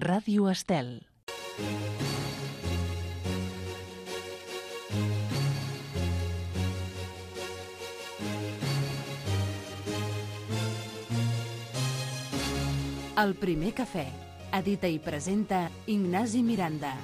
Ràdio Estel. El primer cafè. Edita i presenta Ignasi Miranda.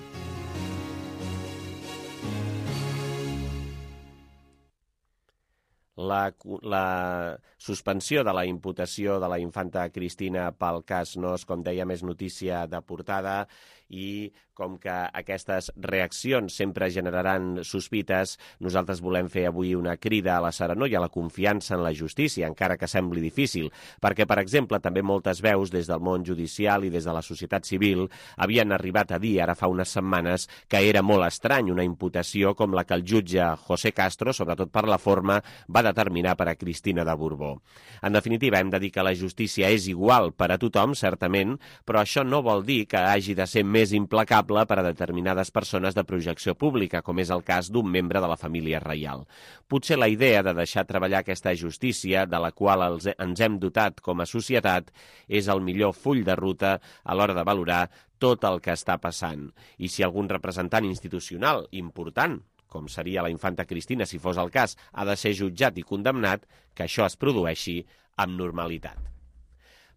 La suspensió de la imputació de la infanta Cristina pel cas Nos, com dèiem, és notícia de portada i com que aquestes reaccions sempre generaran sospites, nosaltres volem fer avui una crida a la serenor i a la confiança en la justícia, encara que sembli difícil, perquè, per exemple, també moltes veus des del món judicial i des de la societat civil havien arribat a dir, ara fa unes setmanes, que era molt estrany una imputació com la que el jutge José Castro, sobretot per la forma, va determinar per a Cristina de Borbó. En definitiva, hem de dir que la justícia és igual per a tothom, certament, però això no vol dir que hagi de ser més implacable per a determinades persones de projecció pública, com és el cas d'un membre de la família reial. Potser la idea de deixar treballar aquesta justícia, de la qual ens hem dotat com a societat, és el millor full de ruta a l'hora de valorar tot el que està passant. I si algun representant institucional important, com seria la infanta Cristina si fos el cas, ha de ser jutjat i condemnat, que això es produeixi amb normalitat.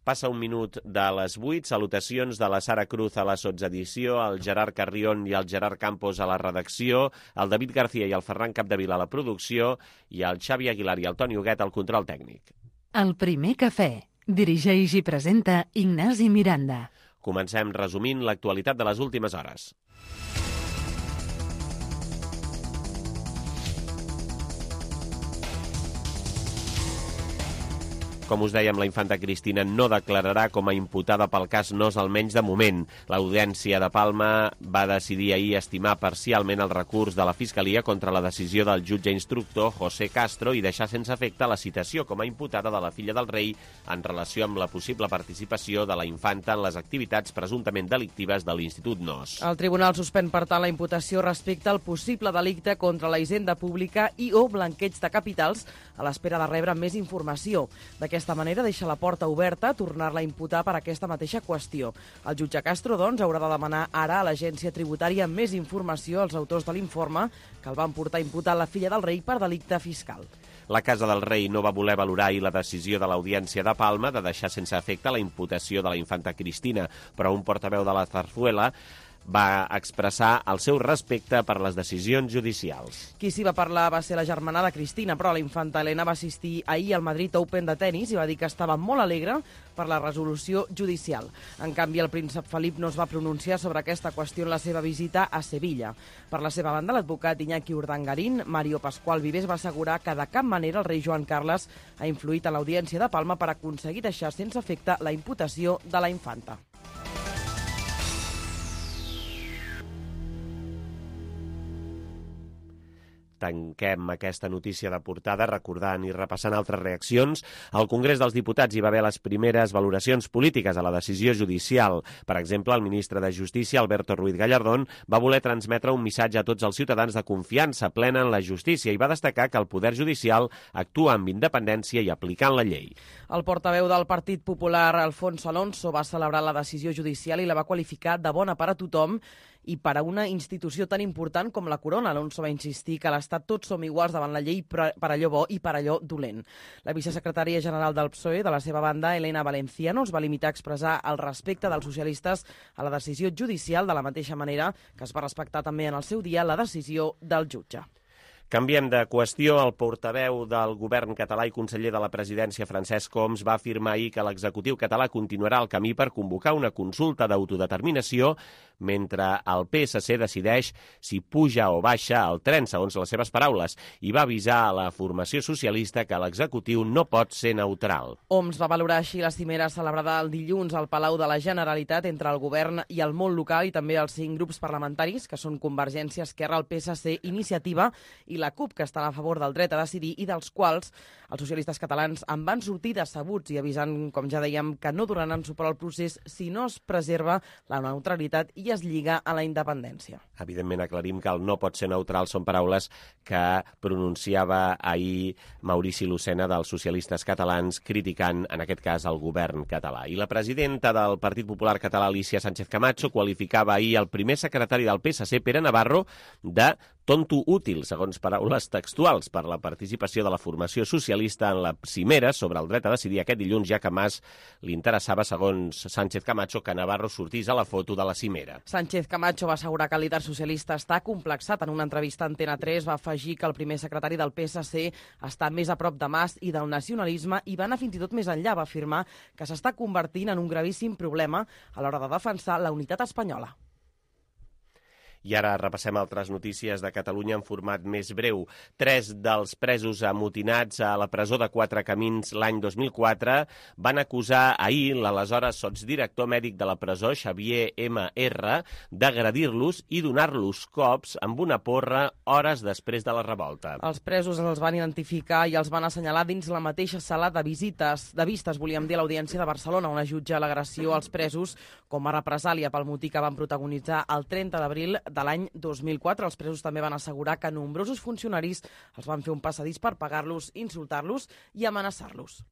Passa un minut de les 8, salutacions de la Sara Cruz a la sotsedició, el Gerard Carrión i el Gerard Campos a la redacció, el David García i el Ferran Capdevila a la producció i el Xavi Aguilar i el Toni Huguet al control tècnic. El primer cafè. Dirigeix i presenta Ignasi Miranda. Comencem resumint l'actualitat de les últimes hores. Com us dèiem, la infanta Cristina no declararà com a imputada pel cas Nos, almenys de moment. L'Audiència de Palma va decidir ahir estimar parcialment el recurs de la Fiscalia contra la decisió del jutge instructor José Castro i deixar sense efecte la citació com a imputada de la filla del rei en relació amb la possible participació de la infanta en les activitats presumptament delictives de l'Institut Nos. El tribunal suspèn, per tant, la imputació respecte al possible delicte contra la hisenda pública i o blanqueig de capitals a l'espera de rebre més informació. D'aquesta manera deixa la porta oberta a tornar-la a imputar per aquesta mateixa qüestió. El jutge Castro, doncs, haurà de demanar ara a l'Agència Tributària més informació als autors de l'informe que el van portar a imputar la filla del rei per delicte fiscal. La Casa del Rei no va voler valorar ahir la decisió de l'Audiència de Palma de deixar sense efecte la imputació de la infanta Cristina, però un portaveu de la Zarzuela va expressar el seu respecte per les decisions judicials. Qui s'hi va parlar va ser la germana de Cristina, però la infanta Helena va assistir ahir al Madrid Open de tennis i va dir que estava molt alegre per la resolució judicial. En canvi, el príncep Felip no es va pronunciar sobre aquesta qüestió en la seva visita a Sevilla. Per la seva banda, l'advocat Iñaki Urdangarín, Mario Pascual Vives, va assegurar que de cap manera el rei Joan Carles ha influït en l'Audiència de Palma per aconseguir deixar sense efecte la imputació de la infanta. Tanquem aquesta notícia de portada recordant i repassant altres reaccions. Al Congrés dels Diputats hi va haver les primeres valoracions polítiques a la decisió judicial. Per exemple, el ministre de Justícia, Alberto Ruiz Gallardón, va voler transmetre un missatge a tots els ciutadans de confiança plena en la justícia i va destacar que el poder judicial actua amb independència i aplicant la llei. El portaveu del Partit Popular, Alfonso Alonso, va celebrar la decisió judicial i la va qualificar de bona per a tothom i per a una institució tan important com la Corona. Alonso va insistir que a l'Estat tots som iguals davant la llei per allò bo i per allò dolent. La vicesecretària general del PSOE, de la seva banda, Elena Valenciano, es va limitar a expressar el respecte dels socialistes a la decisió judicial de la mateixa manera que es va respectar també en el seu dia la decisió del jutge. Canviem de qüestió. El portaveu del govern català i conseller de la presidència, Francesc Homs, va afirmar ahir que l'executiu català continuarà el camí per convocar una consulta d'autodeterminació mentre el PSC decideix si puja o baixa el tren, segons les seves paraules, i va avisar a la formació socialista que l'executiu no pot ser neutral. Homs va valorar així la cimera celebrada el dilluns al Palau de la Generalitat entre el govern i el món local i també els 5 grups parlamentaris, que són Convergència, Esquerra, el PSC, Iniciativa i la CUP, que estan a favor del dret a decidir i dels quals els socialistes catalans en van sortir decebuts i avisant, com ja dèiem, que no donaran suport al procés si no es preserva la neutralitat i es lliga a la independència. Evidentment, aclarim que el no pot ser neutral són paraules que pronunciava ahir Maurici Lucena dels socialistes catalans criticant, en aquest cas, el govern català. I la presidenta del Partit Popular Català, Alicia Sánchez Camacho, qualificava ahir el primer secretari del PSC, Pere Navarro, de tonto útil, segons paraules textuals, per la participació de la formació socialista en la cimera sobre el dret a decidir aquest dilluns, ja que Mas li interessava, segons Sánchez Camacho, que Navarro sortís a la foto de la cimera. Sánchez Camacho va assegurar que el líder socialista està complexat. En una entrevista a Antena 3 va afegir que el primer secretari del PSC està més a prop de Mas i del nacionalisme i va anar fins i tot més enllà. Va afirmar que s'està convertint en un gravíssim problema a l'hora de defensar la unitat espanyola. I ara repassem altres notícies de Catalunya en format més breu. 3 dels presos amotinats a la presó de Quatre Camins l'any 2004 van acusar ahir l'aleshores sotsdirector mèdic de la presó, Xavier M.R., d'agredir-los i donar-los cops amb una porra hores després de la revolta. Els presos els van identificar i els van assenyalar dins la mateixa sala de vistes, volíem dir, a l'Audiència de Barcelona, on es jutja l'agressió als presos com a represàlia pel motí que van protagonitzar el 30 d'abril de l'any 2004. Els presos també van assegurar que nombrosos funcionaris els van fer un passadís per pagar-los, insultar-los i amenaçar-los.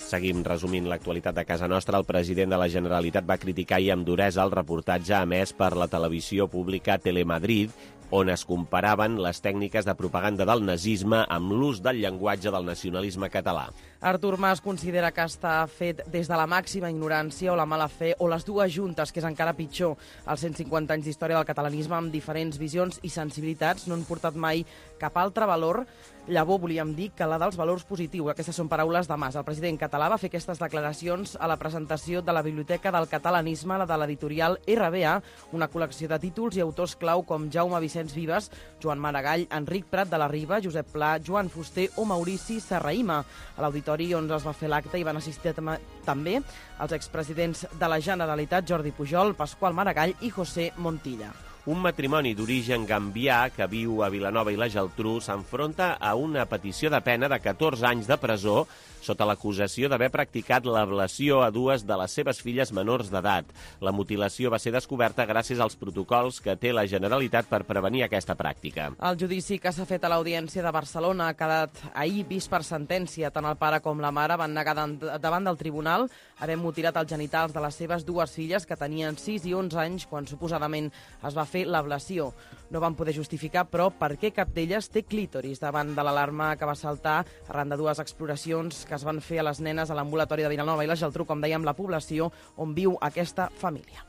Seguim resumint l'actualitat de casa nostra. El president de la Generalitat va criticar i amb duresa el reportatge emès per la televisió pública Telemadrid, on es comparaven les tècniques de propaganda del nazisme amb l'ús del llenguatge del nacionalisme català. Artur Mas considera que està fet des de la màxima ignorància o la mala fe, o les dues juntes, que és encara pitjor. Els 150 anys d'història del catalanisme amb diferents visions i sensibilitats no han portat mai cap altre valor. Llavor volíem dir que la dels valors positius. Aquestes són paraules de Mas. El president català va fer aquestes declaracions a la presentació de la Biblioteca del Catalanisme, la de l'editorial RBA, una col·lecció de títols i autors clau com Jaume Vicenç Vives, Joan Maragall, Enric Prat de la Riba, Josep Pla, Joan Fuster o Maurici Serrahima. A l'auditori on es va fer l'acte hi van assistir també els expresidents de la Generalitat, Jordi Pujol, Pasqual Maragall i José Montilla. Un matrimoni d'origen gambià que viu a Vilanova i la Geltrú s'enfronta a una petició de pena de 14 anys de presó sota l'acusació d'haver practicat l'ablació a dues de les seves filles menors d'edat. La mutilació va ser descoberta gràcies als protocols que té la Generalitat per prevenir aquesta pràctica. El judici que s'ha fet a l'Audiència de Barcelona ha quedat ahir vist per sentència. Tant el pare com la mare van negar davant del tribunal haver mutilat els genitals de les seves dues filles, que tenien 6 i 11 anys quan suposadament es va fer l'ablació. No van poder justificar, però, per què cap d'elles té clítoris davant de l'alarma que va saltar arran de dues exploracions que es van fer a les nenes a l'ambulatori de Vilanova i la Geltrú, com dèiem, la població on viu aquesta família.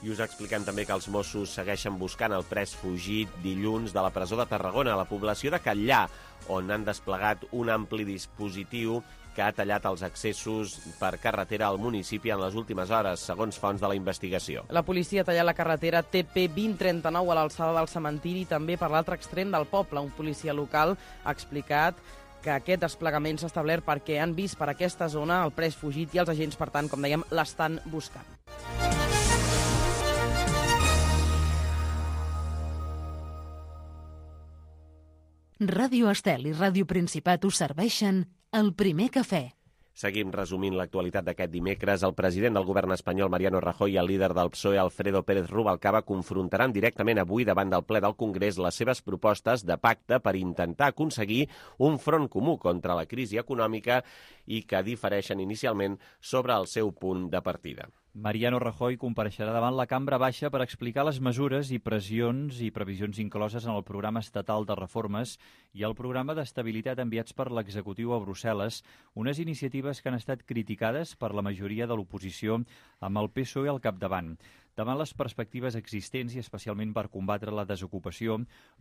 I us expliquem també que els Mossos segueixen buscant el pres fugit dilluns de la presó de Tarragona, a la població de Catllà, on han desplegat un ampli dispositiu que ha tallat els accessos per carretera al municipi en les últimes hores, segons fonts de la investigació. La policia ha tallat la carretera TP 2039 a l'alçada del cementiri i també per l'altre extrem del poble. Un policia local ha explicat que aquest desplegament s'ha establert perquè han vist per aquesta zona el pres fugit i els agents, per tant, com dèiem, l'estan buscant. Ràdio Estel i Ràdio Principat us serveixen el primer cafè. Seguim resumint l'actualitat d'aquest dimecres. El president del govern espanyol, Mariano Rajoy, i el líder del PSOE, Alfredo Pérez Rubalcaba, confrontaran directament avui davant del ple del Congrés les seves propostes de pacte per intentar aconseguir un front comú contra la crisi econòmica i que difereixen inicialment sobre el seu punt de partida. Mariano Rajoy compareixerà davant la Cambra Baixa per explicar les mesures i pressions i previsions incloses en el programa estatal de reformes i el programa d'estabilitat enviats per l'executiu a Brussel·les, unes iniciatives que han estat criticades per la majoria de l'oposició amb el PSOE al capdavant. Davant les perspectives existents i especialment per combatre la desocupació,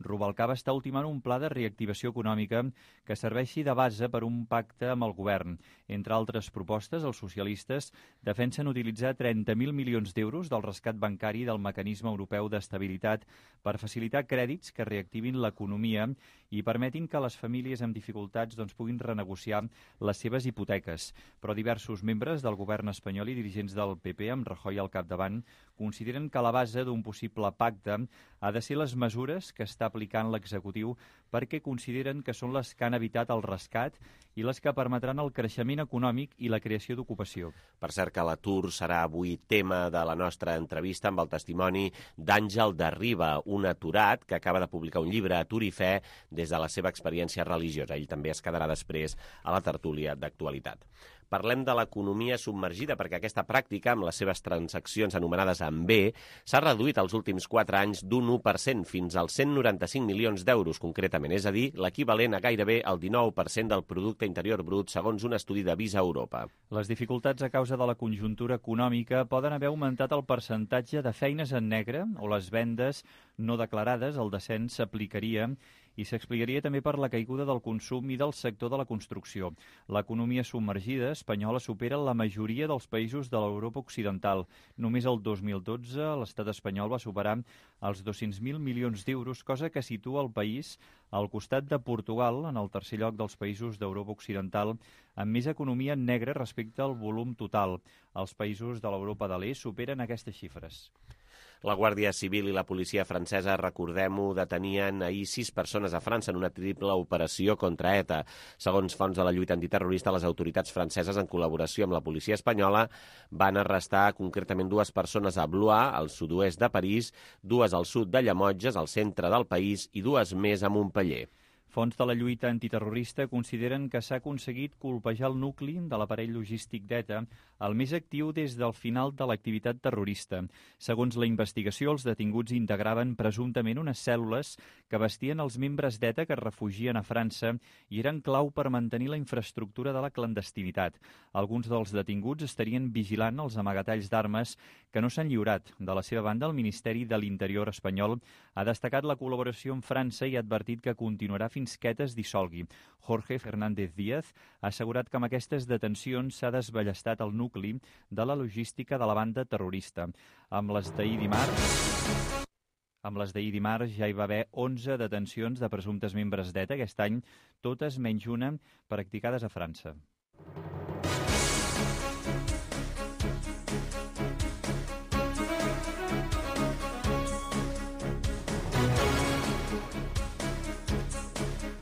Rubalcaba està ultimant un pla de reactivació econòmica que serveixi de base per un pacte amb el govern. Entre altres propostes, els socialistes defensen utilitzar 30.000 milions d'euros del rescat bancari del mecanisme europeu d'estabilitat per facilitar crèdits que reactivin l'economia i permetin que les famílies amb dificultats puguin renegociar les seves hipoteques. Però diversos membres del govern espanyol i dirigents del PP, amb Rajoy al capdavant, consideren que la base d'un possible pacte ha de ser les mesures que està aplicant l'executiu, perquè consideren que són les que han evitat el rescat i les que permetran el creixement econòmic i la creació d'ocupació. Per cert que l'atur serà avui tema de la nostra entrevista amb el testimoni d'Àngel de Riba, un aturat que acaba de publicar un llibre, Atur i Fe, des de la seva experiència religiosa. Ell també es quedarà després a la tertúlia d'actualitat. Parlem de l'economia submergida, perquè aquesta pràctica, amb les seves transaccions anomenades en B, s'ha reduït els últims 4 anys d'un 1% fins als 195 milions d'euros, concretament, és a dir, l'equivalent a gairebé el 19% del producte interior brut, segons un estudi de Visa Europa. Les dificultats a causa de la conjuntura econòmica poden haver augmentat el percentatge de feines en negre o les vendes no declarades. El descens s'aplicaria i s'explicaria també per la caiguda del consum i del sector de la construcció. L'economia submergida espanyola supera la majoria dels països de l'Europa occidental. Només el 2012 l'estat espanyol va superar els 200.000 milions d'euros, cosa que situa el país al costat de Portugal, en el tercer lloc dels països d'Europa occidental, amb més economia negra respecte al volum total. Els països de l'Europa de l'Est superen aquestes xifres. La Guàrdia Civil i la policia francesa, recordem-ho, detenien ahir 6 persones a França en una triple operació contra ETA. Segons fonts de la lluita antiterrorista, les autoritats franceses, en col·laboració amb la policia espanyola, van arrestar concretament 2 persones a Blois, al sud-oest de París, 2 al sud de Llemotges, al centre del país, i 2 més a Montpeller. Fons de la lluita antiterrorista consideren que s'ha aconseguit colpejar el nucli de l'aparell logístic d'ETA, el més actiu des del final de l'activitat terrorista. Segons la investigació, els detinguts integraven presumptament unes cèl·lules que vestien els membres d'ETA que es refugien a França i eren clau per mantenir la infraestructura de la clandestinitat. Alguns dels detinguts estarien vigilant els amagatalls d'armes que no s'han lliurat. De la seva banda, el Ministeri de l'Interior espanyol ha destacat la col·laboració amb França i ha advertit que continuarà fins que ETA es dissolgui. Jorge Fernández Díaz ha assegurat que amb aquestes detencions s'ha desballestat el nucli de la logística de la banda terrorista. Amb les d'ahir dimarts ja hi va haver 11 detencions de presumptes membres d'ETA aquest any, totes menys una practicades a França.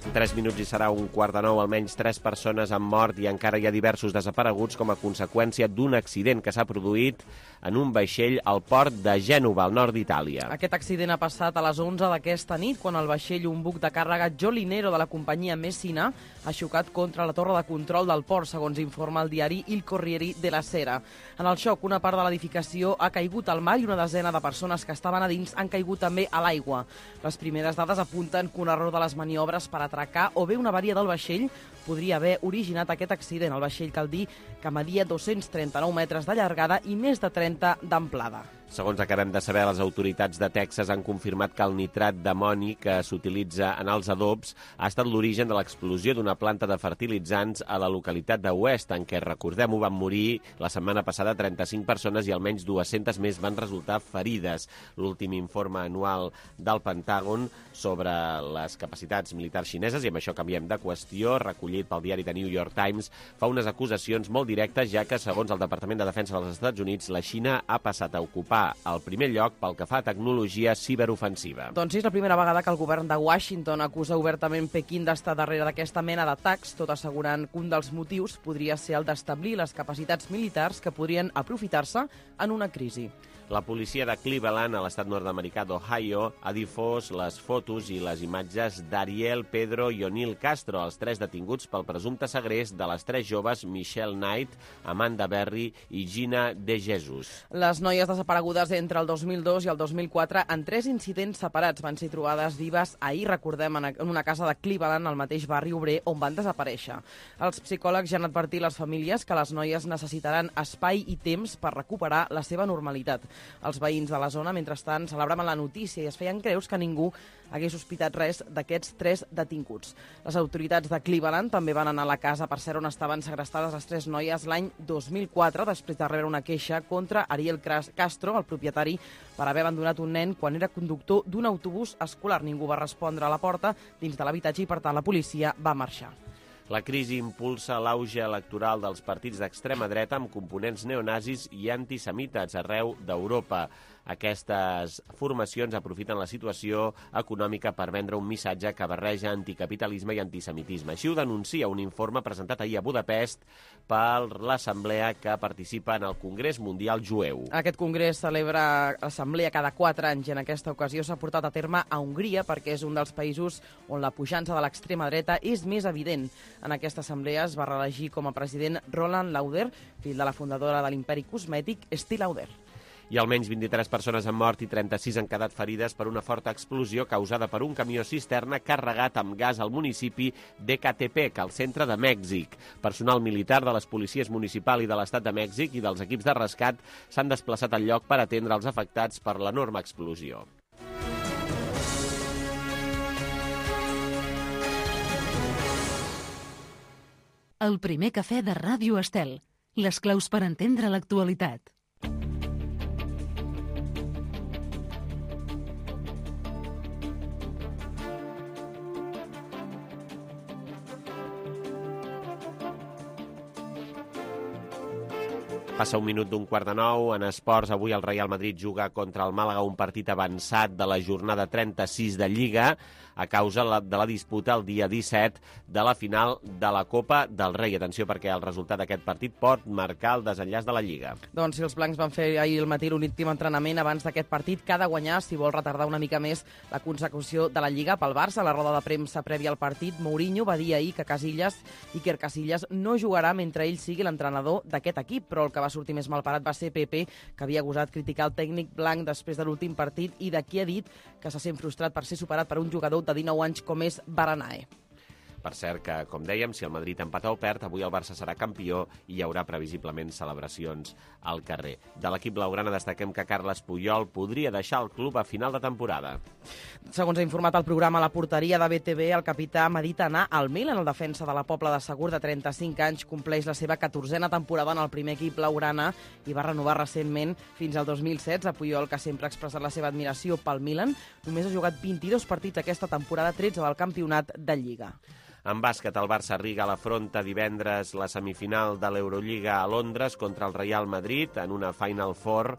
En 3 minuts i serà 8:45, almenys 3 persones han mort i encara hi ha diversos desapareguts com a conseqüència d'un accident que s'ha produït en un vaixell al port de Gènova, al nord d'Itàlia. Aquest accident ha passat a les 11 d'aquesta nit, quan el vaixell, un buc de càrrega Jolinero de la companyia Messina, ha xocat contra la torre de control del port, segons informa el diari Il Corriere della Sera. En el xoc, una part de l'edificació ha caigut al mar i una desena de persones que estaven a dins han caigut també a l'aigua. Les primeres dades apunten que un error de les maniobres per atracar o bé una avaria del vaixell podria haver originat aquest accident. El vaixell, cal dir, que media 239 metres de llargada i més de 30 d'amplada. Segons acabem de saber, les autoritats de Texas han confirmat que el nitrat d'amoni que s'utilitza en els adobs ha estat l'origen de l'explosió d'una planta de fertilitzants a la localitat de West, en què, recordem-ho, van morir la setmana passada 35 persones i almenys 200 més van resultar ferides. L'últim informe anual del Pentàgon sobre les capacitats militars xineses, i amb això canviem de qüestió, recollit pel diari The New York Times, fa unes acusacions molt directes, ja que, segons el Departament de Defensa dels Estats Units, la Xina ha passat a ocupar al primer lloc pel que fa a tecnologia ciberofensiva. Doncs sí, és la primera vegada que el govern de Washington acusa obertament Pequín d'estar darrere d'aquesta mena d'atacs, tot assegurant que un dels motius podria ser el d'establir les capacitats militars que podrien aprofitar-se en una crisi. La policia de Cleveland, a l'estat nord-americà d'Ohio, ha difós les fotos i les imatges d'Ariel, Pedro i O'Neill Castro, els 3 detinguts pel presumpte segrest de les 3 joves Michelle Knight, Amanda Berry i Gina De Jesus. Les noies desaparegudes entre el 2002 i el 2004 en 3 incidents separats van ser trobades vives ahir, recordem, en una casa de Cleveland, al mateix barri obrer, on van desaparèixer. Els psicòlegs ja han advertit les famílies que les noies necessitaran espai i temps per recuperar la seva normalitat. Els veïns de la zona, mentrestant, celebraven la notícia i es feien creus que ningú hagués sospitat res d'aquests 3 detinguts. Les autoritats de Cleveland també van anar a la casa, per cert, on estaven segrestades les 3 noies l'any 2004, després de rebre una queixa contra Ariel Castro, el propietari, per haver abandonat un nen quan era conductor d'un autobús escolar. Ningú va respondre a la porta dins de l'habitatge i, per tant, la policia va marxar. La crisi impulsa l'auge electoral dels partits d'extrema dreta amb components neonazis i antisemites arreu d'Europa. Aquestes formacions aprofiten la situació econòmica per vendre un missatge que barreja anticapitalisme i antisemitisme. Així ho denuncia un informe presentat ahir a Budapest per l'assemblea que participa en el Congrés Mundial Jueu. Aquest congrés celebra l'assemblea cada 4 anys i en aquesta ocasió s'ha portat a terme a Hongria perquè és un dels països on la pujança de l'extrema dreta és més evident. En aquesta assemblea es va reelegir com a president Roland Lauder, fill de la fundadora de l'imperi cosmètic Estée Lauder. I almenys 23 persones han mort i 36 han quedat ferides per una forta explosió causada per un camió cisterna carregat amb gas al municipi d'Ecatepec, al centre de Mèxic. Personal militar de les policies municipal i de l'Estat de Mèxic i dels equips de rescat s'han desplaçat al lloc per atendre els afectats per l'enorme explosió. El primer cafè de Ràdio Estel. Les claus per entendre l'actualitat. Passa 1:15. En esports, avui el Real Madrid juga contra el Màlaga, un partit avançat de la jornada 36 de Lliga, a causa de la disputa el dia 17 de la final de la Copa del Rei. Atenció, perquè el resultat d'aquest partit pot marcar el desenllaç de la Lliga. Doncs si els blancs van fer ahir al matí l'últim entrenament abans d'aquest partit, que ha de guanyar si vol retardar una mica més la consecució de la Lliga pel Barça. A la roda de premsa prèvia al partit, Mourinho va dir ahir que Iker Casillas no jugarà mentre ell sigui l'entrenador d'aquest equip, però el que va sortir més malparat va ser Pepe, que havia gosat criticar el tècnic blanc després de l'últim partit i d'aquí ha dit que se sent frustrat per ser superat per un jugador de 19 anys com és Baranae. Per cert que, com dèiem, si el Madrid empata o perd, avui el Barça serà campió i hi haurà previsiblement celebracions al carrer. De l'equip blaugrana destaquem que Carles Puyol podria deixar el club a final de temporada. Segons ha informat el programa La Porteria de BTV, el capità medita anar al Milan. El defensa de la Pobla de Segur, de 35 anys, compleix la seva 14a temporada en el primer equip blaugrana i va renovar recentment fins al 2016. Puyol, que sempre ha expressat la seva admiració pel Milan, només ha jugat 22 partits aquesta temporada, 13 del campionat de Lliga. En bàsquet, el Barça Riga l'afronta divendres la semifinal de l'Eurolliga a Londres contra el Real Madrid en una Final Four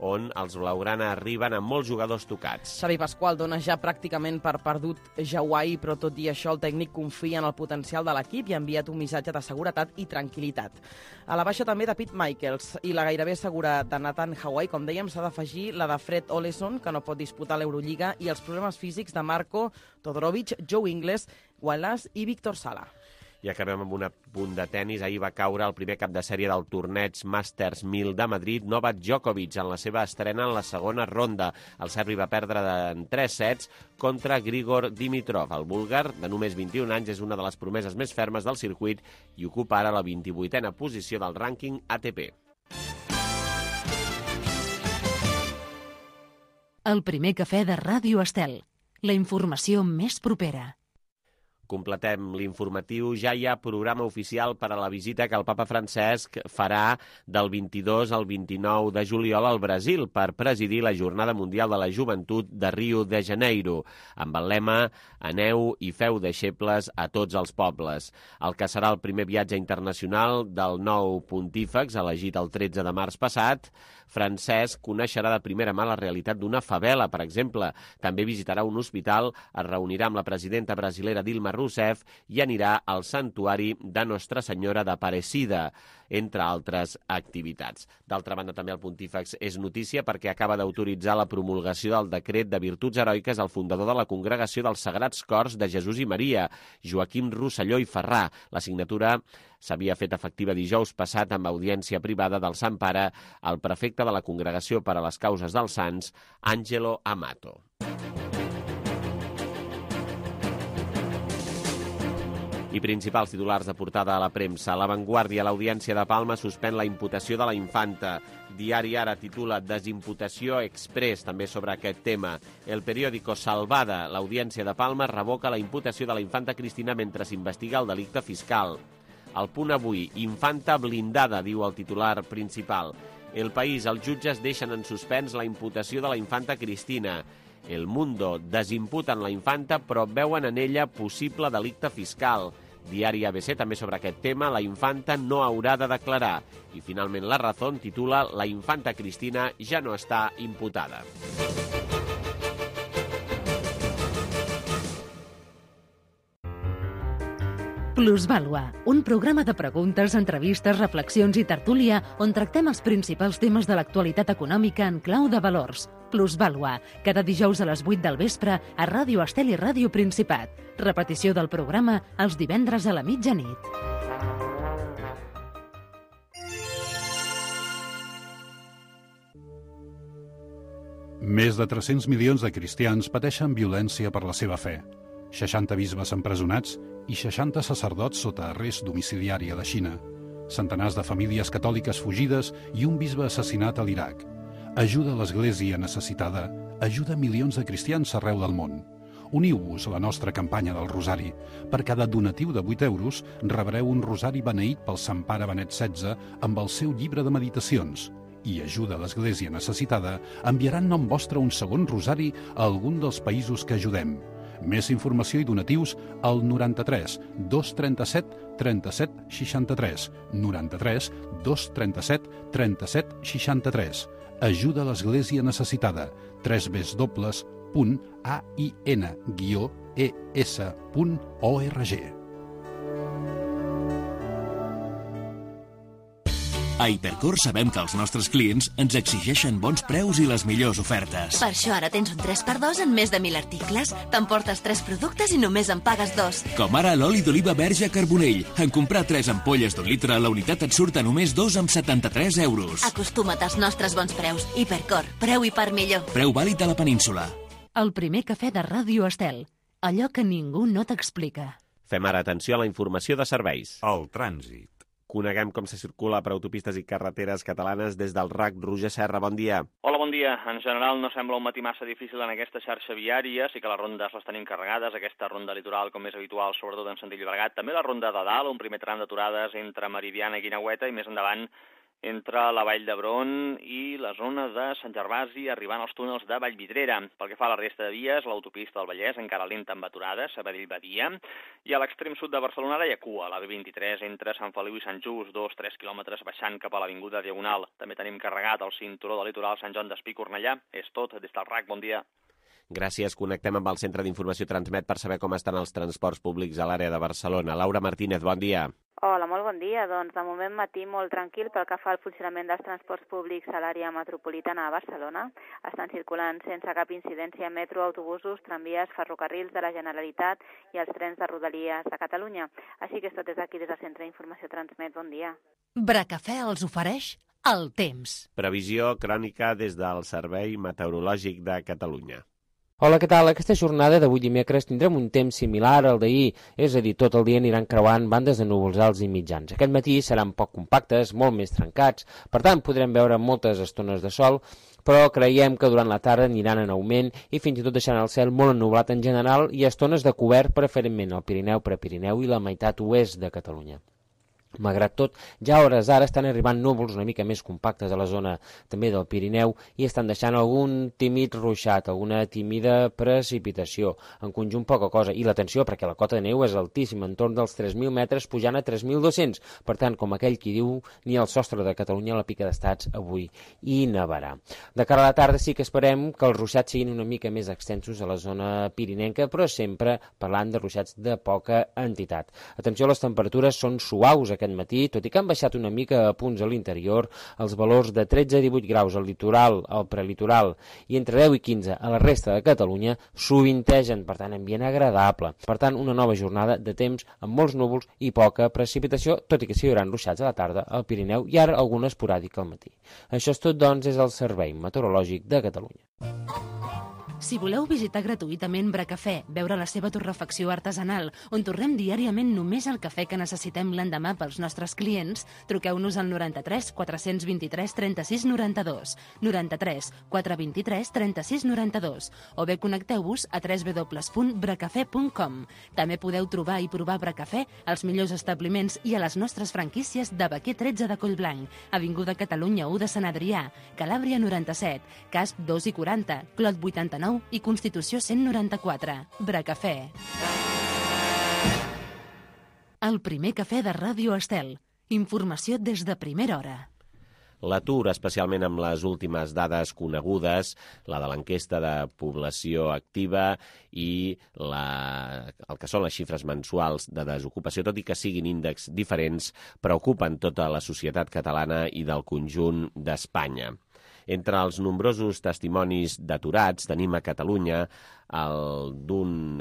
on els blaugrana arriben amb molts jugadors tocats. Xavi Pasqual dona ja pràcticament per perdut Jauai, però tot i això el tècnic confia en el potencial de l'equip i ha enviat un missatge de seguretat i tranquil·litat. A la baixa també de Pete Michaels i la gairebé segura de Nathan Jauai, com dèiem, s'ha d'afegir la de Fred Oleson, que no pot disputar l'Eurolliga, i els problemes físics de Marco Todorovic, Joe Ingles, Wallace i Víctor Sala. I acabem amb un punt de tennis. Ahir va caure el primer cap de sèrie del torneig Masters 1000 de Madrid, Novak Djokovic, en la seva estrena en la segona ronda. El serbi va perdre en 3 sets contra Grigor Dimitrov. El búlgar, de només 21 anys, és una de les promeses més fermes del circuit i ocupa ara la 28a posició del rànquing ATP. El primer cafè de Ràdio Estel. La informació més propera. Completem l'informatiu. Ja hi ha programa oficial per a la visita que el papa Francesc farà del 22 al 29 de juliol al Brasil per presidir la Jornada Mundial de la Joventut de Rio de Janeiro, amb el lema «Aneu i feu deixebles a tots els pobles». El que serà el primer viatge internacional del nou pontífex, elegit el 13 de març passat, Francesc coneixerà de primera mà la realitat d'una favela, per exemple. També visitarà un hospital, es reunirà amb la presidenta brasilera Dilma Rousseff i anirà al santuari de Nostra Senyora d'Aparecida, entre altres activitats. D'altra banda, també el pontífex és notícia perquè acaba d'autoritzar la promulgació del decret de virtuts heroiques al fundador de la Congregació dels Sagrats Cors de Jesús i Maria, Joaquim Rosselló i Ferrà. La signatura s'havia fet efectiva dijous passat amb audiència privada del Sant Pare al prefecte de la Congregació per a les Causes dels Sants, Àngelo Amato. I principals titulars de portada a la premsa. La Vanguardia, l'Audiència de Palma suspèn la imputació de la infanta. Diari Ara titula Desimputació express, també sobre aquest tema. El periòdico Salvada, l'Audiència de Palma revoca la imputació de la infanta Cristina mentre s'investiga el delicte fiscal. El Punt Avui, infanta blindada, diu el titular principal. El País, els jutges deixen en suspens la imputació de la infanta Cristina. El Mundo, desimputen la infanta però veuen en ella possible delicte fiscal. Diari ABC, també sobre aquest tema, la infanta no haurà de declarar. I finalment La Razón titula La infanta Cristina ja no està imputada. Plusvàlua, un programa de preguntes, entrevistes, reflexions i tertúlia on tractem els principals temes de l'actualitat econòmica en clau de valors. Plusvàlua, cada dijous a les 8 del vespre a Ràdio Estel i Ràdio Principat. Repetició del programa els divendres a la mitjanit. Més de 300 milions de cristians pateixen violència per la seva fe. 60 bisbes empresonats i 60 sacerdots sota arrest domiciliari a la Xina. Centenars de famílies catòliques fugides i un bisbe assassinat a l'Iraq. Ajuda a l'Església necessitada, ajuda milions de cristians arreu del món. Uniu-vos a la nostra campanya del Rosari. Per cada donatiu de 8 euros rebreu un rosari beneït pel Sant Pare Benet XVI amb el seu llibre de meditacions. I ajuda a l'Església necessitada enviarà en nom vostre un segon rosari a algun dels països que ajudem. Més informació i donatius al 93 237 37 63. 93 237 37 63. Ajuda a l'Església necessitada. www.ain-es.org. A Hipercor sabem que els nostres clients ens exigeixen bons preus i les millors ofertes. Per això ara tens un 3x2 en més de 1.000 articles. T'emportes 3 productes i només en pagues 2. Com ara l'oli d'oliva verge Carbonell. En comprar 3 ampolles d'1 litre, la unitat et surt a només 2,73 euros. Acostuma't als nostres bons preus. Hipercor, preu i part millor. Preu vàlid a la península. El primer cafè de Ràdio Estel. Allò que ningú no t'explica. Fem ara atenció a la informació de serveis. El trànsit. Coneguem com se circula per autopistes i carreteres catalanes des del RAC. Roger Serra, bon dia. Hola, bon dia. En general no sembla un matí massa difícil en aquesta xarxa viària, sí que les rondes les tenim carregades, aquesta ronda litoral com és habitual, sobretot en sentit Llobregat, també la ronda de dalt, un primer tram d'aturades entre Meridiana i Guineueta i més endavant entre la Vall d'Hebron i la zona de Sant Gervasi, arribant als túnels de Vallvidrera. Pel que fa a la resta de vies, l'autopista del Vallès encara lenta amb aturades, Sabadell-Badia, i a l'extrem sud de Barcelona ara hi ha cua, la B23 entre Sant Feliu i Sant Just, 2-3 quilòmetres baixant cap a l'Avinguda Diagonal. També tenim carregat el cinturó del litoral Sant Joan d'Espí-Cornellà. És tot des del RAC, bon dia. Gràcies. Connectem amb el Centre d'Informació Transmet per saber com estan els transports públics a l'àrea de Barcelona. Laura Martínez, bon dia. Hola, molt bon dia. Doncs de moment matí molt tranquil pel que fa al funcionament dels transports públics a l'àrea metropolitana de Barcelona. Estan circulant sense cap incidència metro, autobusos, tramvies, ferrocarrils de la Generalitat i els trens de Rodalies de Catalunya. Així que és tot des d'aquí, des del Centre d'Informació Transmet. Bon dia. Bracafè els ofereix el temps. Previsió crònica des del Servei Meteorològic de Catalunya. Hola, què tal? Aquesta jornada d'avui dimecres tindrem un temps similar al d'ahir, és a dir, tot el dia aniran creuant bandes de núvols alts i mitjans. Aquest matí seran poc compactes, molt més trencats, per tant podrem veure moltes estones de sol, però creiem que durant la tarda aniran en augment i fins i tot deixant el cel molt ennublat en general i estones de cobert preferentment al Pirineu, Prepirineu i la meitat oest de Catalunya. Malgrat tot, ja a hores d'ara estan arribant núvols una mica més compactes a la zona també del Pirineu i estan deixant algun tímid ruixat, alguna tímida precipitació. En conjunt poca cosa. I l'atenció, perquè la cota de neu és altíssima, entorn dels 3.000 metres pujant a 3.200. Per tant, com aquell qui diu, ni al sostre de Catalunya a la pica d'estats avui hi nevarà. De cara a la tarda sí que esperem que els ruixats siguin una mica més extensos a la zona pirinenca, però sempre parlant de ruixats de poca entitat. Atenció, les temperatures són suaus aquest matí, tot i que han baixat una mica a punts a l'interior, els valors de 13 a 18 graus al litoral, al prelitoral i entre 10 i 15 a la resta de Catalunya sovintegen, per tant, ambient agradable. Per tant, una nova jornada de temps amb molts núvols i poca precipitació, tot i que s'hi hauran ruixats a la tarda al Pirineu i ara alguna esporàdica al matí. Això és tot, doncs, és el Servei Meteorològic de Catalunya. Si voleu visitar gratuïtament Bracafè, veure la seva torrefacció artesanal, on torrem diàriament només el cafè que necessitem l'endemà pels nostres clients, truqueu-nos al 93 423 36 92, 93 423 36 92, o bé connecteu-vos a www.bracafè.com. També podeu trobar i provar Bracafè als millors establiments i a les nostres franquícies de Baquer 13 de Collblanc, Avinguda Catalunya 1 de Sant Adrià, Calàbria 97, Casp 2 i 40, Clot 89 i Constitució 194. Bracafè. El primer cafè de Ràdio Estel. Informació des de primera hora. L'atur, especialment amb les últimes dades conegudes, la de l'enquesta de població activa i el que són les xifres mensuals de desocupació, tot i que siguin índexs diferents, preocupen tota la societat catalana i del conjunt d'Espanya. Entre els nombrosos testimonis d'aturats tenim a Catalunya el d'un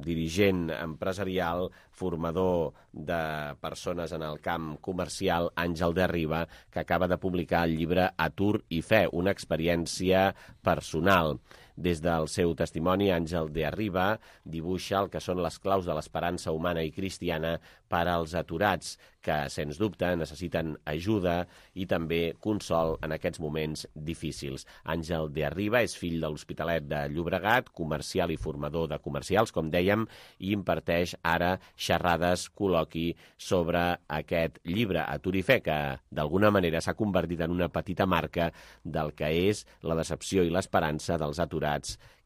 dirigent empresarial, formador de persones en el camp comercial, Àngel de Riba, que acaba de publicar el llibre Atur i fe, una experiència personal. Des del seu testimoni, Àngel de Riba dibuixa el que són les claus de l'esperança humana i cristiana per als aturats, que, sens dubte, necessiten ajuda i també consol en aquests moments difícils. Àngel de Riba és fill de l'Hospitalet de Llobregat, comercial i formador de comercials, com dèiem, i imparteix ara xerrades, col·loqui sobre aquest llibre, Atur i fe, que d'alguna manera s'ha convertit en una petita marca del que és la decepció i l'esperança dels aturats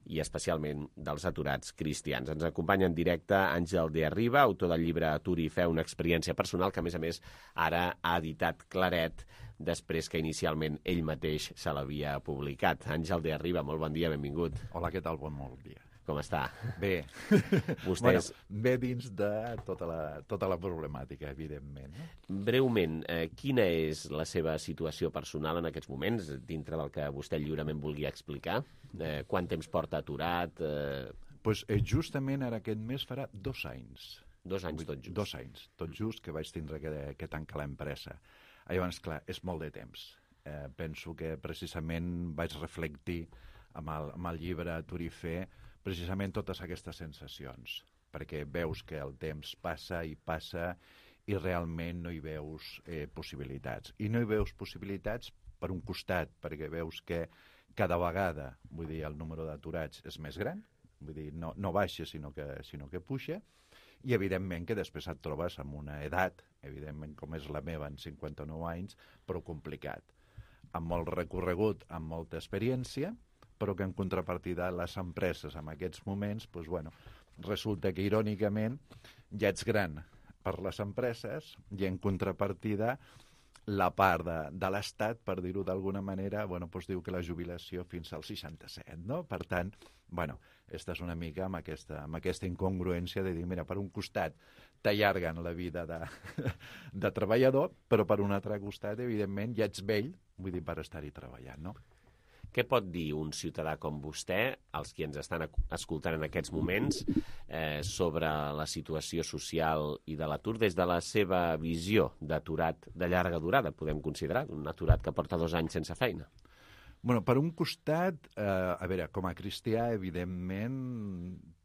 i especialment dels aturats cristians. Ens acompanya en directe Àngel de Riba, autor del llibre Atur i fe, una experiència personal, que a més ara ha editat Claret, després que inicialment ell mateix se l'havia publicat. Àngel de Riba, molt bon dia, benvingut. Hola, què tal? Bon dia. Com està? Bé. Vostès... bé dins de tota la problemàtica, evidentment. Breument, quina és la seva situació personal en aquests moments, dintre del que vostè lliurement vulgui explicar? Quant temps porta aturat? Justament ara aquest mes farà 2 anys. 2 anys tot just? 2 anys, tot just, que vaig tindre que tancar l'empresa. Llavors, clar, és molt de temps. Penso que precisament vaig reflectir amb el llibre Atur i fe precisament totes aquestes sensacions, perquè veus que el temps passa i realment no hi veus possibilitats. I no hi veus possibilitats per un costat, perquè veus que cada vegada, el número d'aturats és més gran, no baixa sinó que puja, i evidentment que després et trobes amb una edat, evidentment com és la meva, en 59 anys, però complicat, amb molt recorregut, amb molta experiència, però que en contrapartida les empreses en aquests moments, resulta que irònicament ja ets gran per les empreses i en contrapartida la part de l'Estat, per dir-ho d'alguna manera, diu que la jubilació fins als 67, no? Per tant, estàs una mica amb aquesta incongruència de dir, mira, per un costat t'allarguen la vida de treballador, però per un altre costat, evidentment, ja ets vell, per estar-hi treballant, no? Què pot dir un ciutadà com vostè, els qui ens estan escoltant en aquests moments, sobre la situació social i de l'atur des de la seva visió d'aturat de llarga durada, podem considerar, un aturat que porta 2 anys sense feina? Per un costat, com a cristià, evidentment,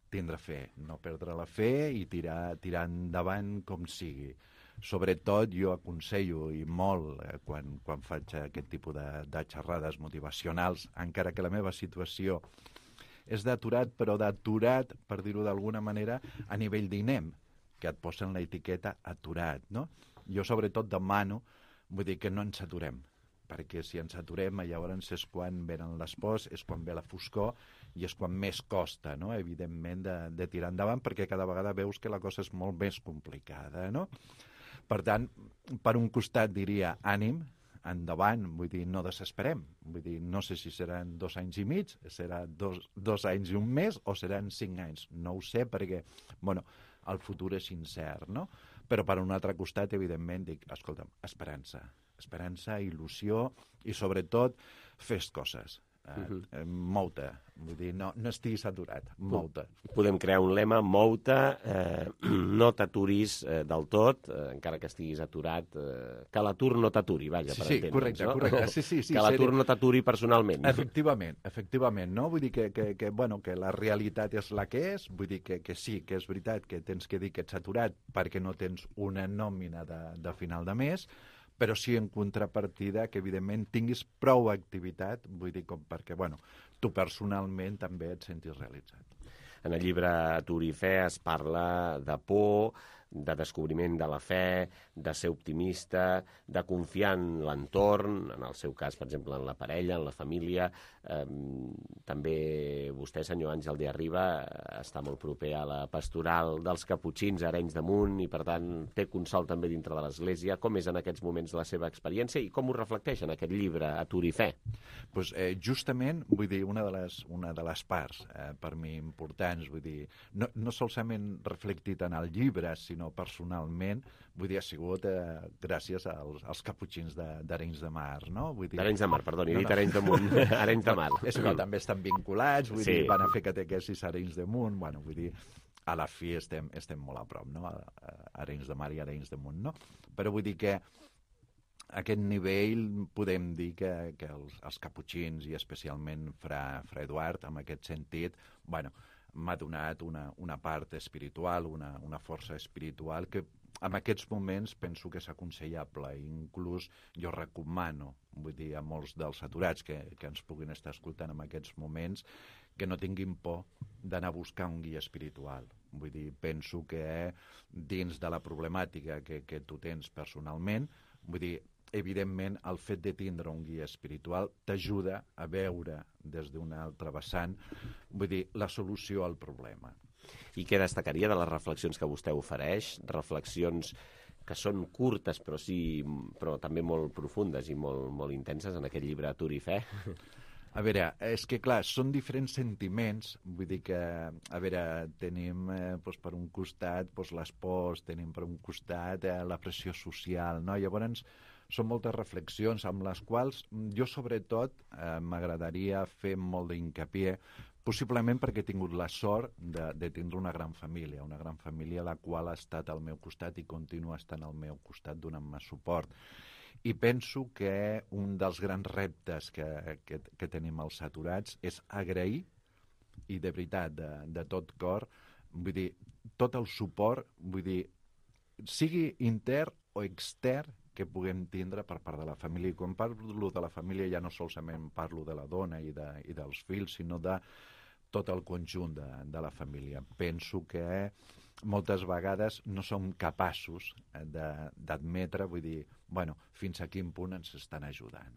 tindre fe, no perdre la fe i tirar endavant com sigui. Sobretot jo aconsello i molt quan faig aquest tipus de xerrades motivacionals, encara que la meva situació és d'aturat, però d'aturat, per dir-ho d'alguna manera, a nivell d'INEM, que et posen l'etiqueta aturat, no? Jo sobretot demano, que no ens aturem, perquè si ens aturem llavors és quan venen les pors, és quan ve la foscor i és quan més costa, no? Evidentment, de tirar endavant, perquè cada vegada veus que la cosa és molt més complicada, no? Per tant, per un costat diria ànim, endavant, no desesperem. No sé si seran 2 anys i mig, serà 2 anys i un mes o seran 5 anys. No ho sé perquè, el futur és incert, no? Però per un altre costat, evidentment, dic, escolta'm, esperança, il·lusió i sobretot fes coses. mou-te. Vull dir, no estiguis aturat, mou-te. Podem crear un lema, mou-te, no t'aturis del tot, encara que estiguis aturat, que l'atur no t'aturi, vaja, per entendre'ns. Correcte. Sí, que l'atur no t'aturi personalment. Efectivament, no? Vull dir que la realitat és la que és, vull dir que sí, que és veritat que tens que dir que ets aturat perquè no tens una nòmina de final de mes, però sí en contrapartida que, evidentment, tinguis prou activitat, vull dir, com perquè, tu personalment també et sentis realitzat. En el llibre Atur i fe es parla de por, de descobriment de la fe, de ser optimista, de confiar en l'entorn, en el seu cas, per exemple, en la parella, en la família. També vostè, senyor Àngel de Arriba, està molt proper a la pastoral dels Caputxins a Arenys de Munt i, per tant, té consol també dintre de l'Església. Com és en aquests moments la seva experiència i com ho reflecteix en aquest llibre Atur i fe? Pues, justament, vull dir, una de les parts per mi importants, vull dir, no solament reflectit en el llibre, sinó personalment, vull dir, ha sigut gràcies als Caputxins d'Arenys de Mar, no? D'Arenys de Mar, perdoni, he dit Arenys de Munt, Arenys de Mar. És que també estan vinculats, vull dir, van a fer catequesis a Arenys de Munt, vull dir, a la fi estem molt a prop, no? Arenys de Mar i Arenys de Munt, no? Però vull dir que a aquest nivell podem dir que els Caputxins i especialment Fra Eduard, en aquest sentit, m'ha donat una part espiritual, una força espiritual que en aquests moments penso que és aconsellable. Inclús jo recomano, vull dir, a molts dels aturats que ens puguin estar escoltant en aquests moments, que no tinguin por d'anar a buscar un guia espiritual. Vull dir, penso que dins de la problemàtica que tu tens personalment, vull dir, evidentment, el fet de tindre un guia espiritual t'ajuda a veure des d'un altre vessant, vull dir, la solució al problema. I què destacaria de les reflexions que vostè ofereix? Reflexions que són curtes però també molt profundes i molt intenses en aquest llibre Atur i fe? A veure, és que, clar, són diferents sentiments, vull dir que, a veure, tenim per un costat les pors, tenim per un costat la pressió social, no? Llavors, són moltes reflexions amb les quals jo, sobretot, m'agradaria fer molt d'incapié, possiblement perquè he tingut la sort de tindre una gran família la qual ha estat al meu costat i continua estant al meu costat donant-me suport. I penso que un dels grans reptes que tenim els aturats és agrair, i de veritat, de tot cor, vull dir, tot el suport, vull dir, sigui intern o extern, que puguem tindre per part de la família. I quan parlo de la família ja no solament parlo de la dona i dels fills, sinó de tot el conjunt de la família. Penso que moltes vegades no som capaços d'admetre, vull dir, fins a quin punt ens estan ajudant.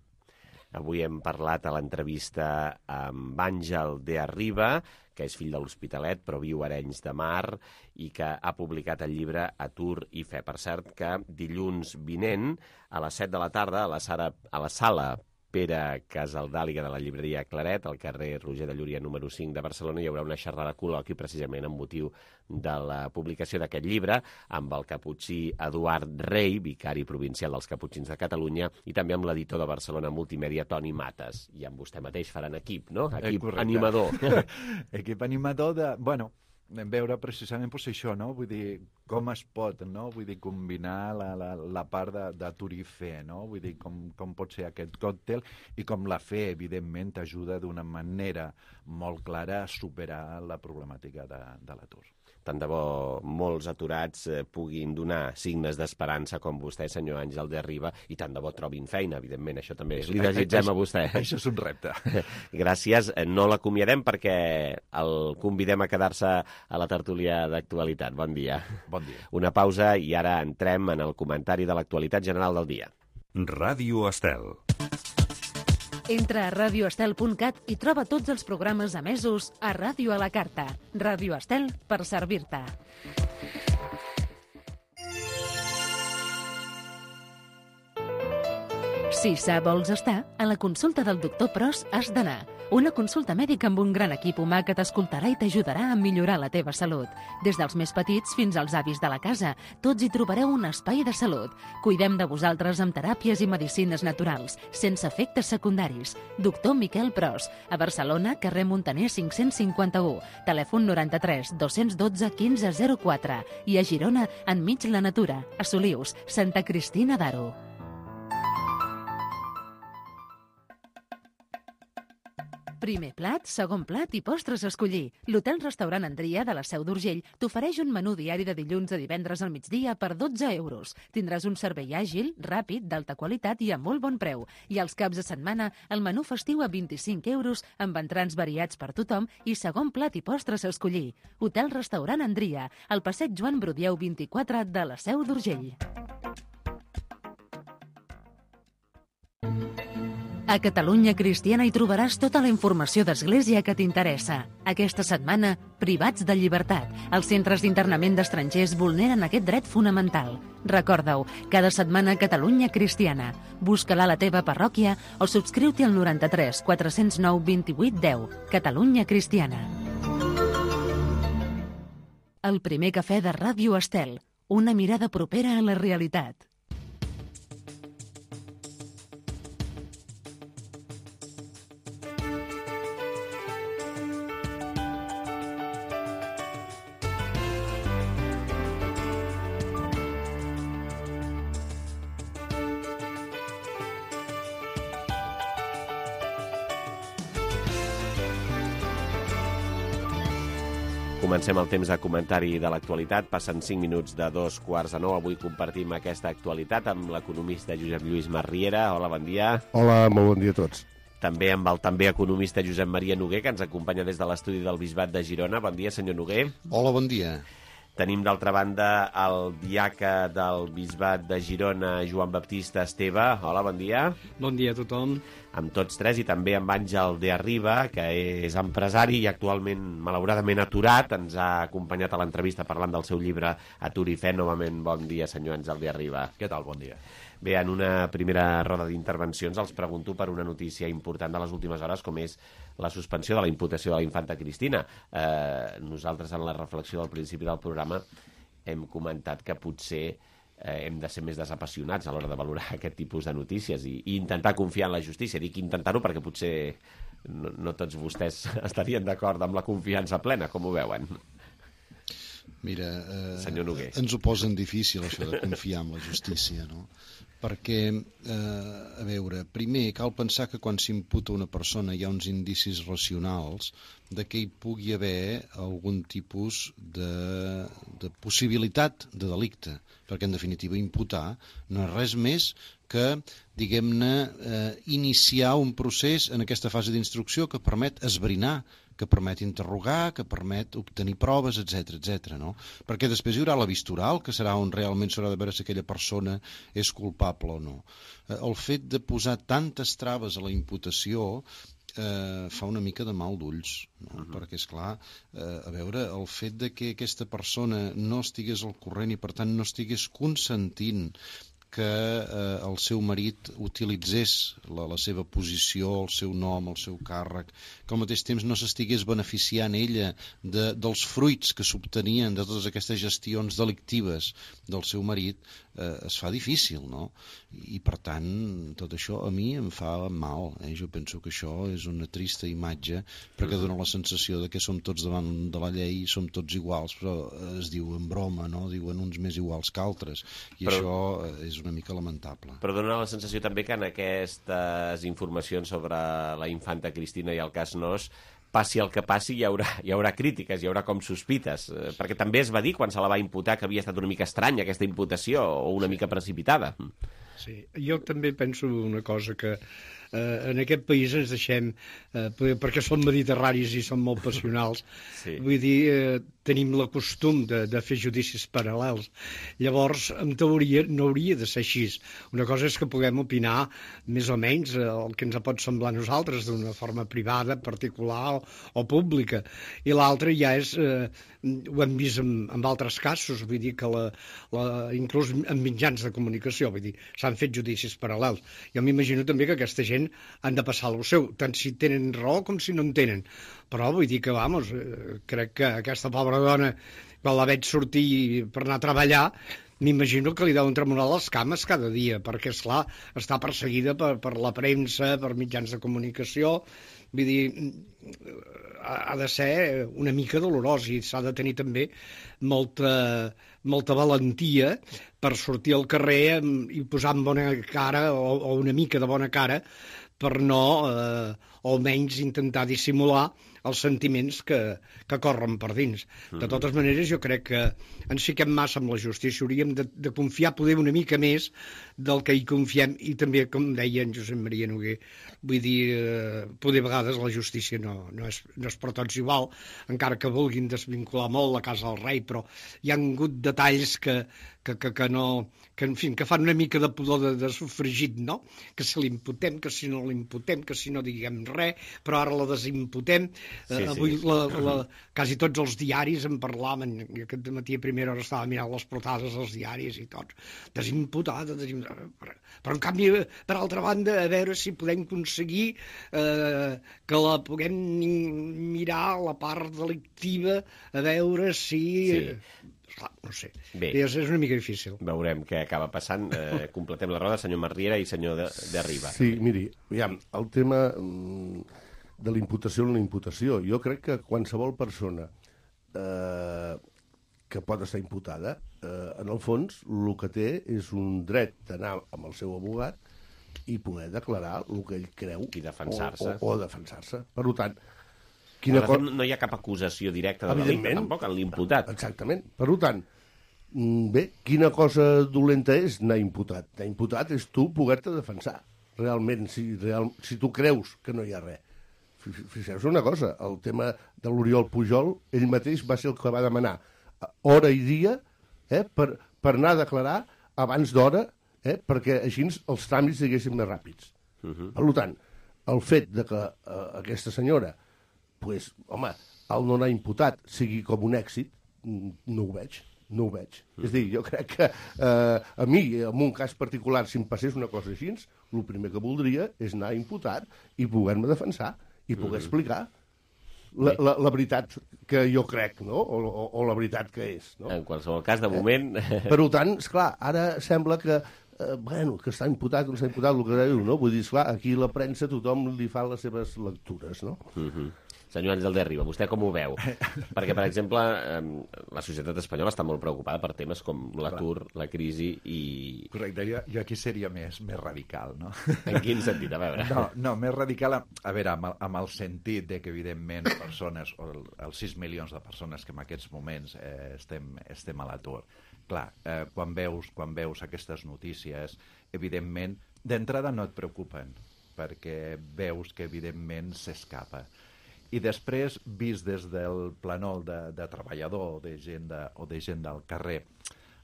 Avui hem parlat a l'entrevista amb Àngel de Arriba, que és fill de l'Hospitalet, però viu a Arenys de Mar, i que ha publicat el llibre Atur i fe. Per cert, que dilluns vinent, a les 7 de la tarda, a la sala Pere Casaldàliga de la llibreria Claret, al carrer Roger de Llúria número 5 de Barcelona, hi haurà una xerrada col·loqui precisament amb motiu de la publicació d'aquest llibre amb el caputxí Eduard Rei, vicari provincial dels Caputxins de Catalunya, i també amb l'editor de Barcelona Multimèdia, Toni Mates. I amb vostè mateix faran equip, no? Equip animador. Equip animador de... veure precisament això, no? Vull dir, com es pot, no? Vull dir, combinar la part d'Atur i fe, no? Vull dir, com pot ser aquest còctel i com la fe, evidentment, t'ajuda d'una manera molt clara a superar la problemàtica de l'atur. Tant de bo molts aturats puguin donar signes d'esperança com vostè, senyor Àngel de Arriba, i tant de bo trobin feina, evidentment. Això també li desitgem a vostè. Això és un repte. Gràcies. No l'acomiadem perquè el convidem a quedar-se a la tertúlia d'actualitat. Bon dia. Bon dia. Una pausa i ara entrem en el comentari de l'actualitat general del dia. Ràdio Estel. Entra a radioestel.cat i troba tots els programes emesos a Ràdio a la Carta. Ràdio Estel, per servir-te. Si sa vols estar, a la consulta del doctor Pros has d'anar. una consulta mèdica amb un gran equip humà que t'escoltarà i t'ajudarà a millorar la teva salut. Des dels més petits fins als avis de la casa, tots hi trobareu un espai de salut. Cuidem de vosaltres amb teràpies i medicines naturals, sense efectes secundaris. Doctor Miquel Pros, a Barcelona, carrer Montaner 551, telèfon 93 212 1504 i a Girona, enmig la natura, a Solius, Santa Cristina d'Aro. Primer plat, segon plat i postres a escollir. L'hotel-restaurant Andria de la Seu d'Urgell t'ofereix un menú diari de dilluns a divendres al migdia per 12 euros. Tindràs un servei àgil, ràpid, d'alta qualitat i a molt bon preu. I als caps de setmana, el menú festiu a 25 euros amb entrants variats per tothom i segon plat i postres a escollir. Hotel-restaurant Andria, al passeig Joan Brudieu 24 de la Seu d'Urgell. A Catalunya Cristiana hi trobaràs tota la informació d'Església que t'interessa. Aquesta setmana, privats de llibertat. Els centres d'internament d'estrangers vulneren aquest dret fonamental. Recorda-ho, cada setmana Catalunya Cristiana. Busca-la a la teva parròquia o subscriu-t'hi al 93 409 28 10. Catalunya Cristiana. El primer cafè de Ràdio Estel. Una mirada propera a la realitat. Comencem el temps de comentari de l'actualitat. Passen 5 minuts de 8:45. Avui compartim aquesta actualitat amb l'economista Josep Lluís Marriera. Hola, bon dia. Hola, molt bon dia a tots. També amb el també economista Josep Maria Noguer, que ens acompanya des de l'estudi del Bisbat de Girona. Bon dia, senyor Noguer. Hola, bon dia. Tenim, d'altra banda, el diaca del Bisbat de Girona, Joan Baptista Esteve. Hola, bon dia. Bon dia a tothom. Amb tots tres, i també amb Àngel de Arriba, que és empresari i actualment, malauradament, aturat. Ens ha acompanyat a l'entrevista parlant del seu llibre Atur i Fe. Novament, bon dia, senyor Àngel de Arriba. Què tal? Bon dia. Bé, en una primera roda d'intervencions els pregunto per una notícia important de les últimes hores, com és la suspensió de la imputació de la infanta Cristina. Nosaltres, en la reflexió del principi del programa, hem comentat que potser hem de ser més desapassionats a l'hora de valorar aquest tipus de notícies i intentar confiar en la justícia. Dic intentar-ho perquè potser no tots vostès estarien d'acord amb la confiança plena. Com ho veuen? Mira, senyor Noguer, ens ho posen difícil, això de confiar en la justícia, no? Perquè, a veure, primer cal pensar que quan s'imputa una persona hi ha uns indicis racionals de que hi pugui haver algun tipus de possibilitat de delicte, perquè en definitiva imputar no és res més que, diguem-ne, iniciar un procés en aquesta fase d'instrucció que permet esbrinar, que permet interrogar, que permet obtenir proves, etc., no? Perquè després hi haurà la vista oral, que serà on realment s'haurà de veure si aquella persona és culpable o no. El fet de posar tantes traves a la imputació fa una mica de mal d'ulls, no? Perquè, esclar, a veure, el fet de que aquesta persona no estigués al corrent i, per tant, no estigués consentint que el seu marit utilitzés la seva posició, el seu nom, el seu càrrec, que al mateix temps no s'estigués beneficiant ella dels fruits que s'obtenien de totes aquestes gestions delictives del seu marit, es fa difícil, no? I per tant, tot això a mi em fa mal. Jo penso que això és una trista imatge perquè dona la sensació de que som tots davant de la llei, som tots iguals, però es diu en broma, no? Diuen uns més iguals que altres, i això és una mica lamentable. Però dona la sensació també que en aquestes informacions sobre la infanta Cristina i el cas Nos, passi el que passi, hi haurà crítiques, hi haurà com sospites, perquè també es va dir quan se la va imputar que havia estat una mica estranya aquesta imputació o una mica precipitada. Sí, jo també penso una cosa, que en aquest país ens deixem, perquè som mediterranis i som molt passionals, vull dir, tenim el costum de fer judicis paral·lels. Llavors, en teoria, no hauria de ser així. Una cosa és que puguem opinar més o menys el que ens pot semblar a nosaltres d'una forma privada, particular o pública. I l'altra ja és, ho hem vist en altres casos, vull dir que inclús en mitjans de comunicació, vull dir, s'han fet judicis paral·lels. Jo m'imagino també que aquesta gent han de passar el seu, tant si tenen raó com si no en tenen. Però vull dir que, vamos, crec que aquesta pobra dona, quan la veig sortir per anar a treballar, m'imagino que li deuen tremolar les cames cada dia, perquè, esclar, està perseguida per la premsa, per mitjans de comunicació. Vull dir, ha de ser una mica dolorós i s'ha de tenir també molta valentia per sortir al carrer i posar en bona cara o una mica de bona cara per no, o almenys intentar dissimular els sentiments que corren per dins. De totes maneres, jo crec que ens fiquem massa amb la justícia. Hauríem de confiar poder una mica més del que hi confiem i també, com deia en Josep Maria Noguer, vull dir, poder a vegades la justícia no és per tots igual, encara que vulguin desvincular molt la casa del rei, però hi ha hagut detalls que en fi, que fan una mica de pudor de sofregit, no? Que si l'imputem, que si no l'imputem, que si no diguem res, però ara la desimputem. Avui quasi tots els diaris en parlaven, aquest matí a primera hora estava mirant les portades dels diaris i tots, desimputada, però en canvi, per altra banda, a veure si podem aconseguir que la puguem mirar la part delictiva, a veure si... no sé, és una mica difícil. Veurem què acaba passant. Completem la roda, senyor Marriera i senyor de Riba. Sí, miri, aviam, el tema de l'imputació o la imputació, jo crec que qualsevol persona que pot estar imputada, en el fons, el que té és un dret d'anar amb el seu abogat i poder declarar el que ell creu i defensar-se. O defensar-se. Per tant, no hi ha cap acusació directa de delicte, tampoc, en l'imputat. Exactament. Per tant, bé, quina cosa dolenta és anar imputat? Anar imputat és tu poder-te defensar. Realment, si tu creus que no hi ha res. Fixeu-vos una cosa, el tema de l'Oriol Pujol, ell mateix va ser el que va demanar hora i dia per anar a declarar abans d'hora, perquè així els tràmits siguessin més ràpids. Per tant, el fet de que aquesta senyora, pues, home, el no anar imputat sigui com un èxit, no ho veig. És a dir, jo crec que a mi, en un cas particular, si em passés una cosa així, el primer que voldria és anar imputat i poder-me defensar i poder explicar la veritat que jo crec, no? O la veritat que és. No? En qualsevol cas, de moment... Per tant, esclar, ara sembla que que està imputat o no està imputat, el que diu, no? Vull dir, esclar, aquí la premsa tothom li fa les seves lectures, no? Senyor Àngel de Riba, vostè com ho veu? Perquè, per exemple, la societat espanyola està molt preocupada per temes com l'atur, la crisi i... Correcte, jo aquí seria més radical, no? En quin sentit? A veure. No, més radical, a veure, amb el sentit de que, evidentment, persones, o els 6 milions de persones que en aquests moments estem a l'atur, clar, quan veus aquestes notícies, evidentment, d'entrada no et preocupen, perquè veus que, evidentment, s'escapa. I després, vist des del plànol de treballador o de gent del carrer,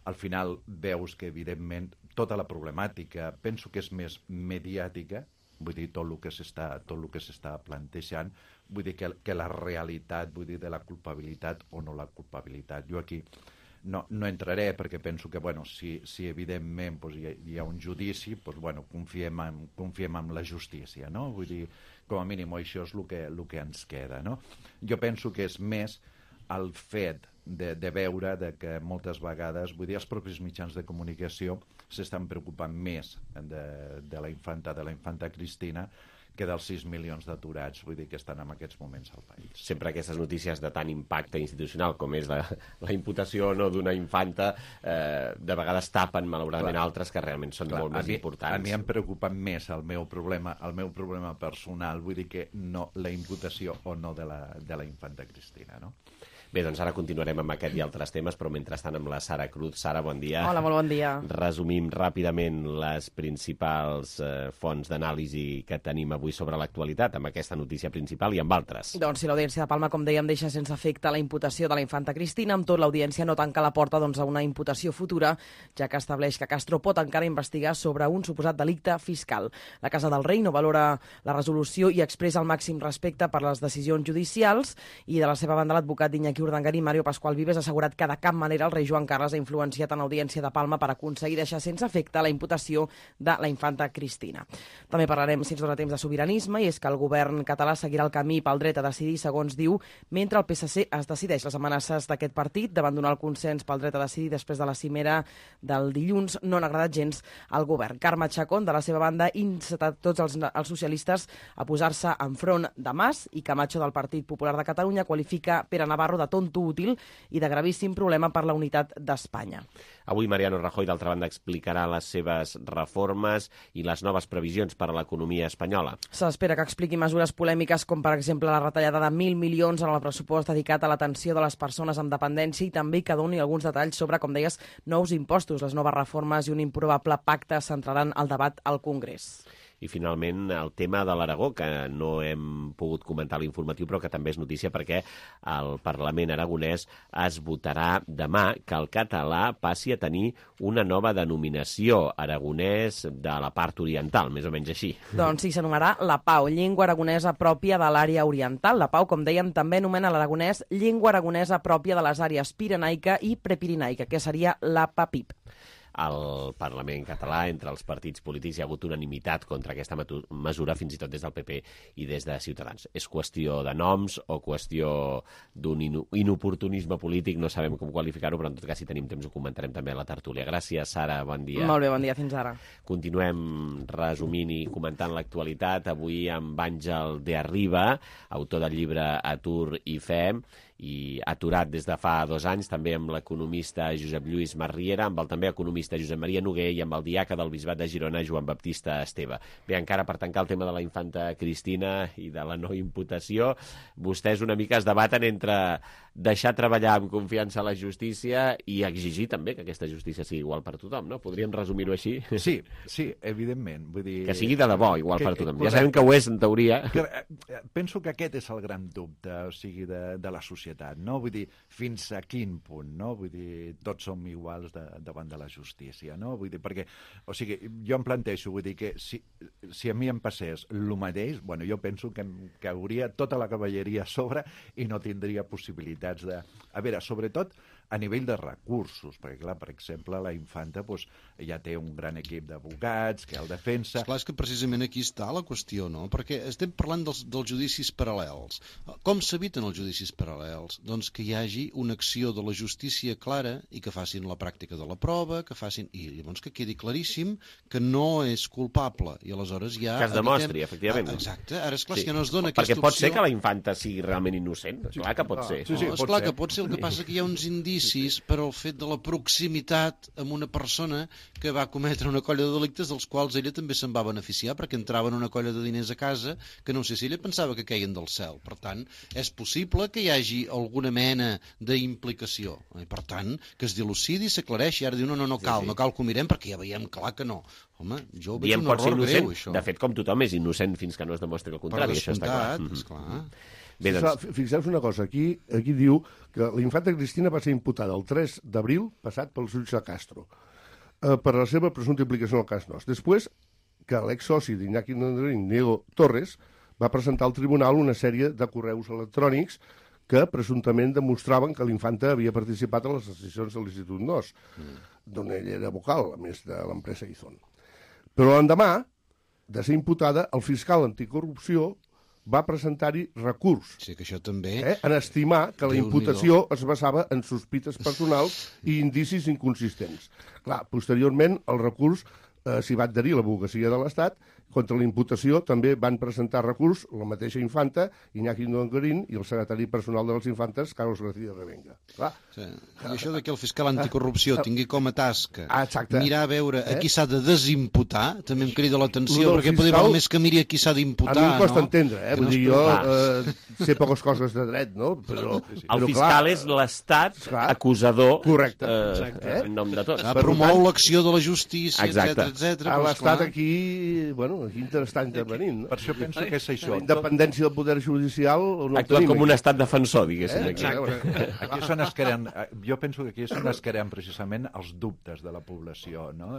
al final veus que, evidentment, tota la problemàtica, penso que és més mediàtica, vull dir, tot el que s'està plantejant, vull dir que la realitat, vull dir, de la culpabilitat o no la culpabilitat. Jo aquí no entraré perquè penso que, bueno, si evidentment hi ha un judici, confiem en la justícia, no? Vull dir, com a mínim això és el que ens queda, no? Jo penso que és més el fet de veure que moltes vegades, vull dir, els propis mitjans de comunicació s'estan preocupant més de la infanta Cristina que dels 6 milions d'aturats, vull dir, que estan en aquests moments al país. Sempre aquestes notícies de tant impacte institucional com és la imputació o no d'una infanta, de vegades tapen, malauradament, altres que realment són molt més importants. A mi em preocupa més el meu problema personal, vull dir que no la imputació o no de la infanta Cristina, no? Bé, doncs ara continuarem amb aquest i altres temes, però mentrestant amb la Sara Cruz. Sara, bon dia. Hola, molt bon dia. Resumim ràpidament les principals fonts d'anàlisi que tenim avui sobre l'actualitat, amb aquesta notícia principal i amb altres. Doncs si l'Audiència de Palma, com dèiem, deixa sense efecte la imputació de la infanta Cristina, amb tot l'Audiència no tanca la porta a una imputació futura, ja que estableix que Castro pot encara investigar sobre un suposat delicte fiscal. La Casa del Rei no valora la resolució i expressa el màxim respecte per les decisions judicials, i de la seva banda l'advocat d'Iñaki Urdangarín, Mario Pascual Vives, ha assegurat que de cap manera el rei Joan Carles ha influenciat en l'Audiència de Palma per aconseguir deixar sense efecte la imputació de la infanta Cristina. També parlarem, si ens dona temps, de sobiranisme, i és que el govern català seguirà el camí pel dret a decidir, segons diu, mentre el PSC es decideix. Les amenaces d'aquest partit d'abandonar el consens pel dret a decidir després de la cimera del dilluns no han agradat gens al govern. Carme Chacón, de la seva banda, insta tots els socialistes a posar-se enfront de Mas, i Camacho, del Partit Popular de Catalunya, qualifica Pere Navarro de tonto útil i de gravíssim problema per la unitat d'Espanya. Avui Mariano Rajoy, d'altra banda, explicarà les seves reformes i les noves previsions per a l'economia espanyola. S'espera que expliqui mesures polèmiques com, per exemple, la retallada de 1.000 milions en el pressupost dedicat a l'atenció de les persones amb dependència, i també que doni alguns detalls sobre, com deies, nous impostos. Les noves reformes i un improbable pacte centraran el debat al Congrés. I, finalment, el tema de l'Aragó, que no hem pogut comentar a l'informatiu, però que també és notícia perquè el Parlament aragonès es votarà demà que el català passi a tenir una nova denominació, aragonès de la part oriental, més o menys així. Doncs sí, s'anomenarà la PAO, llengua aragonesa pròpia de l'àrea oriental. La PAO, com dèiem, també anomena l'aragonès llengua aragonesa pròpia de les àrees pirenaica i prepirenaica, que seria la PAPIP. Al Parlament català, entre els partits polítics, hi ha hagut unanimitat contra aquesta mesura, fins i tot des del PP i des de Ciutadans. És qüestió de noms o qüestió d'un inoportunisme polític, no sabem com qualificar-ho, però en tot cas, si tenim temps, ho comentarem també a la tertúlia. Gràcies, Sara, bon dia. Molt bé, bon dia, fins ara. Continuem resumint i comentant l'actualitat, avui amb Àngel de Arriba, autor del llibre Atur i Fe, i aturat des de fa 2 anys, també amb l'economista Josep Lluís Marriera, amb el també economista Josep Maria Noguer i amb el diaca del Bisbat de Girona, Joan Baptista Esteve. Bé, encara per tancar el tema de la infanta Cristina i de la no imputació, vostès una mica es debaten entre deixar treballar amb confiança a la justícia i exigir també que aquesta justícia sigui igual per tothom, no? Podríem resumir-ho així? Sí, evidentment. Vull dir... Que sigui de debò igual per tothom. Ja sabem que ho és, en teoria. Penso que aquest és el gran dubte, o sigui, de la societat, no? Vull dir, fins a quin punt, no? Vull dir, tots som iguals davant de la justícia, no? Vull dir, perquè, o sigui, jo em plantejo, vull dir que si a mi em passés el mateix, bueno, jo penso que hauria tota la cavalleria a sobre i no tindria possibilitats de... A veure, sobretot a nivell de recursos, perquè, clar, per exemple, la infanta ja té un gran equip d'advocats que el defensa... Esclar, és que precisament aquí està la qüestió, no? Perquè estem parlant dels judicis paral·lels. Com s'eviten els judicis paral·lels? Doncs que hi hagi una acció de la justícia clara i que facin la pràctica de la prova, que facin... I llavors que quedi claríssim que no és culpable. I aleshores ja... Que es demostri, efectivament. Exacte. Ara, esclar, sí. Que no es dona aquesta opció... Perquè pot ser que la infanta sigui realment innocent. Esclar que pot ser. Sí, esclar que pot ser. El que passa que hi ha uns indicis per al fet de la proximitat amb una persona que va cometre una colla de delictes dels quals ella també se'n va beneficiar, perquè entraven una colla de diners a casa que no sé si ella pensava que queien del cel. Per tant, és possible que hi hagi alguna mena d'implicació. I per tant, que es dilucidi i s'aclareixi. Ara diu, no cal que ho mirem perquè ja veiem clar que no. Home, jo veig un error greu, això. De fet, com tothom és innocent fins que no es demostri el contrari. Per descomptat, esclar. Bé, doncs... Fixeu-vos una cosa, aquí diu que la infanta Cristina va ser imputada el 3 d'abril passat pel jutge Castro per la seva presumpta implicació en el cas Nos. Després que l'exsoci d'Iñaki Urdangarín, Diego Torres, va presentar al tribunal una sèrie de correus electrònics que presumptament demostraven que l'infanta havia participat en les decisions de l'Institut Nos, d'on ell era vocal, a més de l'empresa Izon. Però l'endemà de ser imputada, el fiscal anticorrupció va presentar-hi recurs. Sí, que això també... En estimar que la imputació es basava en sospites personals i indicis inconsistents. Clar, posteriorment, el recurs s'hi va adherir l'advocacia de l'Estat contra la imputació també van presentar recurs la mateixa infanta, Iñaki Dongorín, i el secretari personal de les infantes, Carlos García Revenga. Clar. Sí. I això que el fiscal anticorrupció tingui com a tasca mirar a veure a qui s'ha de desimputar, també em crida l'atenció, perquè potser val més que miri a qui s'ha d'imputar. A mi em costa entendre, vull dir, jo sé poques coses de dret, no? Però el fiscal és l'estat acusador en nom de tots. Promou l'acció de la justícia, etc. L'estat aquí, bueno, aquí està intervenint. Per això penso que és això. La independència del poder judicial... Actua com un estat defensor, diguéssim. Aquí són es creen, jo penso que aquí és on es creen precisament els dubtes de la població, no?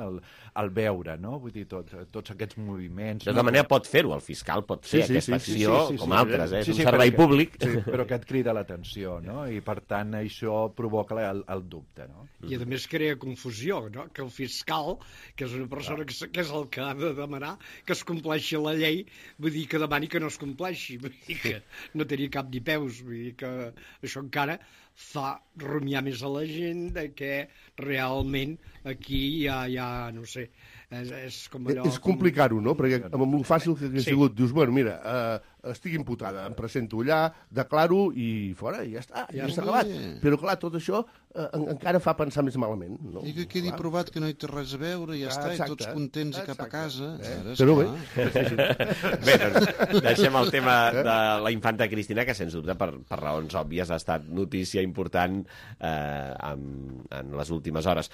El veure, no? Vull dir, tots aquests moviments... De tota manera pot fer-ho, el fiscal pot fer aquesta acció com altres, és un servei públic. Però que et crida l'atenció, no? I per tant això provoca el dubte, no? I a més crea confusió, no? Que el fiscal, que és una persona que és el que ha de demanar que es compleixi la llei, vull dir que demani que no es compleixi, vull dir que no tenia cap ni peus, vull dir que això encara fa rumiar més a la gent de que realment aquí hi ha no sé, és com allò... És complicar-ho, no? Perquè amb el fàcil que ha sigut, dius, bueno, mira, estic imputada, em presento allà, declaro i fora, i ja està, ja està acabat. Però clar, tot això encara fa pensar més malament, no? I que quedi provat que no hi té res a veure, ja està, i tots contents i cap a casa. Però bé. Bé, doncs deixem el tema de la infanta Cristina, que sens dubte, per raons òbvies, ha estat notícia important en les últimes hores.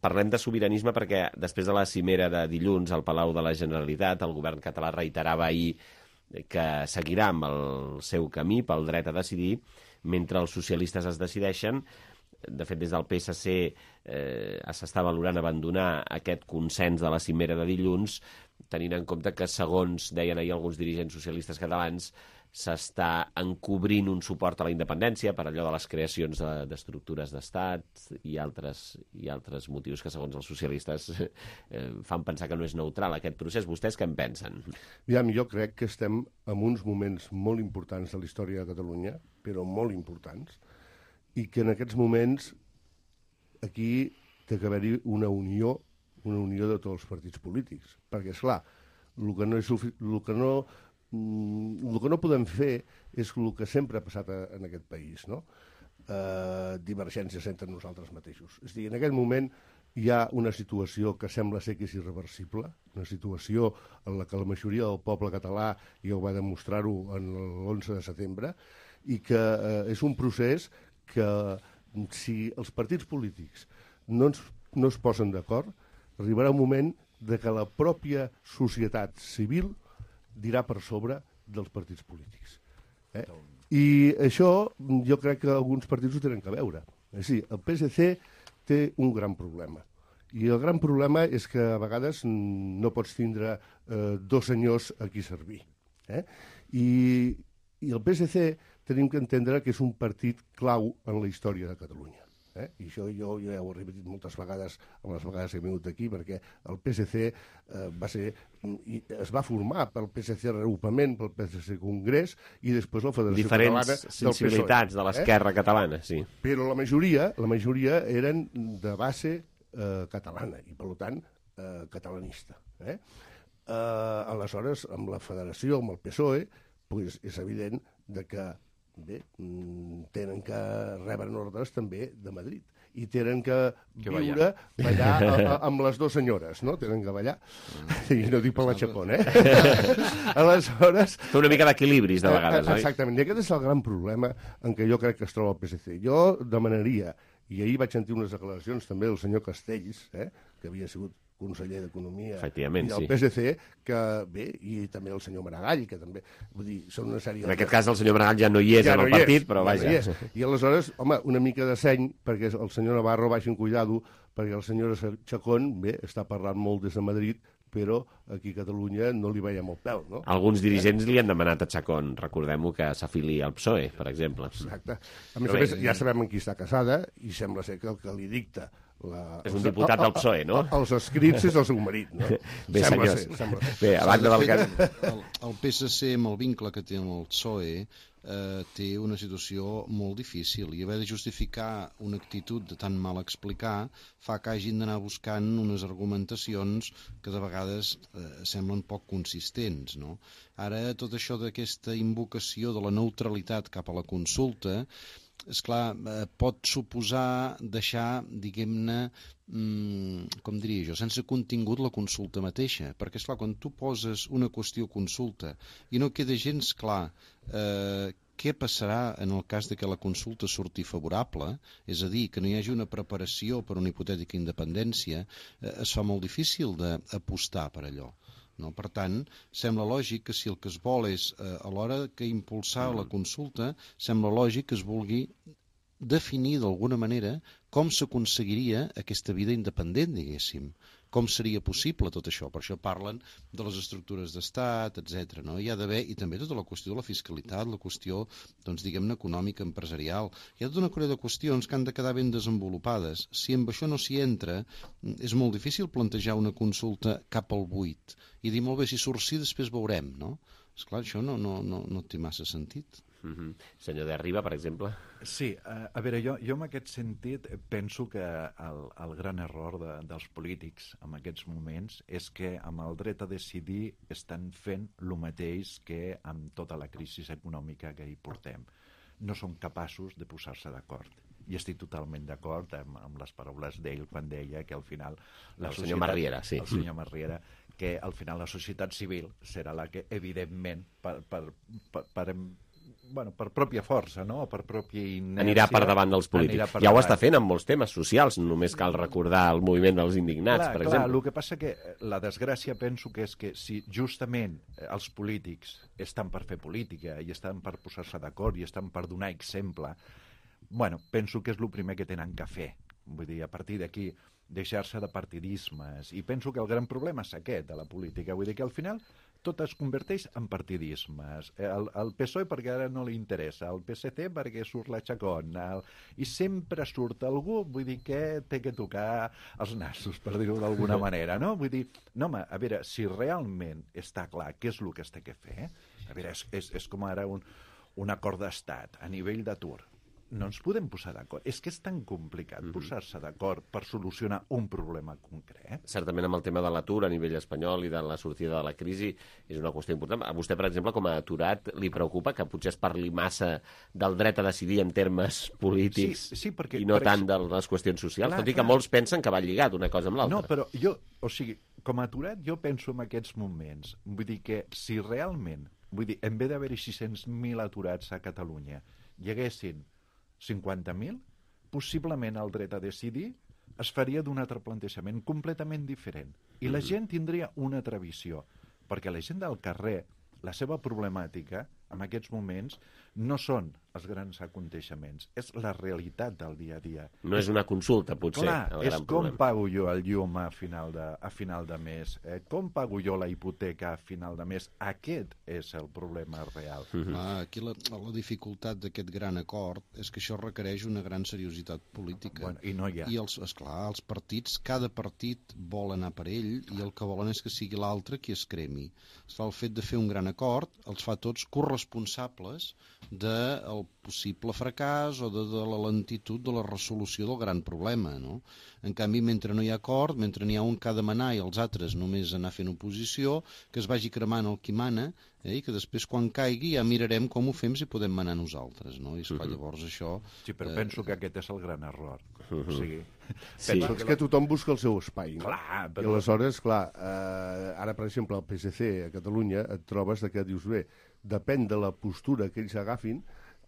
Parlem de sobiranisme perquè després de la cimera de dilluns al Palau de la Generalitat, el govern català reiterava ahir que seguirà amb el seu camí pel dret a decidir mentre els socialistes es decideixen. De fet, des del PSC s'està valorant abandonar aquest consens de la cimera de dilluns, tenint en compte que, segons deien ahir alguns dirigents socialistes catalans, s'està encobrint un suport a la independència per allò de les creacions d'estructures d'estat i altres motius que, segons els socialistes, fan pensar que no és neutral aquest procés. Vostès què en pensen? Jo crec que estem en uns moments molt importants de la història de Catalunya, però molt importants, i que en aquests moments aquí té que haver-hi una unió de tots els partits polítics. Perquè, esclar, el que no podem fer és el que sempre ha passat en aquest país, no? Divergències entre nosaltres mateixos. És a dir, en aquest moment hi ha una situació que sembla ser que és irreversible, una situació en la que la majoria del poble català ja ho va demostrar-ho l'11 de setembre, i que és un procés que, si els partits polítics no es posen d'acord, arribarà un moment de que la pròpia societat civil dirà per sobre dels partits polítics. I això jo crec que alguns partits ho tenen que veure. És a dir, el PSC té un gran problema. I el gran problema és que a vegades no pots tindre dos senyors a qui servir. I el PSC tenim que entendre que és un partit clau en la història de Catalunya. I això jo ja ho he repetit moltes vegades, amb les vegades que he vingut aquí, perquè el PSC es va formar pel PSC Reagrupament, pel PSC Congrés i després la Federació Catalana del PSOE. Diferents sensibilitats de l'esquerra catalana, sí. Però la majoria eren de base catalana i, per tant, catalanista. Aleshores, amb la Federació, amb el PSOE, és evident que tenen que rebre ordres també de Madrid i tenen que ballar amb les dues senyores, no? Tenen que ballar, i no dic per la Chacón, Aleshores... Fer una mica d'equilibris, de vegades, oi? Exactament, i aquest és el gran problema en què jo crec que es troba el PSC. Jo demanaria, i ahir vaig sentir unes declaracions també del senyor Castells, que havia sigut conseller d'Economia i del PSC, que bé, i també el senyor Maragall, que també, vull dir, són una sèrie... En aquest cas el senyor Maragall ja no hi és en el partit, però vaja. I aleshores, home, una mica de seny, perquè el senyor Navarro vagi en cuidado, perquè el senyor Chacón, bé, està parlant molt des de Madrid, però aquí a Catalunya no li veiem el pèl, no? Alguns dirigents li han demanat a Chacón, recordem-ho, que s'afili al PSOE, per exemple. Exacte. A més, ja sabem en qui està casada, i sembla ser que el que li dicta És un diputat del PSOE, no? Els escrits és el seu marit, no? Bé, senyors. Bé, a banda del cas... El PSC, amb el vincle que té amb el PSOE, té una situació molt difícil i haver de justificar una actitud de tan mal explicar fa que hagin d'anar buscant unes argumentacions que de vegades semblen poc consistents, no? Ara, tot això d'aquesta invocació de la neutralitat cap a la consulta, esclar, pot suposar deixar, diguem-ne, com diria jo, sense contingut la consulta mateixa, perquè esclar, quan tu poses una qüestió consulta i no queda gens clar què passarà en el cas de que la consulta surti favorable, és a dir, que no hi hagi una preparació per una hipotètica independència, es fa molt difícil d'apostar per allò. No? Per tant, sembla lògic que si el que es vol és, a l'hora que impulsar la consulta, sembla lògic que es vulgui definir d'alguna manera com s'aconseguiria aquesta vida independent, diguéssim. Com seria possible tot això? Per això parlen de les estructures d'estat, etc. No? Hi ha d'haver, i també tota la qüestió de la fiscalitat, la qüestió, doncs, diguem-ne, econòmica, empresarial. Hi ha tota una colla de qüestions que han de quedar ben desenvolupades. Si amb això no s'hi entra, és molt difícil plantejar una consulta cap al buit i dir, molt bé, si surt sí, després veurem, no? Esclar, això no té massa sentit. Senyor de Riba, per exemple. Sí, a veure, jo en aquest sentit penso que el gran error dels polítics en aquests moments és que amb el dret a decidir estan fent el mateix que amb tota la crisi econòmica que hi portem. No són capaços de posar-se d'acord. I estic totalment d'acord amb les paraules d'ell quan deia que al final... El senyor Marriera, sí. El senyor Marriera, que al final la societat civil serà la que, evidentment, per pròpia força, no? Per pròpia inèrcia... Anirà per davant dels polítics. Ja ho està fent amb molts temes socials, només cal recordar el moviment dels indignats, per exemple. El que passa que la desgràcia penso que és que si justament els polítics estan per fer política i estan per posar-se d'acord i estan per donar exemple, penso que és el primer que tenen que fer. Vull dir, a partir d'aquí, deixar-se de partidismes. I penso que el gran problema és aquest de la política. Vull dir que al final tot es converteix en partidismes. El PSOE perquè ara no li interessa, el PSC perquè surt la Chacón, i sempre surt algú, vull dir que té que tocar els nassos, per dir-ho d'alguna manera, no? Vull dir, no, home, a veure, si realment està clar què és el que es té que fer, a veure, és com ara un acord d'estat a nivell d'atur. No ens podem posar d'acord. És que és tan complicat posar-se d'acord per solucionar un problema concret. Certament amb el tema de l'atur a nivell espanyol i de la sortida de la crisi és una qüestió important. A vostè, per exemple, com a aturat, li preocupa que potser es parli massa del dret a decidir en termes polítics perquè, i no tant de les qüestions socials, tot i que molts pensen que va lligat una cosa amb l'altra. No, però jo, com a aturat, jo penso en aquests moments. Vull dir que si realment, en vez d'haver-hi 600.000 aturats a Catalunya, hi haguessin 50.000, possiblement el dret a decidir es faria d'un altre plantejament completament diferent. I la gent tindria una altra visió, perquè la gent del carrer, la seva problemàtica, en aquests moments, no són els grans aconteixements, és la realitat del dia a dia. No és una consulta, potser, clar, el gran problema. Com pago jo el llum a final de mes? Com pago jo la hipoteca a final de mes? Aquest és el problema real. Aquí la dificultat d'aquest gran acord és que això requereix una gran seriositat política. I no hi ha. I esclar, els partits, cada partit vol anar per ell i el que volen és que sigui l'altre qui es cremi. Esclar, el fet de fer un gran acord els fa tots corresponsables del possible fracàs o de la lentitud de la resolució del gran problema, no? En canvi, mentre no hi ha acord, mentre n'hi ha un que ha de manar i els altres només anar fent oposició, que es vagi cremant el qui mana, i que després quan caigui ja mirarem com ho fem si podem manar nosaltres, no? I esclar, llavors això... Sí, però penso que aquest és el gran error. O sigui... És que tothom busca el seu espai, no? Clar, I aleshores, clar, ara, per exemple, al PSC a Catalunya et trobes que dius, bé, depèn de la postura que ells agafin,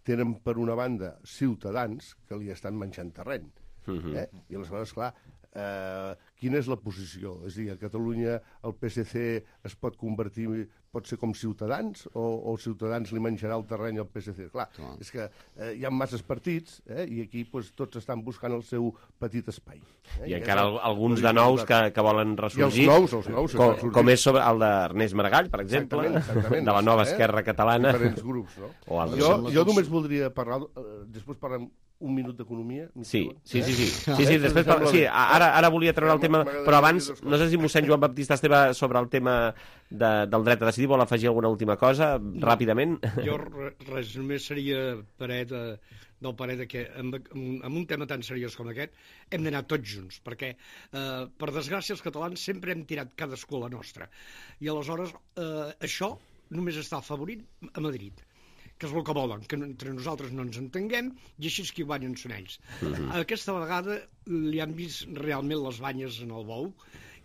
tenen per una banda ciutadans que li estan menjant terreny. I aleshores, clar, quina és la posició? És a dir, a Catalunya el PSC es pot convertir pot ser com Ciutadans, o Ciutadans li menjarà el terreny al PSC. Clar, és que hi ha masses partits, i aquí tots estan buscant el seu petit espai. I encara alguns de nous que volen ressorgir. I els nous. Com és sobre el d'Ernest Maragall, per exemple, de la nova Esquerra Catalana. Diferents grups, no? Jo només voldria parlar, després parlem un minut d'economia. Sí, després ara volia treure el tema, però abans, no sé si mossèn Joan Baptista Esteve sobre el tema del dret a decidir vol afegir alguna última cosa, ràpidament? Jo res, només seria del parer que amb un tema tan seriós com aquest hem d'anar tots junts, perquè per desgràcia els catalans sempre hem tirat cadascú a la nostra, i aleshores això només està afavorint a Madrid, que és el que volen, que entre nosaltres no ens entenguem, i així és que guanyen són ells. Aquesta vegada li han vist realment les banyes en el bou,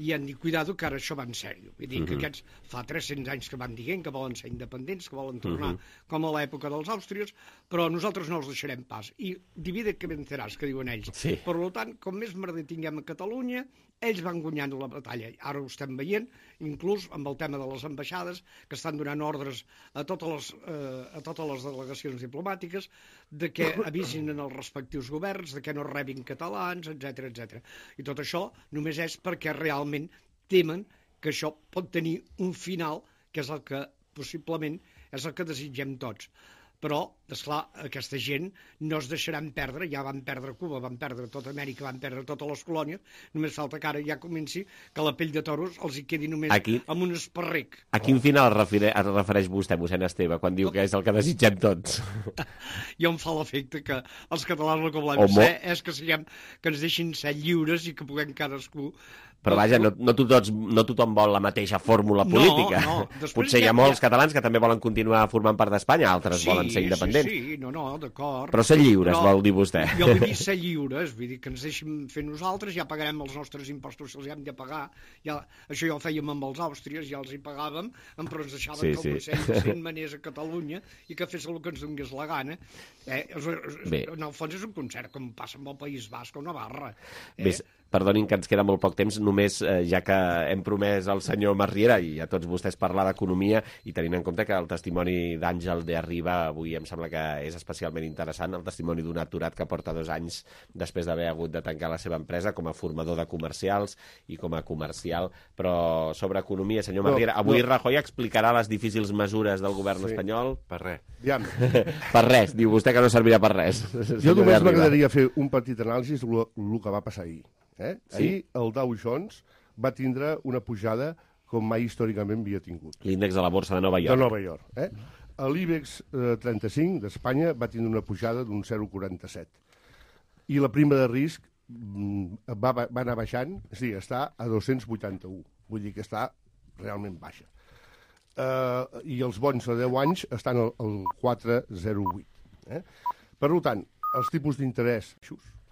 i han dit, cuidado, que ara això va en sèrio. Vull dir que aquests fa 300 anys que van dient que volen ser independents, que volen tornar com a l'època dels àustries, però nosaltres no els deixarem pas. I divide que venceràs, que diuen ells. Per tant, com més merder tinguem a Catalunya, ells van guanyant la batalla. Ara ho estem veient, inclús amb el tema de les ambaixades, que estan donant ordres a totes les delegacions diplomàtiques de que avisin en els respectius governs, de que no rebin catalans, etc. I tot això només és perquè realment temen que això pot tenir un final, que és el que possiblement és el que desitgem tots. Però, esclar, aquesta gent no es deixaran perdre, ja van perdre Cuba, van perdre tota Amèrica, van perdre totes les colònies, només falta que ara ja comenci que la pell de toros els hi quedi només amb un esparrec. A quin final es refereix vostè, mossèn Esteve, quan diu que és el que desitgem tots? Jo em fa l'efecte que els catalans el que volem ser és que ens deixin ser lliures i que puguem cadascú... Però vaja, no tothom vol la mateixa fórmula política. Potser hi ha molts catalans que també volen continuar formant part d'Espanya, altres volen ser independents. Sí, d'acord. Però ser lliures, vol dir vostè. Jo vull dir ser lliures, vull dir que ens deixin fer nosaltres, ja pagarem els nostres impostos si els hem de pagar. Això ja ho fèiem amb els àustries, ja els hi pagàvem, però ens deixaven que el Consell manés a Catalunya i que fes el que ens donés la gana. En el fons és un concert, com passa amb el País Basc o Navarra. Perdonin que ens queda molt poc temps, només ja que hem promès al senyor Masriera i a tots vostès parlar d'economia, i tenint en compte que el testimoni d'Àngel de Arriba avui em sembla que és especialment interessant, el testimoni d'un aturat que porta 2 anys després d'haver hagut de tancar la seva empresa com a formador de comercials i com a comercial. Però sobre economia, senyor Masriera, avui Rajoy explicarà les difícils mesures del govern espanyol? Per res. Per res, diu vostè que no servirà per res. Jo només m'agradaria fer un petit anàlisi del que va passar ahir. Ahir el Dow Jones va tindre una pujada com mai històricament havia tingut. L'índex de la borsa de Nova York. De Nova York. L'IBEX 35 d'Espanya va tindre una pujada d'un 0,47. I la prima de risc va anar baixant, està a 281. Vull dir que està realment baixa. I els bons de 10 anys estan al 4,08. Per tant, els tipus d'interès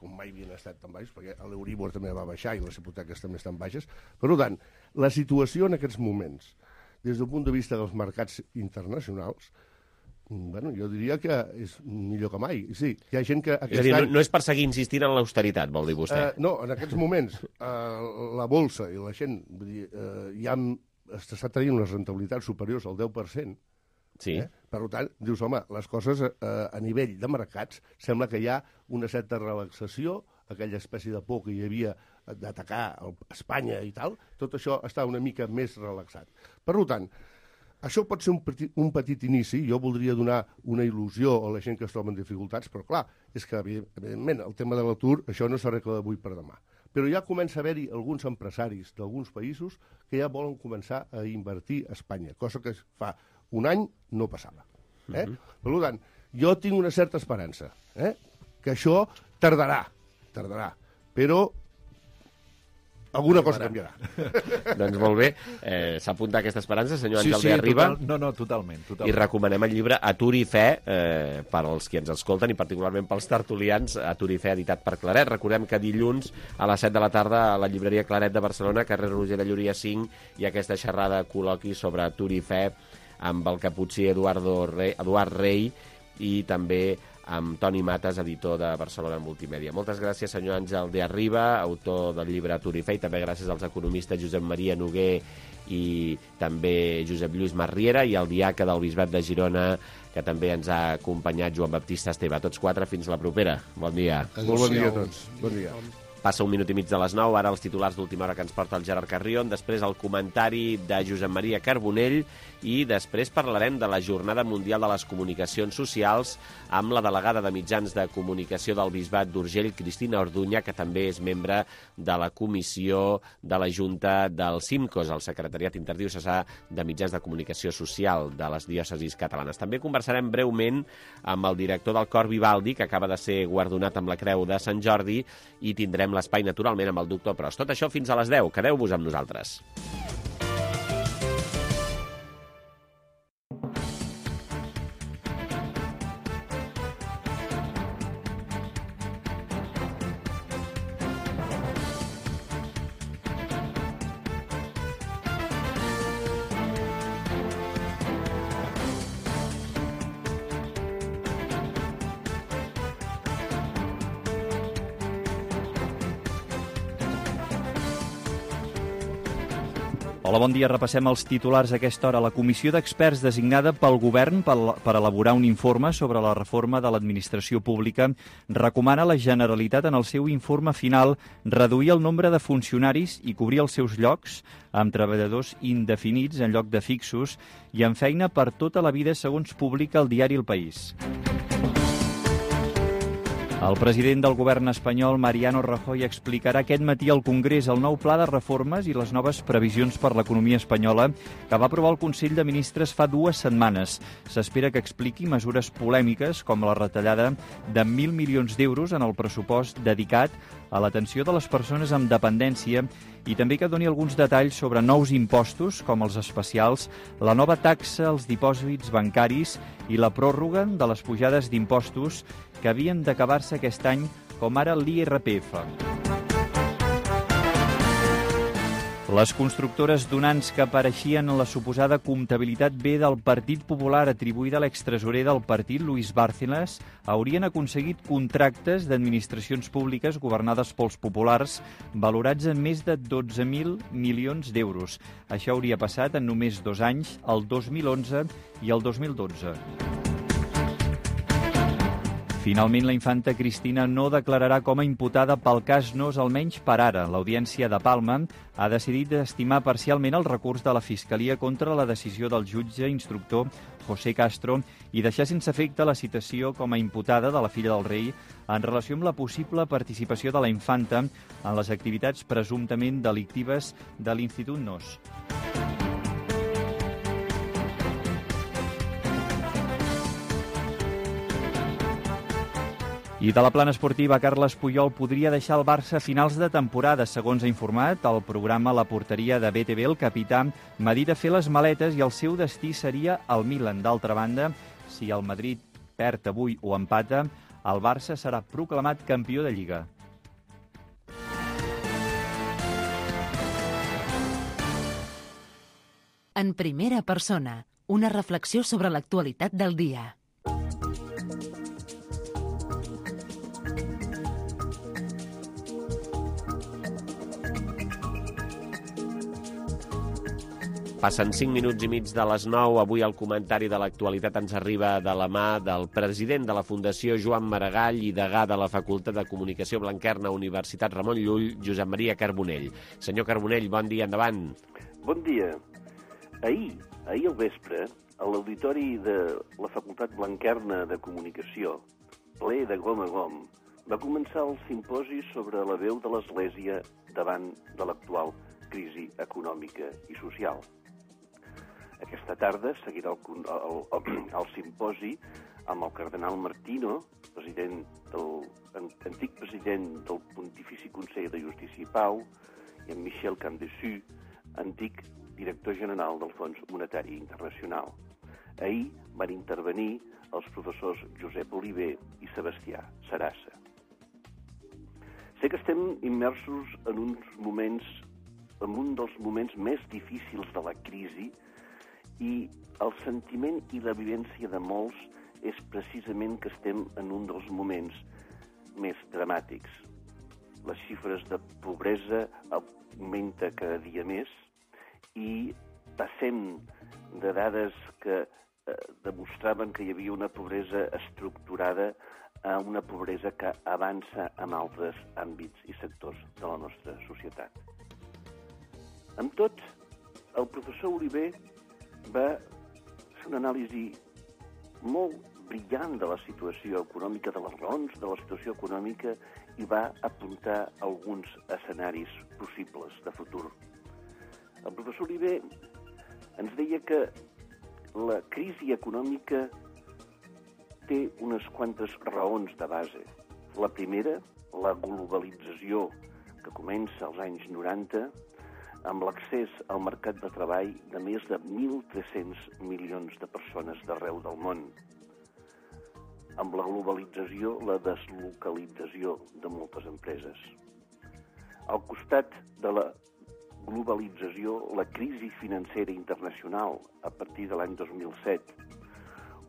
com mai havien estat tan baixos, perquè l'Euribor també va baixar i les hipoteques també estan baixes. Per tant, la situació en aquests moments, des del punt de vista dels mercats internacionals, jo diria que és millor que mai. Sí, hi ha gent que... És a dir, no és per seguir insistint en l'austeritat, vol dir vostè? No, en aquests moments, la bolsa i la gent, ja està tenint unes rentabilitats superiors al 10%. Sí. Per tant, dius, home, les coses a nivell de mercats sembla que hi ha una certa relaxació, aquella espècie de por que hi havia d'atacar Espanya i tal, tot això està una mica més relaxat. Per tant, això pot ser un petit inici, jo voldria donar una il·lusió a la gent que es troba en dificultats, però clar, és que evidentment el tema de l'atur, això no s'arregla d'avui per demà. Però ja comença a haver-hi alguns empresaris d'alguns països que ja volen començar a invertir a Espanya, cosa que fa un any no passava. Per tant, jo tinc una certa esperança, que això tardarà, però alguna cosa canviarà. Doncs molt bé, s'apunta aquesta esperança, senyor Àngel de Arriba. No, totalment. I recomanem el llibre Atur i Fe, per als qui ens escolten, i particularment pels tertulians, Atur i Fe, editat per Claret. Recordem que dilluns a les 7 de la tarda a la llibreria Claret de Barcelona, carrer Roger de Llúria 5, hi ha aquesta xerrada col·loqui sobre Atur i Fe, amb el caputxí Eduard Rey i també amb Toni Mates, editor de Barcelona Multimèdia. Moltes gràcies, senyor Àngel de Arriba, autor del llibre Atur i Fe, i també gràcies als economistes Josep Maria Noguer i també Josep Lluís Marriera, i al diaca del Bisbat de Girona, que també ens ha acompanyat, Joan Baptista Esteve. A tots quatre, fins la propera. Bon dia. Molt bon dia a tots. Bon dia. Passa 1 minut i mig de les 9, ara els titulars d'última hora que ens porta el Gerard Carrion, després el comentari de Josep Maria Carbonell i després parlarem de la Jornada Mundial de les Comunicacions Socials amb la delegada de Mitjans de Comunicació del Bisbat d'Urgell, Cristina Orduña, que també és membre de la comissió de la Junta del CIMCOS, el Secretariat Interdiocesà de Mitjans de Comunicació Social de les diòcesis catalanes. També conversarem breument amb el director del Cor Vivaldi, que acaba de ser guardonat amb la Creu de Sant Jordi, i tindrem l'espai, naturalment, amb el doctor Pros. Tot això fins a les 10. Quedeu-vos amb nosaltres. Hola, bon dia. Repassem els titulars a aquesta hora. La comissió d'experts designada pel govern per elaborar un informe sobre la reforma de l'administració pública recomana a la Generalitat en el seu informe final reduir el nombre de funcionaris i cobrir els seus llocs amb treballadors indefinits en lloc de fixos i amb feina per tota la vida, segons publica el diari El País. El president del govern espanyol, Mariano Rajoy, explicarà aquest matí al Congrés el nou pla de reformes i les noves previsions per l'economia espanyola que va aprovar el Consell de Ministres fa 2 setmanes. S'espera que expliqui mesures polèmiques com la retallada de 1.000 milions d'euros en el pressupost dedicat a l'atenció de les persones amb dependència i també que doni alguns detalls sobre nous impostos com els especials, la nova taxa als dipòsits bancaris i la pròrroga de les pujades d'impostos que havien d'acabar-se aquest any, com ara l'IRPF. Les constructores donants que apareixien en la suposada comptabilitat B del Partit Popular atribuïda a l'extresorer del partit, Luis Bárcenas, haurien aconseguit contractes d'administracions públiques governades pels populars valorats en més de 12.000 milions d'euros. Això hauria passat en només 2 anys, el 2011 i el 2012. Finalment, la infanta Cristina no declararà com a imputada pel cas Nos, almenys per ara. L'Audiència de Palma ha decidit estimar parcialment el recurs de la Fiscalia contra la decisió del jutge instructor José Castro i deixar sense efecte la citació com a imputada de la filla del rei en relació amb la possible participació de la infanta en les activitats presumptament delictives de l'Institut Nos. I de la plana esportiva, Carles Puyol podria deixar el Barça a finals de temporada. Segons ha informat el programa La Porteria de BTV, el capità medita fer les maletes i el seu destí seria el Milan. D'altra banda, si el Madrid perd avui o empata, el Barça serà proclamat campió de Lliga. En primera persona, una reflexió sobre l'actualitat del dia. Passen 5 minuts i mig de les 9. Avui el comentari de l'actualitat ens arriba de la mà del president de la Fundació Joan Maragall i degà de la Facultat de Comunicació Blanquerna, Universitat Ramon Llull, Josep Maria Carbonell. Senyor Carbonell, bon dia, endavant. Bon dia. Ahir al vespre, a l'auditori de la Facultat Blanquerna de Comunicació, ple de gom a gom, va començar el simposi sobre la veu de l'Església davant de l'actual crisi econòmica i social. Aquesta tarda seguirà el simposi amb el cardenal Martino, antic president del Pontifici Consell de Justícia i Pau, i amb Michel Camdessus, antic director general del Fons Monetari Internacional. Ahir van intervenir els professors Josep Oliver i Sebastià Sarassa. Sé que estem immersos en un dels moments més difícils de la crisi i el sentiment i la vivència de molts és precisament que estem en un dels moments més dramàtics. Les xifres de pobresa augmenta cada dia més i passem de dades que demostraven que hi havia una pobresa estructurada a una pobresa que avança en altres àmbits i sectors de la nostra societat. Amb tot, el professor Oliver va fer una anàlisi molt brillant de la situació econòmica, de les raons de la situació econòmica, i va apuntar alguns escenaris possibles de futur. El professor Oliver ens deia que la crisi econòmica té unes quantes raons de base. La primera, la globalització, que comença als anys 90, amb l'accés al mercat de treball de més de 1.300 milions de persones d'arreu del món. Amb la globalització, la deslocalització de moltes empreses. Al costat de la globalització, la crisi financera internacional a partir de l'any 2007,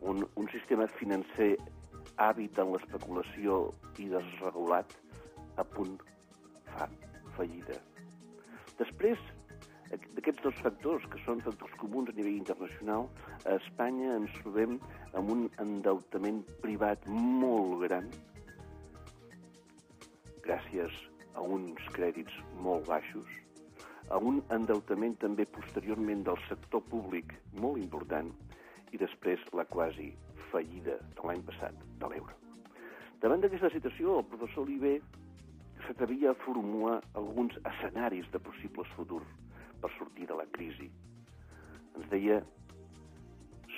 un sistema financer hàbit en l'especulació i desregulat a punt fa fallida. Després, d'aquests dos factors, que són factors comuns a nivell internacional, a Espanya ens trobem amb un endeutament privat molt gran, gràcies a uns crèdits molt baixos, a un endeutament també posteriorment del sector públic molt important, i després la quasi fallida de l'any passat de l'euro. Davant d'aquesta situació, el professor Oliver s'atrevia a formular alguns escenaris de possibles futurs per sortir de la crisi. Ens deia,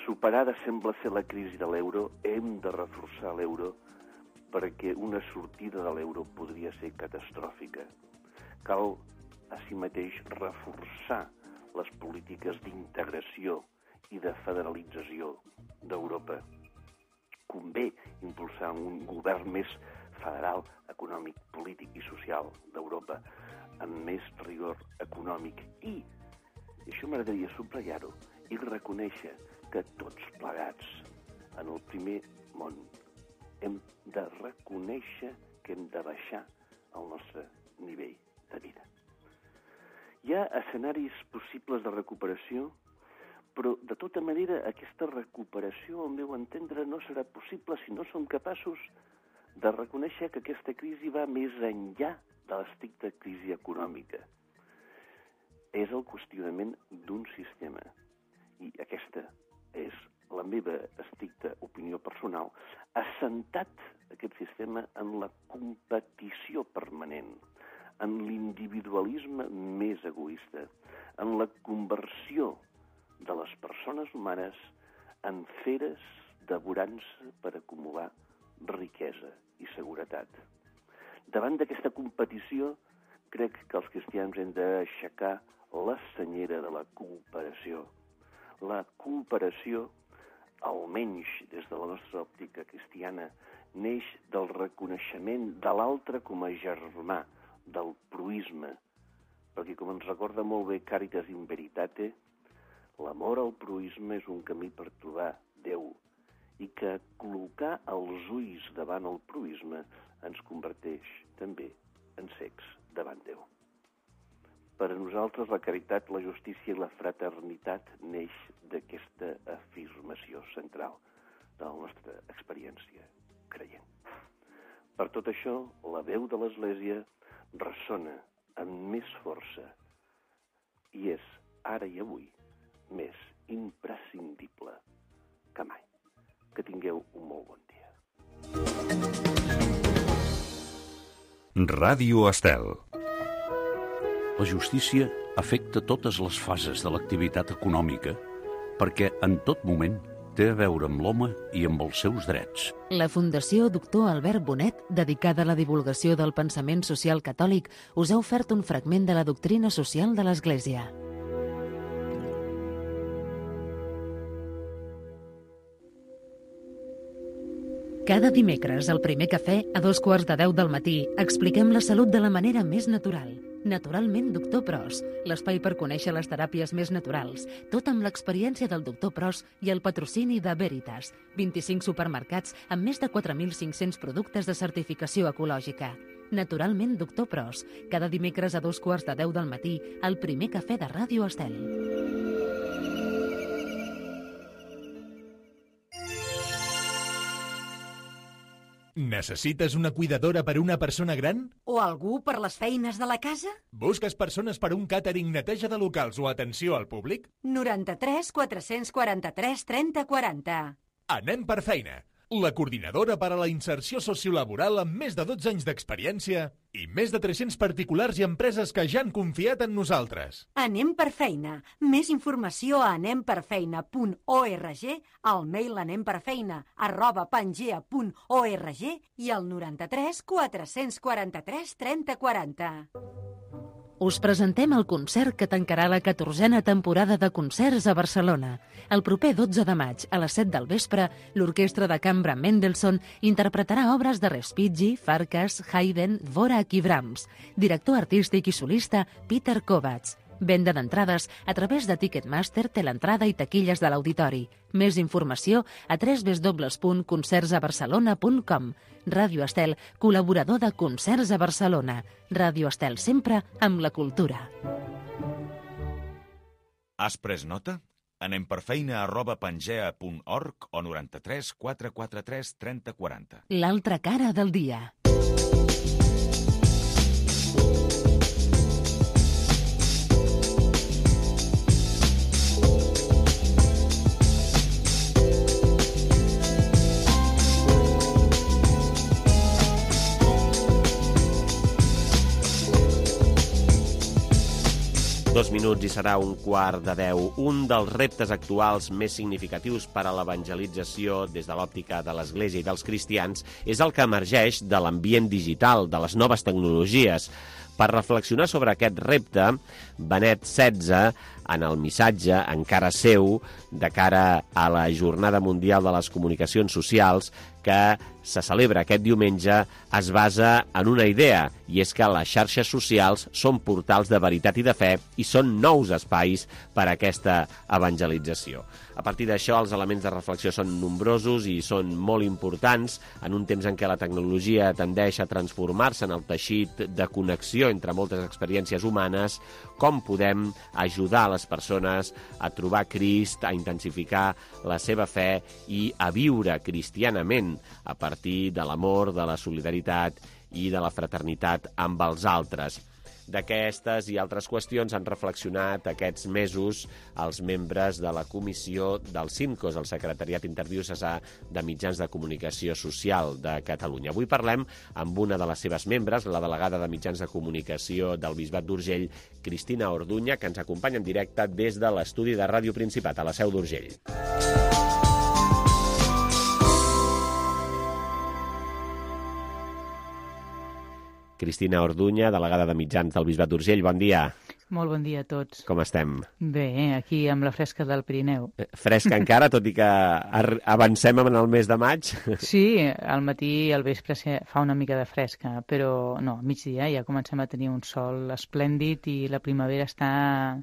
superada sembla ser la crisi de l'euro, hem de reforçar l'euro perquè una sortida de l'euro podria ser catastròfica. Cal, així mateix, reforçar les polítiques d'integració i de federalització d'Europa. Convé impulsar un govern més federal, econòmic, polític i social d'Europa, amb més rigor econòmic. I això m'agradaria subratllar-ho, i reconèixer que tots plegats, en el primer món, hem de reconèixer que hem de baixar el nostre nivell de vida. Hi ha escenaris possibles de recuperació, però, de tota manera, aquesta recuperació, al meu entendre, no serà possible si no som capaços de reconèixer que aquesta crisi va més enllà de l'estricta crisi econòmica. És el qüestionament d'un sistema. I aquesta és la meva estricta opinió personal, assentat aquest sistema en la competició permanent, en l'individualisme més egoista, en la conversió de les persones humanes en feres devorant-se per acumular riquesa i seguretat. Davant d'aquesta competició, crec que els cristians hem d'aixecar la senyera de la cooperació. La cooperació, almenys des de la nostra òptica cristiana, neix del reconeixement de l'altre com a germà, del proisme, perquè, com ens recorda molt bé Caritas in Veritate, l'amor al proisme és un camí per trobar Déu, i que col·locar els ulls davant el proisme ens converteix també en cecs davant Déu. Per a nosaltres la caritat, la justícia i la fraternitat neix d'aquesta afirmació central de la nostra experiència creient. Per tot això, la veu de l'Església ressona amb més força i és, ara i avui, més imprescindible que mai. Que tingueu un molt bon dia. Ràdio Estel. La justícia afecta totes les fases de l'activitat econòmica perquè en tot moment té a veure amb l'home i amb els seus drets. La Fundació Doctor Albert Bonet, dedicada a la divulgació del pensament social catòlic, us ha ofert un fragment de la doctrina social de l'Església. Cada dimecres, al primer cafè, a 2:15 del matí, expliquem la salut de la manera més natural. Naturalment Doctor Pros, l'espai per conèixer les teràpies més naturals, tot amb l'experiència del Doctor Pros i el patrocini de Veritas, 25 supermercats amb més de 4.500 productes de certificació ecològica. Naturalment Doctor Pros, cada dimecres a 9:45 del matí, al primer cafè de Ràdio Estel. Necessites una cuidadora per a una persona gran? O algú per les feines de la casa? Busques persones per un càtering, neteja de locals o atenció al públic? 93 443 30 40. Anem per feina. La coordinadora per a la inserció sociolaboral amb més de 12 anys d'experiència i més de 300 particulars i empreses que ja han confiat en nosaltres. Anem per feina. Més informació a anemperfeina.org, al mail anemperfeina@pangea.org i al 93 443 30 40. Us presentem el concert que tancarà la 14a temporada de concerts a Barcelona. El proper 12 de maig, a les 7 del vespre, l'Orquestra de Cambra Mendelssohn interpretarà obres de Respighi, Farkas, Haydn, Dvorak i Brahms. Director artístic i solista, Peter Kovacs. Venda d'entrades a través de Ticketmaster, Teleentrada i taquilles de l'auditori. Més informació a www.concertsabarcelona.com. Ràdio Estel, col·laborador de Concerts a Barcelona. Ràdio Estel sempre amb la cultura. Has pres nota? Anem per feina@pangea.org o 93 443 30 40. L'altra cara del dia. Dos minuts i serà 9:45. Un dels reptes actuals més significatius per a l'evangelització des de l'òptica de l'Església i dels cristians és el que emergeix de l'ambient digital, de les noves tecnologies. Per reflexionar sobre aquest repte, Benet XVI, en el missatge encara seu, de cara a la Jornada Mundial de les Comunicacions Socials, que se celebra aquest diumenge, es basa en una idea, i és que les xarxes socials són portals de veritat i de fe i són nous espais per a aquesta evangelització. A partir d'això, els elements de reflexió són nombrosos i són molt importants en un temps en què la tecnologia tendeix a transformar-se en el teixit de connexió entre moltes experiències humanes. Com podem ajudar a les persones a trobar Crist, a intensificar la seva fe i a viure cristianament a partir de l'amor, de la solidaritat i de la fraternitat amb els altres. D'aquestes i altres qüestions han reflexionat aquests mesos els membres de la comissió del CIMCOS, el Secretariat Interdiocesà de Mitjans de Comunicació Social de Catalunya. Avui parlem amb una de les seves membres, la delegada de Mitjans de Comunicació del Bisbat d'Urgell, Cristina Orduña, que ens acompanya en directe des de l'estudi de Ràdio Principat, a la Seu d'Urgell. Cristina Orduña, delegada de Mitjans del Bisbat d'Urgell, bon dia. Molt bon dia a tots. Com estem? Bé, aquí amb la fresca del Pirineu. Fresca encara, tot i que avancem en el mes de maig? Sí, al matí i al vespre fa una mica de fresca, però no, a migdia ja comencem a tenir un sol esplèndid i la primavera està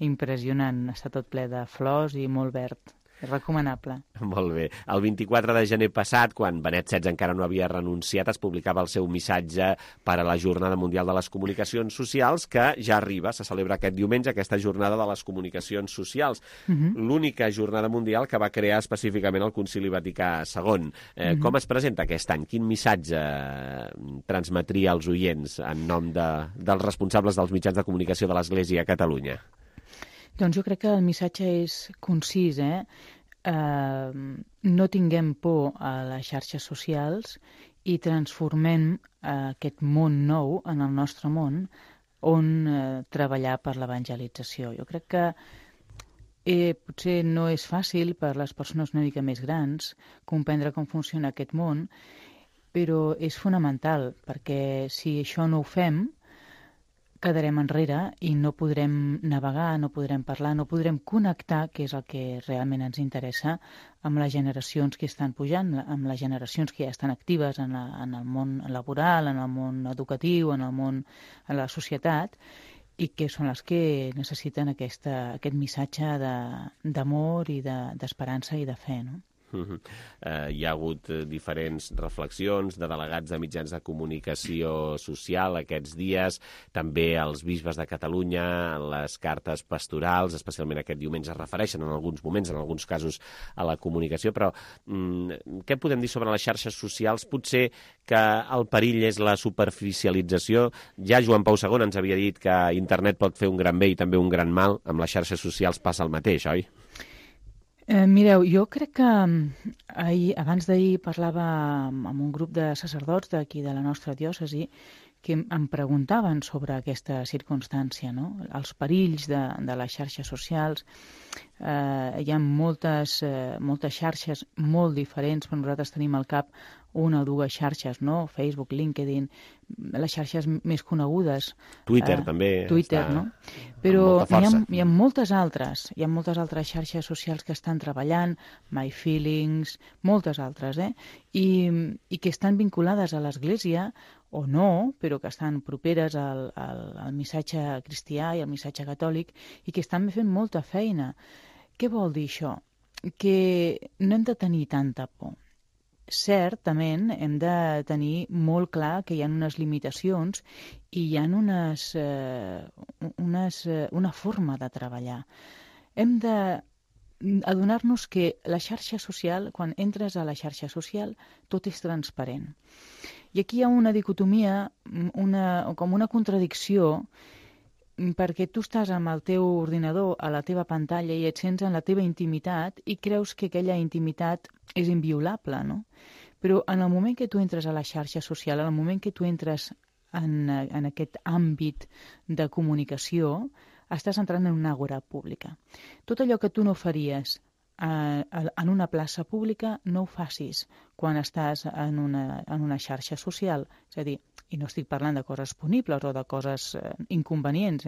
impressionant, està tot ple de flors i molt verd. És recomanable. Molt bé. El 24 de gener passat, quan Benet XVI encara no havia renunciat, es publicava el seu missatge per a la Jornada Mundial de les Comunicacions Socials, que ja arriba, se celebra aquest diumenge, aquesta Jornada de les Comunicacions Socials. L'única jornada mundial que va crear específicament el Concili Vaticà II. Com es presenta aquest any? Quin missatge transmetria als oients en nom dels responsables dels mitjans de comunicació de l'Església a Catalunya? Doncs jo crec que el missatge és concís, no tinguem por a les xarxes socials i transformem aquest món nou en el nostre món on treballar per l'evangelització. Jo crec que potser no és fàcil per les persones una mica més grans comprendre com funciona aquest món, però és fonamental, perquè si això no ho fem, quedarem enrere i no podrem navegar, no podrem parlar, no podrem connectar, que és el que realment ens interessa, amb les generacions que estan pujant, amb les generacions que ja estan actives en el món laboral, en el món educatiu, en la societat, i que són les que necessiten aquest missatge d'amor i d'esperança i de fe, no? Hi ha hagut diferents reflexions de delegats de mitjans de comunicació social aquests dies, també els bisbes de Catalunya, les cartes pastorals, especialment aquest diumenge, es refereixen en alguns moments, en alguns casos, a la comunicació, però què podem dir sobre les xarxes socials? Potser que el perill és la superficialització. Ja Joan Pau II ens havia dit que internet pot fer un gran bé i també un gran mal. Amb les xarxes socials passa el mateix, oi? Mireu, jo crec que abans d'ahir parlava amb un grup de sacerdots d'aquí de la nostra diòcesi que em preguntaven sobre aquesta circumstància, no? Els perills de les xarxes socials. Hi ha moltes xarxes molt diferents, però nosaltres tenim al cap una o dues xarxes, no? Facebook, LinkedIn, les xarxes més conegudes. Twitter també. Twitter, no? Però hi ha moltes altres. Hi ha moltes altres xarxes socials que estan treballant, My Feelings, moltes altres, i que estan vinculades a l'Església, o no, però que estan properes al missatge cristià i al missatge catòlic i que estan fent molta feina. Què vol dir això? Que no hem de tenir tanta por. Certament hem de tenir molt clar que hi ha unes limitacions i hi ha una forma de treballar. Hem d'adonar-nos que la xarxa social, quan entres a la xarxa social, tot és transparent. I aquí hi ha una dicotomia, com una contradicció, perquè tu estàs amb el teu ordinador a la teva pantalla i et sents en la teva intimitat i creus que aquella intimitat és inviolable, no? Però en el moment que tu entres a la xarxa social, en el moment que tu entres en aquest àmbit de comunicació, estàs entrant en una àgora pública. Tot allò que tu no faries en una plaça pública, no ho facis quan estàs en una xarxa social. És a dir, i no estic parlant de coses punibles o de coses inconvenients,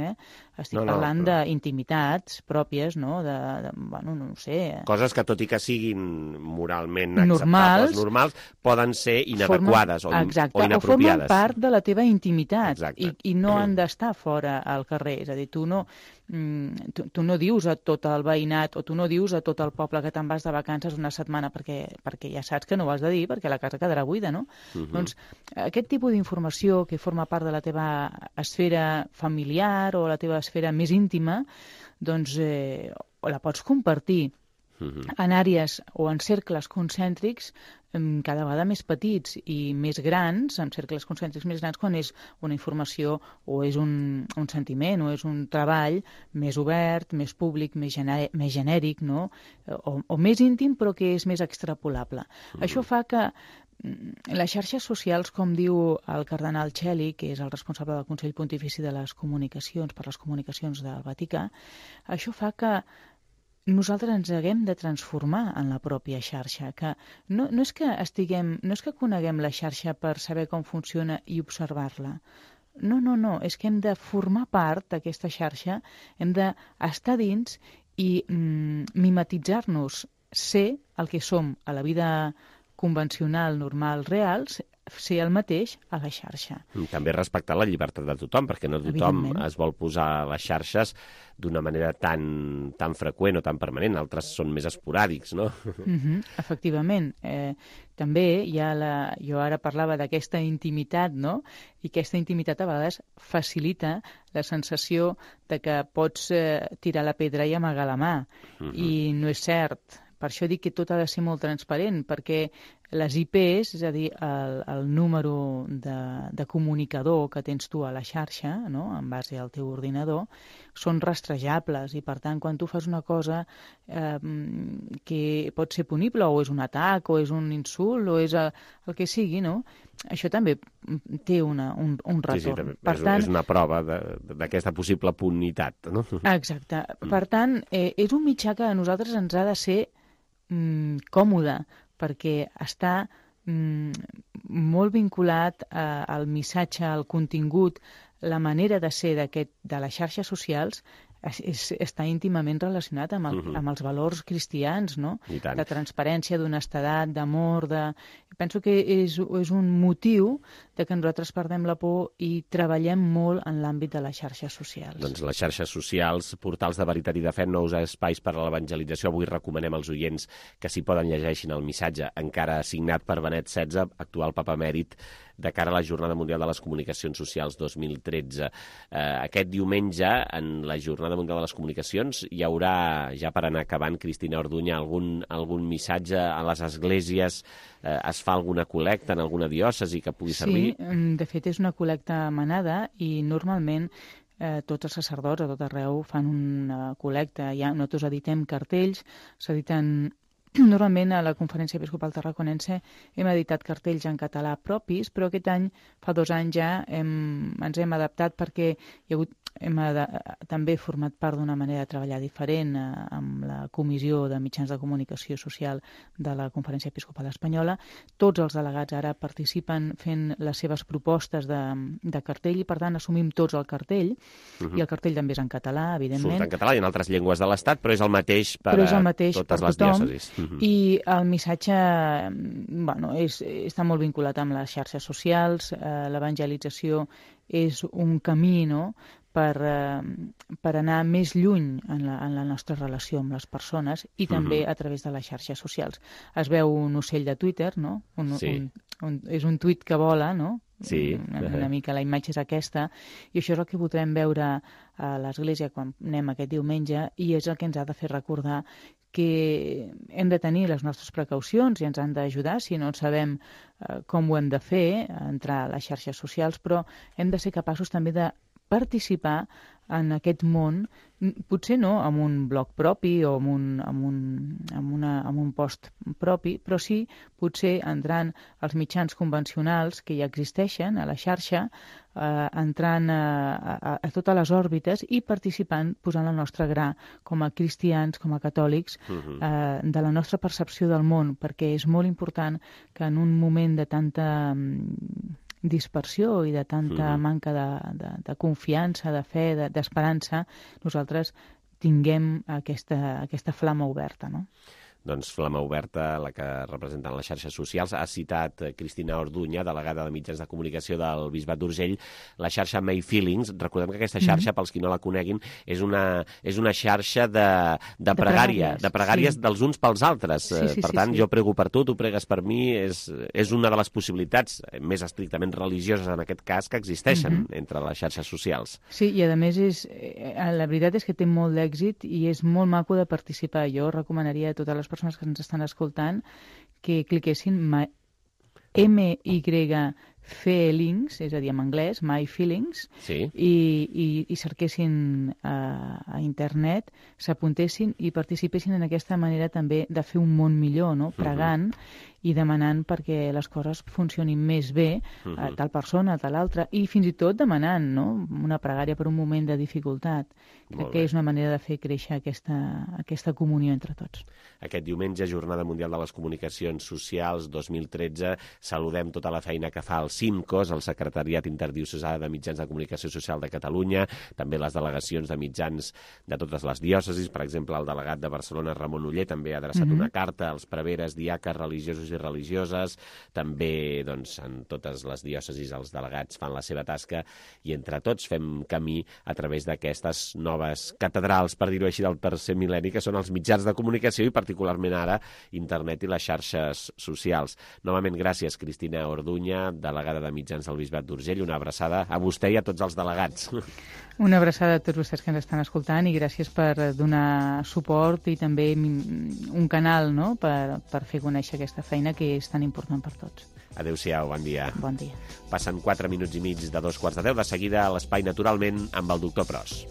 estic parlant d'intimitats pròpies, no? Bueno, no sé... Coses que, tot i que siguin moralment acceptables, normals, poden ser inadequades o inapropiades. O formen part de la teva intimitat i no han d'estar fora al carrer. És a dir, tu no dius a tot el veïnat o tu no dius a tot el poble que te'n vas de vacances una setmana perquè ja saps que no ho has de dir perquè la casa quedarà buida, no? Doncs aquest tipus d'informació que forma part de la teva esfera familiar o la teva esfera més íntima, doncs la pots compartir en àrees o en cercles concèntrics cada vegada més petits i més grans, en cercles concèntrics més grans, quan és una informació o és un sentiment o és un treball més obert, més públic, més genèric, no? O més íntim però que és més extrapolable. Això fa que les xarxes socials, com diu el cardenal Celi, que és el responsable del Consell Pontifici de les Comunicacions, per les comunicacions del Vaticà, això fa que nosaltres ens haguem de transformar en la pròpia xarxa, que no és que coneguem la xarxa per saber com funciona i observar-la. No, és que hem de formar part d'aquesta xarxa, hem d'estar dins i mimetitzar-nos, ser el que som a la vida convencional, normal, real, ser el mateix a la xarxa. També respectar la llibertat de tothom, perquè no tothom es vol posar a les xarxes d'una manera tan freqüent o tan permanent. Altres són més esporàdics, no? Efectivament. També jo ara parlava d'aquesta intimitat, no? I aquesta intimitat a vegades facilita la sensació de que pots tirar la pedra i amagar la mà. I no és cert. Per això dic que tot ha de ser molt transparent, perquè les IPs, és a dir, el número de comunicador que tens tu a la xarxa, no?, en base al teu ordinador, són rastrejables i, per tant, quan tu fas una cosa que pot ser punible, o és un atac, o és un insult, o és el que sigui, no?, això també té un retorn. Sí, és una prova d'aquesta possible punitat, no? Exacte. Per tant, és un mitjà que a nosaltres ens ha de ser còmode, perquè està molt vinculat al missatge, al contingut la manera de ser de les xarxes socials està íntimament relacionat amb els valors cristians, no? De transparència, d'honestedat, d'amor, Penso que és un motiu de que nosaltres perdem la por i treballem molt en l'àmbit de les xarxes socials. Doncs les xarxes socials, portals de veritat i de fe, nous espais per a l'evangelització. Avui recomanem als oients que s'hi poden llegeixin el missatge, encara signat per Benet XVI, actual papa emèrit, de cara a la Jornada Mundial de les Comunicacions Socials 2013. Aquest diumenge, en la Jornada Mundial de les Comunicacions, hi haurà, ja per anar acabant, Cristina Orduña, algun missatge a les esglésies? Es fa alguna col·lecta en alguna diòcesi que pugui servir? Sí, de fet és una col·lecta manada i normalment tots els sacerdots a tot arreu fan una col·lecta. Nosaltres editem cartells, s'editen... Normalment a la Conferència Episcopal Tarraconense hem editat cartells en català propis, però aquest any, fa 2 anys ja, ens hem adaptat perquè hem també format part d'una manera de treballar diferent amb la Comissió de Mitjans de Comunicació Social de la Conferència Episcopal Espanyola. Tots els delegats ara participen fent les seves propostes de cartell i, per tant, assumim tots el cartell, i el cartell també és en català, evidentment. Surt en català i en altres llengües de l'Estat, però és el mateix per a totes les diòcesis. I el missatge està molt vinculat amb les xarxes socials. L'evangelització és un camí, no?, per anar més lluny en la nostra relació amb les persones i també a través de les xarxes socials. Es veu un ocell de Twitter, no? És un tuit que vola, no? Sí. Una mica la imatge és aquesta, i això és el que podrem veure a l'Església quan anem aquest diumenge, i és el que ens ha de fer recordar que hem de tenir les nostres precaucions i ens han d'ajudar si no sabem com ho hem de fer, entrar a les xarxes socials, però hem de ser capaços també de participar en aquest món, potser no amb un blog propi o amb un post propi, però sí potser entrant als mitjans convencionals que ja existeixen a la xarxa, entrant a totes les òrbites i participant, posant el nostre gra com a cristians, com a catòlics, de la nostra percepció del món, perquè és molt important que en un moment de tanta dispersió i de tanta manca de confiança, de fe, d'esperança, nosaltres tinguem aquesta flama oberta, no? Doncs flama oberta, la que representen les xarxes socials. Ha citat Cristina Orduña, delegada de Mitjans de Comunicació del Bisbat d'Urgell, la xarxa My Feelings. Recordem que aquesta xarxa, pels qui no la coneguin, és una xarxa de pregàries dels uns pels altres. Per tant, jo prego per tu pregues per mi, és una de les possibilitats més estrictament religioses, en aquest cas, que existeixen entre les xarxes socials. Sí, i a més, la veritat és que té molt d'èxit i és molt maco de participar. Jo recomanaria a totes les persones que ens estan escoltant que cliquessin MY-Feelings, és a dir, en anglès, My Feelings, i cerquessin a internet, s'apuntessin i participessin en aquesta manera també de fer un món millor, no? Pregant i demanant perquè les coses funcionin més bé, a tal persona, a tal altra, i fins i tot demanant, no?, una pregària per un moment de dificultat. Crec que és una manera de fer créixer aquesta comunió entre tots. Aquest diumenge, Jornada Mundial de les Comunicacions Socials 2013, saludem tota la feina que fa el CIMCOS, el Secretariat Interdiocesà de Mitjans de Comunicació Social de Catalunya, també les delegacions de mitjans de totes les diòcesis. Per exemple, el delegat de Barcelona, Ramon Oller, també ha adreçat una carta als preveres, diaques, religiosos i religioses. També, doncs, en totes les diòcesis els delegats fan la seva tasca i entre tots fem camí a través d'aquestes noves catedrals, per dir-ho així, del tercer mil·lenni, que són els mitjans de comunicació i particularment ara internet i les xarxes socials. Novament, gràcies, Cristina Orduña, delegada de Mitjans del Bisbat d'Urgell. Una abraçada a vostè i a tots els delegats. Una abraçada a tots vostès que ens estan escoltant i gràcies per donar suport i també un canal, no?, per fer conèixer aquesta feina que és tan important per tots. Adéu-siau, bon dia. Bon dia. Passen 4 minuts i mig de 2:45. De seguida a l'Espai Naturalment amb el doctor Pros.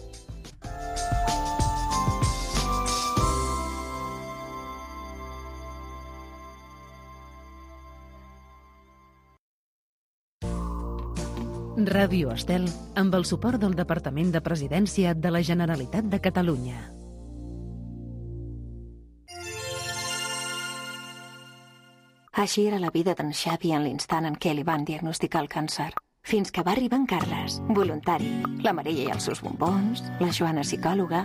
Ràdio Estel, amb el suport del Departament de Presidència de la Generalitat de Catalunya. Així era la vida d'en Xavi en l'instant en què li van diagnosticar el càncer. fins que va arribar en Carles, voluntari, la Maria i els seus bombons, la Joana psicòloga,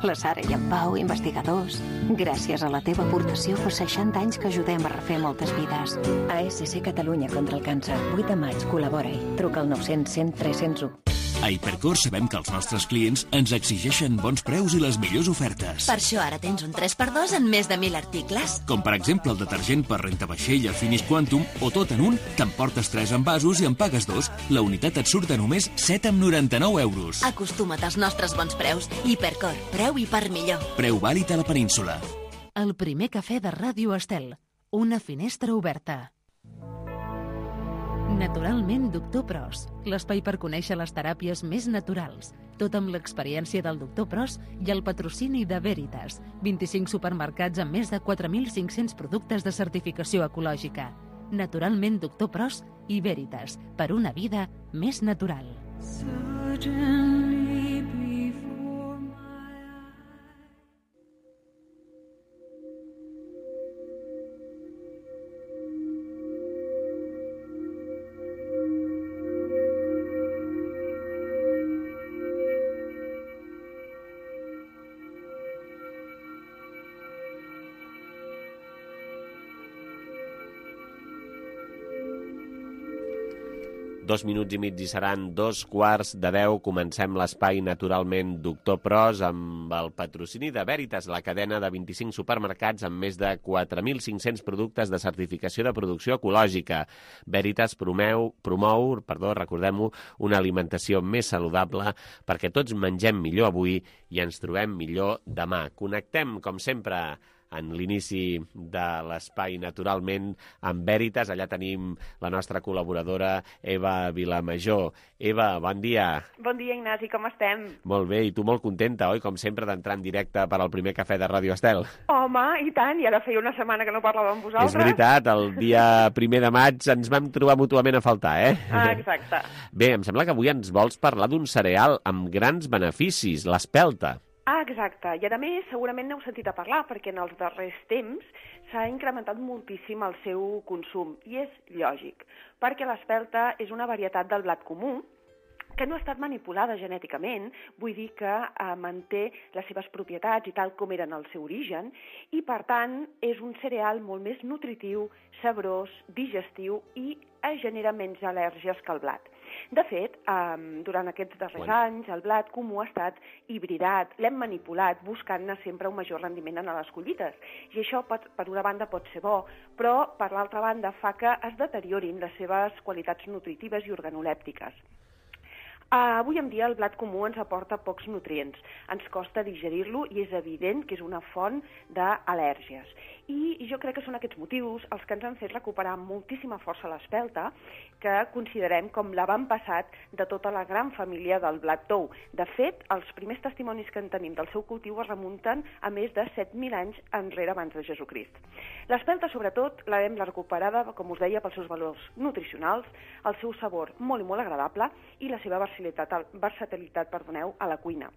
la Sara i en Pau, investigadors. Gràcies a la teva aportació fa 60 anys que ajudem a refer moltes vides. ASC Catalunya contra el càncer, 8 de maig, col·labora-hi. Truca al 900 100 301. A Hipercor sabem que els nostres clients ens exigeixen bons preus i les millors ofertes. Per això ara tens un 3x2 en més de 1.000 articles. Com per exemple el detergent per rentavaixella Finish Quantum o tot en un, t'emportes 3 envasos i en pagues 2. La unitat et surt a només 7,99 euros. Acostuma't als nostres bons preus. Hipercor, preu i per millor. Preu vàlid a la península. El primer cafè de Ràdio Estel. Una finestra oberta. Naturalment Doctor Pros, l'espai per conèixer les teràpies més naturals, tot amb l'experiència del Doctor Pros i el patrocini de Veritas, 25 supermercats amb més de 4.500 productes de certificació ecològica. Naturalment Doctor Pros i Veritas, per una vida més natural. Dos minuts i mig i seran 2:15. Comencem l'espai Naturalment Doctor Pros amb el patrocini de Veritas, la cadena de 25 supermercats amb més de 4.500 productes de certificació de producció ecològica. Veritas promou, recordem-ho, una alimentació més saludable perquè tots mengem millor avui i ens trobem millor demà. Connectem, com sempre, en l'inici de l'espai Naturalment amb Veritas. Allà tenim la nostra col·laboradora Eva Vilamajor. Eva, bon dia. Bon dia, Ignasi, com estem? Molt bé, i tu molt contenta, oi? Com sempre, d'entrar en directe per al primer cafè de Ràdio Estel. Home, i tant, i ara feia una setmana que no parlava amb vosaltres. És veritat, el dia 1 de maig ens vam trobar mútuament a faltar, eh? Ah, exacte. Bé, em sembla que avui ens vols parlar d'un cereal amb grans beneficis, l'espelta. Ah, exacte. I a més, segurament n'heu sentit a parlar, perquè en els darrers temps s'ha incrementat moltíssim el seu consum. I és lògic, perquè l'espelta és una varietat del blat comú que no ha estat manipulada genèticament, vull dir que manté les seves propietats i tal com eren al seu origen, i per tant és un cereal molt més nutritiu, sabrós, digestiu i genera menys al·lèrgies que el blat. De fet, durant aquests darrers anys, el blat comú ha estat hibridat, l'hem manipulat, buscant-ne sempre un major rendiment en les collites. I això, per una banda, pot ser bo, però, per l'altra banda, fa que es deteriorin les seves qualitats nutritives i organolèptiques. Avui en dia el blat comú ens aporta pocs nutrients, ens costa digerir-lo i és evident que és una font d'al·lèrgies. I jo crec que són aquests motius els que ens han fet recuperar amb moltíssima força l'espelta, que considerem com l'avantpassat de tota la gran família del blat tou. De fet, els primers testimonis que en tenim del seu cultiu es remunten a més de 7.000 anys enrere abans de Jesucrist. L'espelta, sobretot, l'hem recuperada, com us deia, pels seus valors nutricionals, el seu sabor molt i molt agradable i la seva versatilitat a la cuina.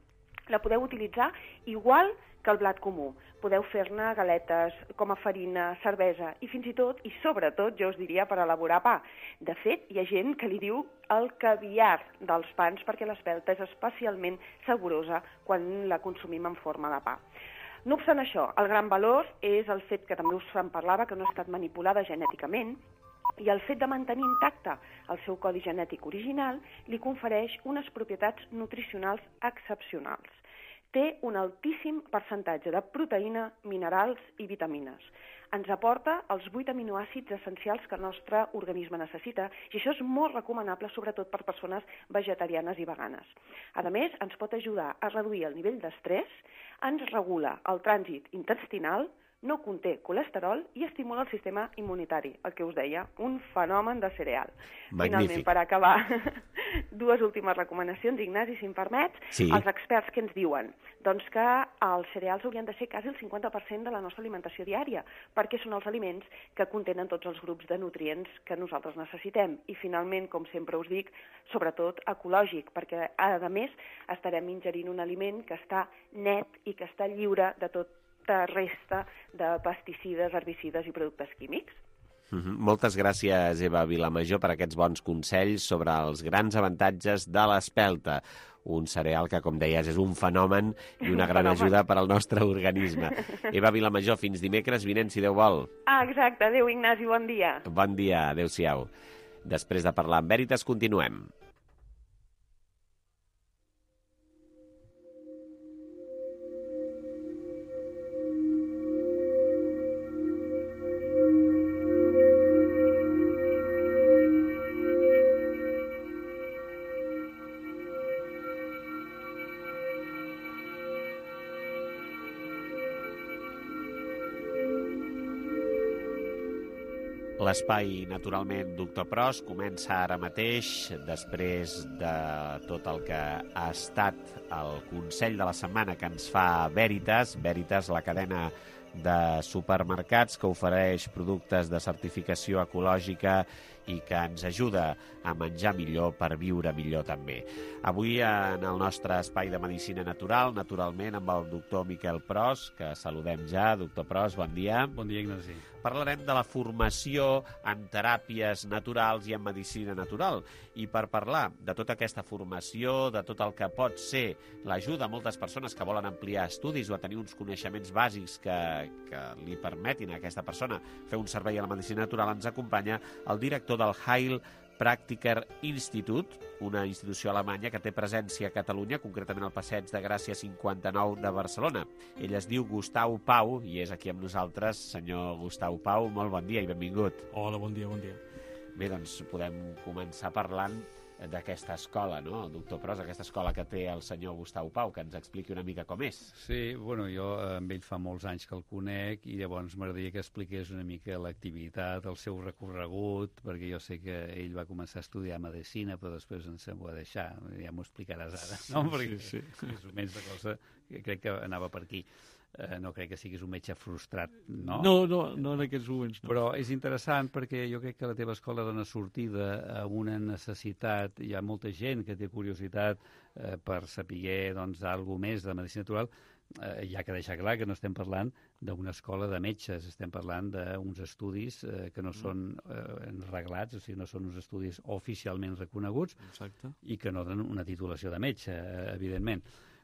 La podeu utilitzar igual que el blat comú. Podeu fer-ne galetes com a farina, cervesa i fins i tot, i sobretot, jo us diria, per elaborar pa. De fet, hi ha gent que li diu el caviar dels pans perquè l'espelta és especialment saborosa quan la consumim en forma de pa. No obstant això, el gran valor és el fet que també us en parlava, que no ha estat manipulada genèticament, i el fet de mantenir intacte el seu codi genètic original li confereix unes propietats nutricionals excepcionals. Té un altíssim percentatge de proteïna, minerals i vitamines. Ens aporta els 8 aminoàcids essencials que el nostre organisme necessita i això és molt recomanable sobretot per persones vegetarianes i veganes. A més, ens pot ajudar a reduir el nivell d'estrès, ens regula el trànsit intestinal, no conté colesterol i estimula el sistema immunitari, el que us deia, un fenomen de cereal. Magnífic. Finalment, per acabar, dues últimes recomanacions, Ignasi, si em permets. Sí. Els experts què ens diuen? Doncs que els cereals haurien de ser quasi el 50% de la nostra alimentació diària, perquè són els aliments que contenen tots els grups de nutrients que nosaltres necessitem. I finalment, com sempre us dic, sobretot ecològic, perquè a més estarem ingerint un aliment que està net i que està lliure de tot resta de pesticides, herbicides i productes químics. Moltes gràcies, Eva Vilamajor, per aquests bons consells sobre els grans avantatges de l'espelta. Un cereal que, com deies, és un fenomen i una gran ajuda per al nostre organisme. Eva Vilamajor, fins dimecres vinent, si Déu vol. Exacte. Adéu, Ignasi, bon dia. Bon dia, adéu-siau. Després de parlar amb Veritas, continuem. L'espai, naturalment, Doctor Pros comença ara mateix, després de tot el que ha estat el Consell de la Setmana que ens fa Veritas. Veritas, la cadena de supermercats que ofereix productes de certificació ecològica i que ens ajuda a menjar millor per viure millor també. Avui en el nostre espai de Medicina Natural, naturalment amb el doctor Miquel Pros, que saludem ja. Doctor Pros, bon dia. Bon dia, Ignasi. Parlarem de la formació en teràpies naturals i en medicina natural. I per parlar de tota aquesta formació, de tot el que pot ser l'ajuda a moltes persones que volen ampliar estudis o a tenir uns coneixements bàsics que li permetin a aquesta persona fer un servei a la medicina natural, ens acompanya el director del Heilpraktiker Institut, una institució alemanya que té presència a Catalunya, concretament al Passeig de Gràcia 59 de Barcelona. Ell es diu Gustau Pau i és aquí amb nosaltres. Senyor Gustau Pau, molt bon dia i benvingut. Hola, bon dia, bon dia. Bé, doncs podem començar parlant d'aquesta escola, no, doctor Pros, aquesta escola que té el senyor Gustau Pau, que ens expliqui una mica com és. Sí, bueno, jo amb ell fa molts anys que el conec i llavors m'agradaria que expliqués una mica l'activitat, el seu recorregut, perquè jo sé que ell va començar a estudiar medicina, però després ens ho va deixar, ja m'ho explicaràs ara, no? Perquè sí. És menys de cosa que crec que anava per aquí. No crec que siguis un metge frustrat, no? No en aquests moments. No. Però és interessant perquè jo crec que la teva escola dona sortida a una necessitat. Hi ha molta gent que té curiositat per saber alguna més de medicina natural. Hi ha que deixar clar que no estem parlant d'una escola de metges, estem parlant d'uns estudis que no són reglats, o sigui, no són uns estudis oficialment reconeguts. Exacte. I que no donen una titulació de metge, evidentment.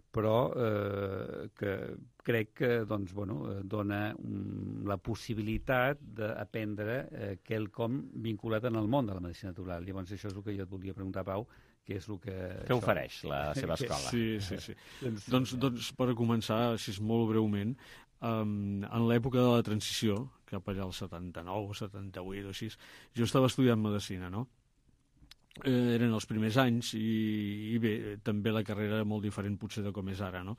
Però que crec que dona la possibilitat d'aprendre quelcom vinculat en el món de la medicina natural. Llavors això és el que jo et volia preguntar, Pau, què és el que... Què ofereix la seva escola? Sí. doncs per començar, així molt breument, en l'època de la transició, cap allà al 79 o 78 o així, jo estava estudiant medicina, no? Eren els primers anys i bé, també la carrera era molt diferent potser de com és ara, no?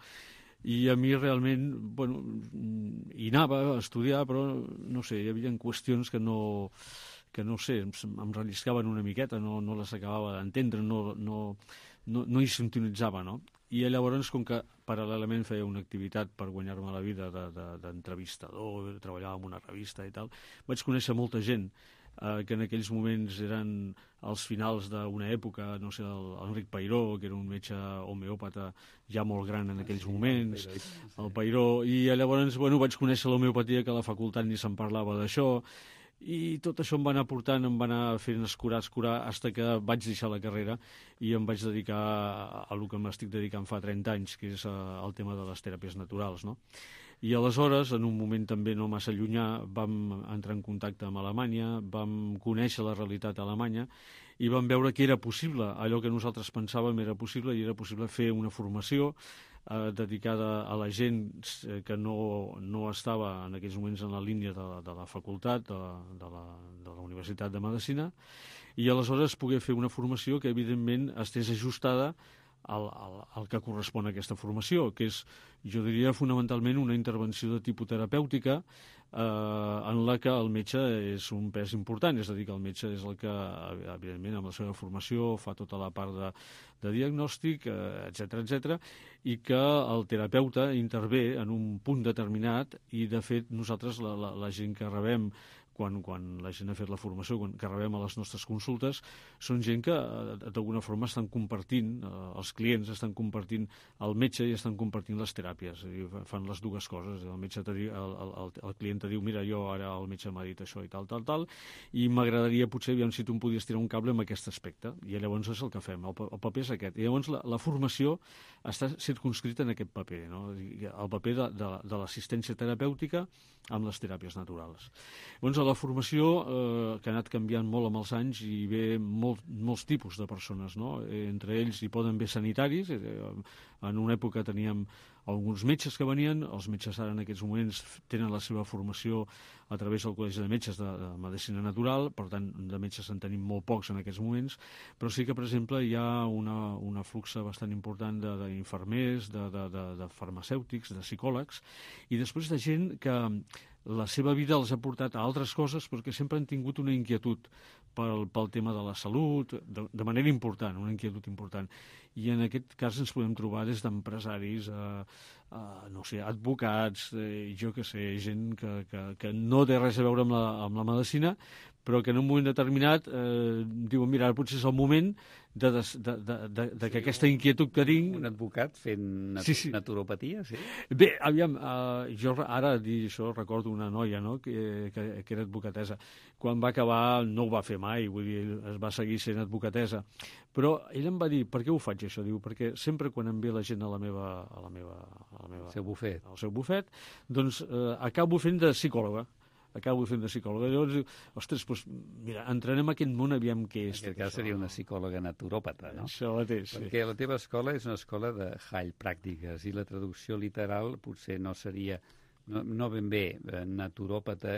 I a mi realment, hi anava a estudiar, però no sé, hi havia qüestions que no sé, em relliscaven una miqueta, no les acabava d'entendre, no hi sintonitzava, no? I llavors, com que paral·lelament feia una activitat per guanyar-me la vida d'entrevistador, treballava en una revista i tal, vaig conèixer molta gent que en aquells moments eren als finals d'una època, no sé, l'Enric Peiró, que era un metge homeòpata ja molt gran en aquells moments, el Peiró, i llavors vaig conèixer l'homeopatia, que a la facultat ni se'n parlava d'això, i tot això em va anar portant, em va anar fent escurar, fins que vaig deixar la carrera i em vaig dedicar a el que m'estic dedicant fa 30 anys, que és el tema de les teràpies naturals, no? I aleshores, en un moment també no massa llunyà, vam entrar en contacte amb Alemanya, vam conèixer la realitat alemanya i vam veure que era possible, allò que nosaltres pensàvem era possible, i era possible fer una formació dedicada a la gent que no estava en aquells moments en la línia de la facultat, de la Universitat de Medicina, i aleshores poder fer una formació que evidentment estés ajustada al que correspon a aquesta formació, que és, jo diria, fonamentalment una intervenció de tipus terapèutica en la que el metge és un pes important, és a dir, que el metge és el que, evidentment, amb la seva formació fa tota la part de diagnòstic, etc, i que el terapeuta intervé en un punt determinat i, de fet, nosaltres, la gent que rebem quan la gent ha fet la formació, quan que rebem a les nostres consultes, són gent que d'alguna forma estan compartint, els clients estan compartint el metge i estan compartint les teràpies, fan les dues coses. El metge el client te diu, mira, jo ara el metge m'ha dit això i tal, i m'agradaria potser, aviam si tu em podies tirar un cable en aquest aspecte, i llavors és el que fem, el paper és aquest. I llavors la formació està circunscrita en aquest paper, no? El paper de l'assistència terapèutica amb les teràpies naturals. Llavors, la formació, que ha anat canviant molt amb els anys, i ve molts tipus de persones, no? Entre ells hi poden haver sanitaris. En una època teníem alguns metges que venien, els metges ara en aquests moments tenen la seva formació a través del Col·legi de Metges de Medicina Natural, per tant, de metges en tenim molt pocs en aquests moments, però sí que, per exemple, hi ha una fluxa bastant important d'infermers, de farmacèutics, de psicòlegs, i després de gent que la seva vida els ha portat a altres coses perquè sempre han tingut una inquietud pel tema de la salut, de manera important, una inquietud important. I en aquest cas ens podem trobar des d'empresaris, no sé, advocats, jo que sé, gent que no té res a veure amb la medicina, però que en un moment determinat diuen, mira, ara potser és el moment que aquesta inquietud que tinc... Un advocat fent naturopatia, sí? Bé, aviam, jo ara dir això recordo una noia, no?, que era advocatessa. Quan va acabar no ho va fer mai, vull dir, es va seguir sent advocatessa. Però ella em va dir, per què ho faig això? Diu, perquè sempre quan em ve la gent al seu bufet, doncs acabo fent de psicòloga. Llavors diu, ostres, doncs, mira, entrenem aquest món, aviam què és. En aquest cas seria una psicòloga naturòpata, no? Això mateix, sí. Perquè la teva escola és una escola de heilpràctiques, i la traducció literal potser no seria, no ben bé naturòpata,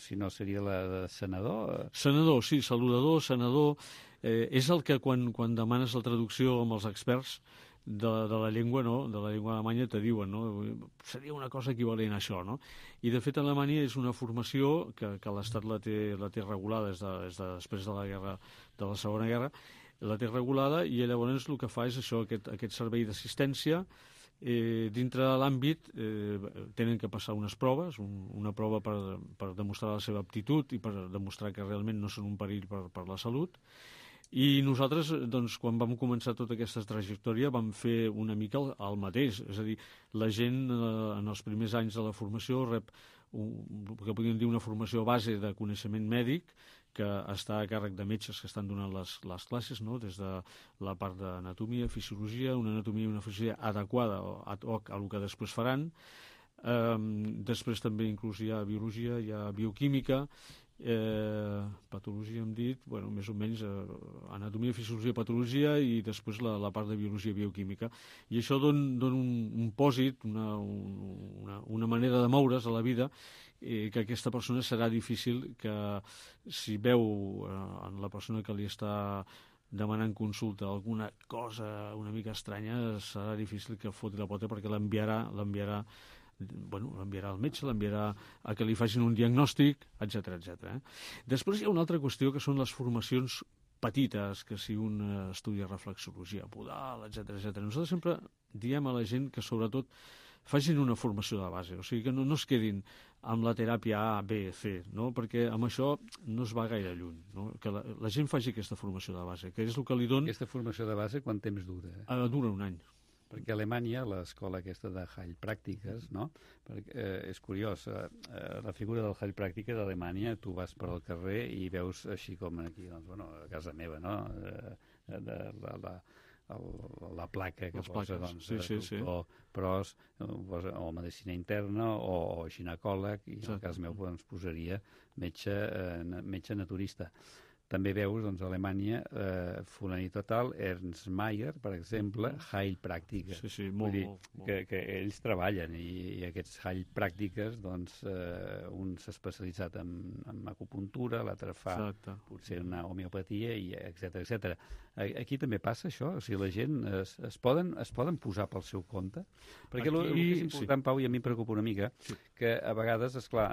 sinó seria la de sanador. Sanador, sí, saludador, sanador. És el que quan demanes la traducció amb els experts de la llengua, no?, de la llengua alemanya, te diuen, no?, seria una cosa equivalent a això, no? I de fet a Alemanya és una formació que l'Estat la té regulada després de la Segona Guerra, la té regulada, i llavors el que fa és això, aquest servei d'assistència. Dintre de l'àmbit tenen que passar unes proves, una prova per demostrar la seva aptitud i per demostrar que realment no són un perill per la salut. I nosaltres, doncs, quan vam començar tota aquesta trajectòria, vam fer una mica el mateix. És a dir, la gent en els primers anys de la formació rep el que podríem dir una formació base de coneixement mèdic, que està a càrrec de metges que estan donant les classes, no?, des de la part d'anatomia, fisiologia, una anatomia i una fisiologia adequada ad hoc a el que després faran. Després també inclús hi ha biologia, hi ha bioquímica, patologia hem dit, bueno, més o menys anatomia, fisiologia, patologia, i després la part de biologia i bioquímica. I això dona un pòsit, una manera de moure's a la vida, que aquesta persona serà difícil que, si veu en la persona que li està demanant consulta alguna cosa una mica estranya, serà difícil que foti la pota, perquè l'enviarà al metge, l'enviarà a que li facin un diagnòstic, etc. Després hi ha una altra qüestió, que són les formacions petites, que si un estudia reflexologia podal, etc. Nosaltres sempre diem a la gent que sobretot facin una formació de base, o sigui que no es quedin amb la teràpia A, B, C, no? Perquè amb això no es va gaire lluny, no? Que la gent faci aquesta formació de base, que és el que li dona... Aquesta formació de base quant temps dura? Dura un any. Perquè a Alemanya, l'escola aquesta de heilpràctiques, no? És curiós, la figura del heilpràctica d'Alemanya, tu vas per al carrer i veus així com aquí, doncs, bueno, a casa meva, no?, la placa que posa, doncs, pros, o medicina interna, o ginecòleg, i en el cas meu doncs, posaria metge naturista. També veus, doncs, a Alemanya, fulanito tal, Ernst Mayr, per exemple, heilpràctiques. Sí, molt. Que ells treballen, i aquests heilpràctiques, doncs, un s'ha especialitzat en acupuntura, l'altre fa potser una homeopatia, etc. Aquí també passa això? O sigui, la gent es poden posar pel seu compte? Perquè el que és important, Pau, i a mi em preocupa una mica, que a vegades, esclar,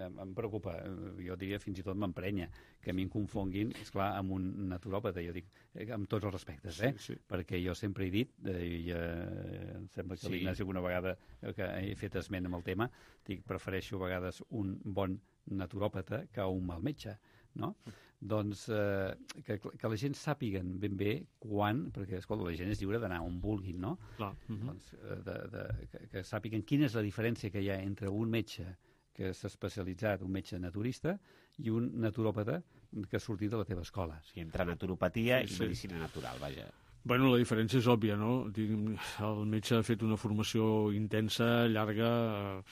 em preocupa, jo diria fins i tot m'emprenya, que a mi em confonguin, esclar, amb un naturòpata, jo dic, amb tots els respectes, perquè jo sempre he dit, i em sembla que l'Ignasi alguna vegada que he fet esment amb el tema, dic, prefereixo a vegades un bon naturòpata que un mal metge, no? Doncs que la gent sàpiguen ben bé quan, perquè escolta, la gent és lliure d'anar on vulguin, no? Doncs, que sàpiguen quina és la diferència que hi ha entre un metge que s'ha especialitzat, un metge naturista, i un naturòpata que ha sortit de la teva escola. Sí, entre naturopatia i medicina natural, vaja. Bueno, la diferència és òbvia, no? El metge ha fet una formació intensa, llarga,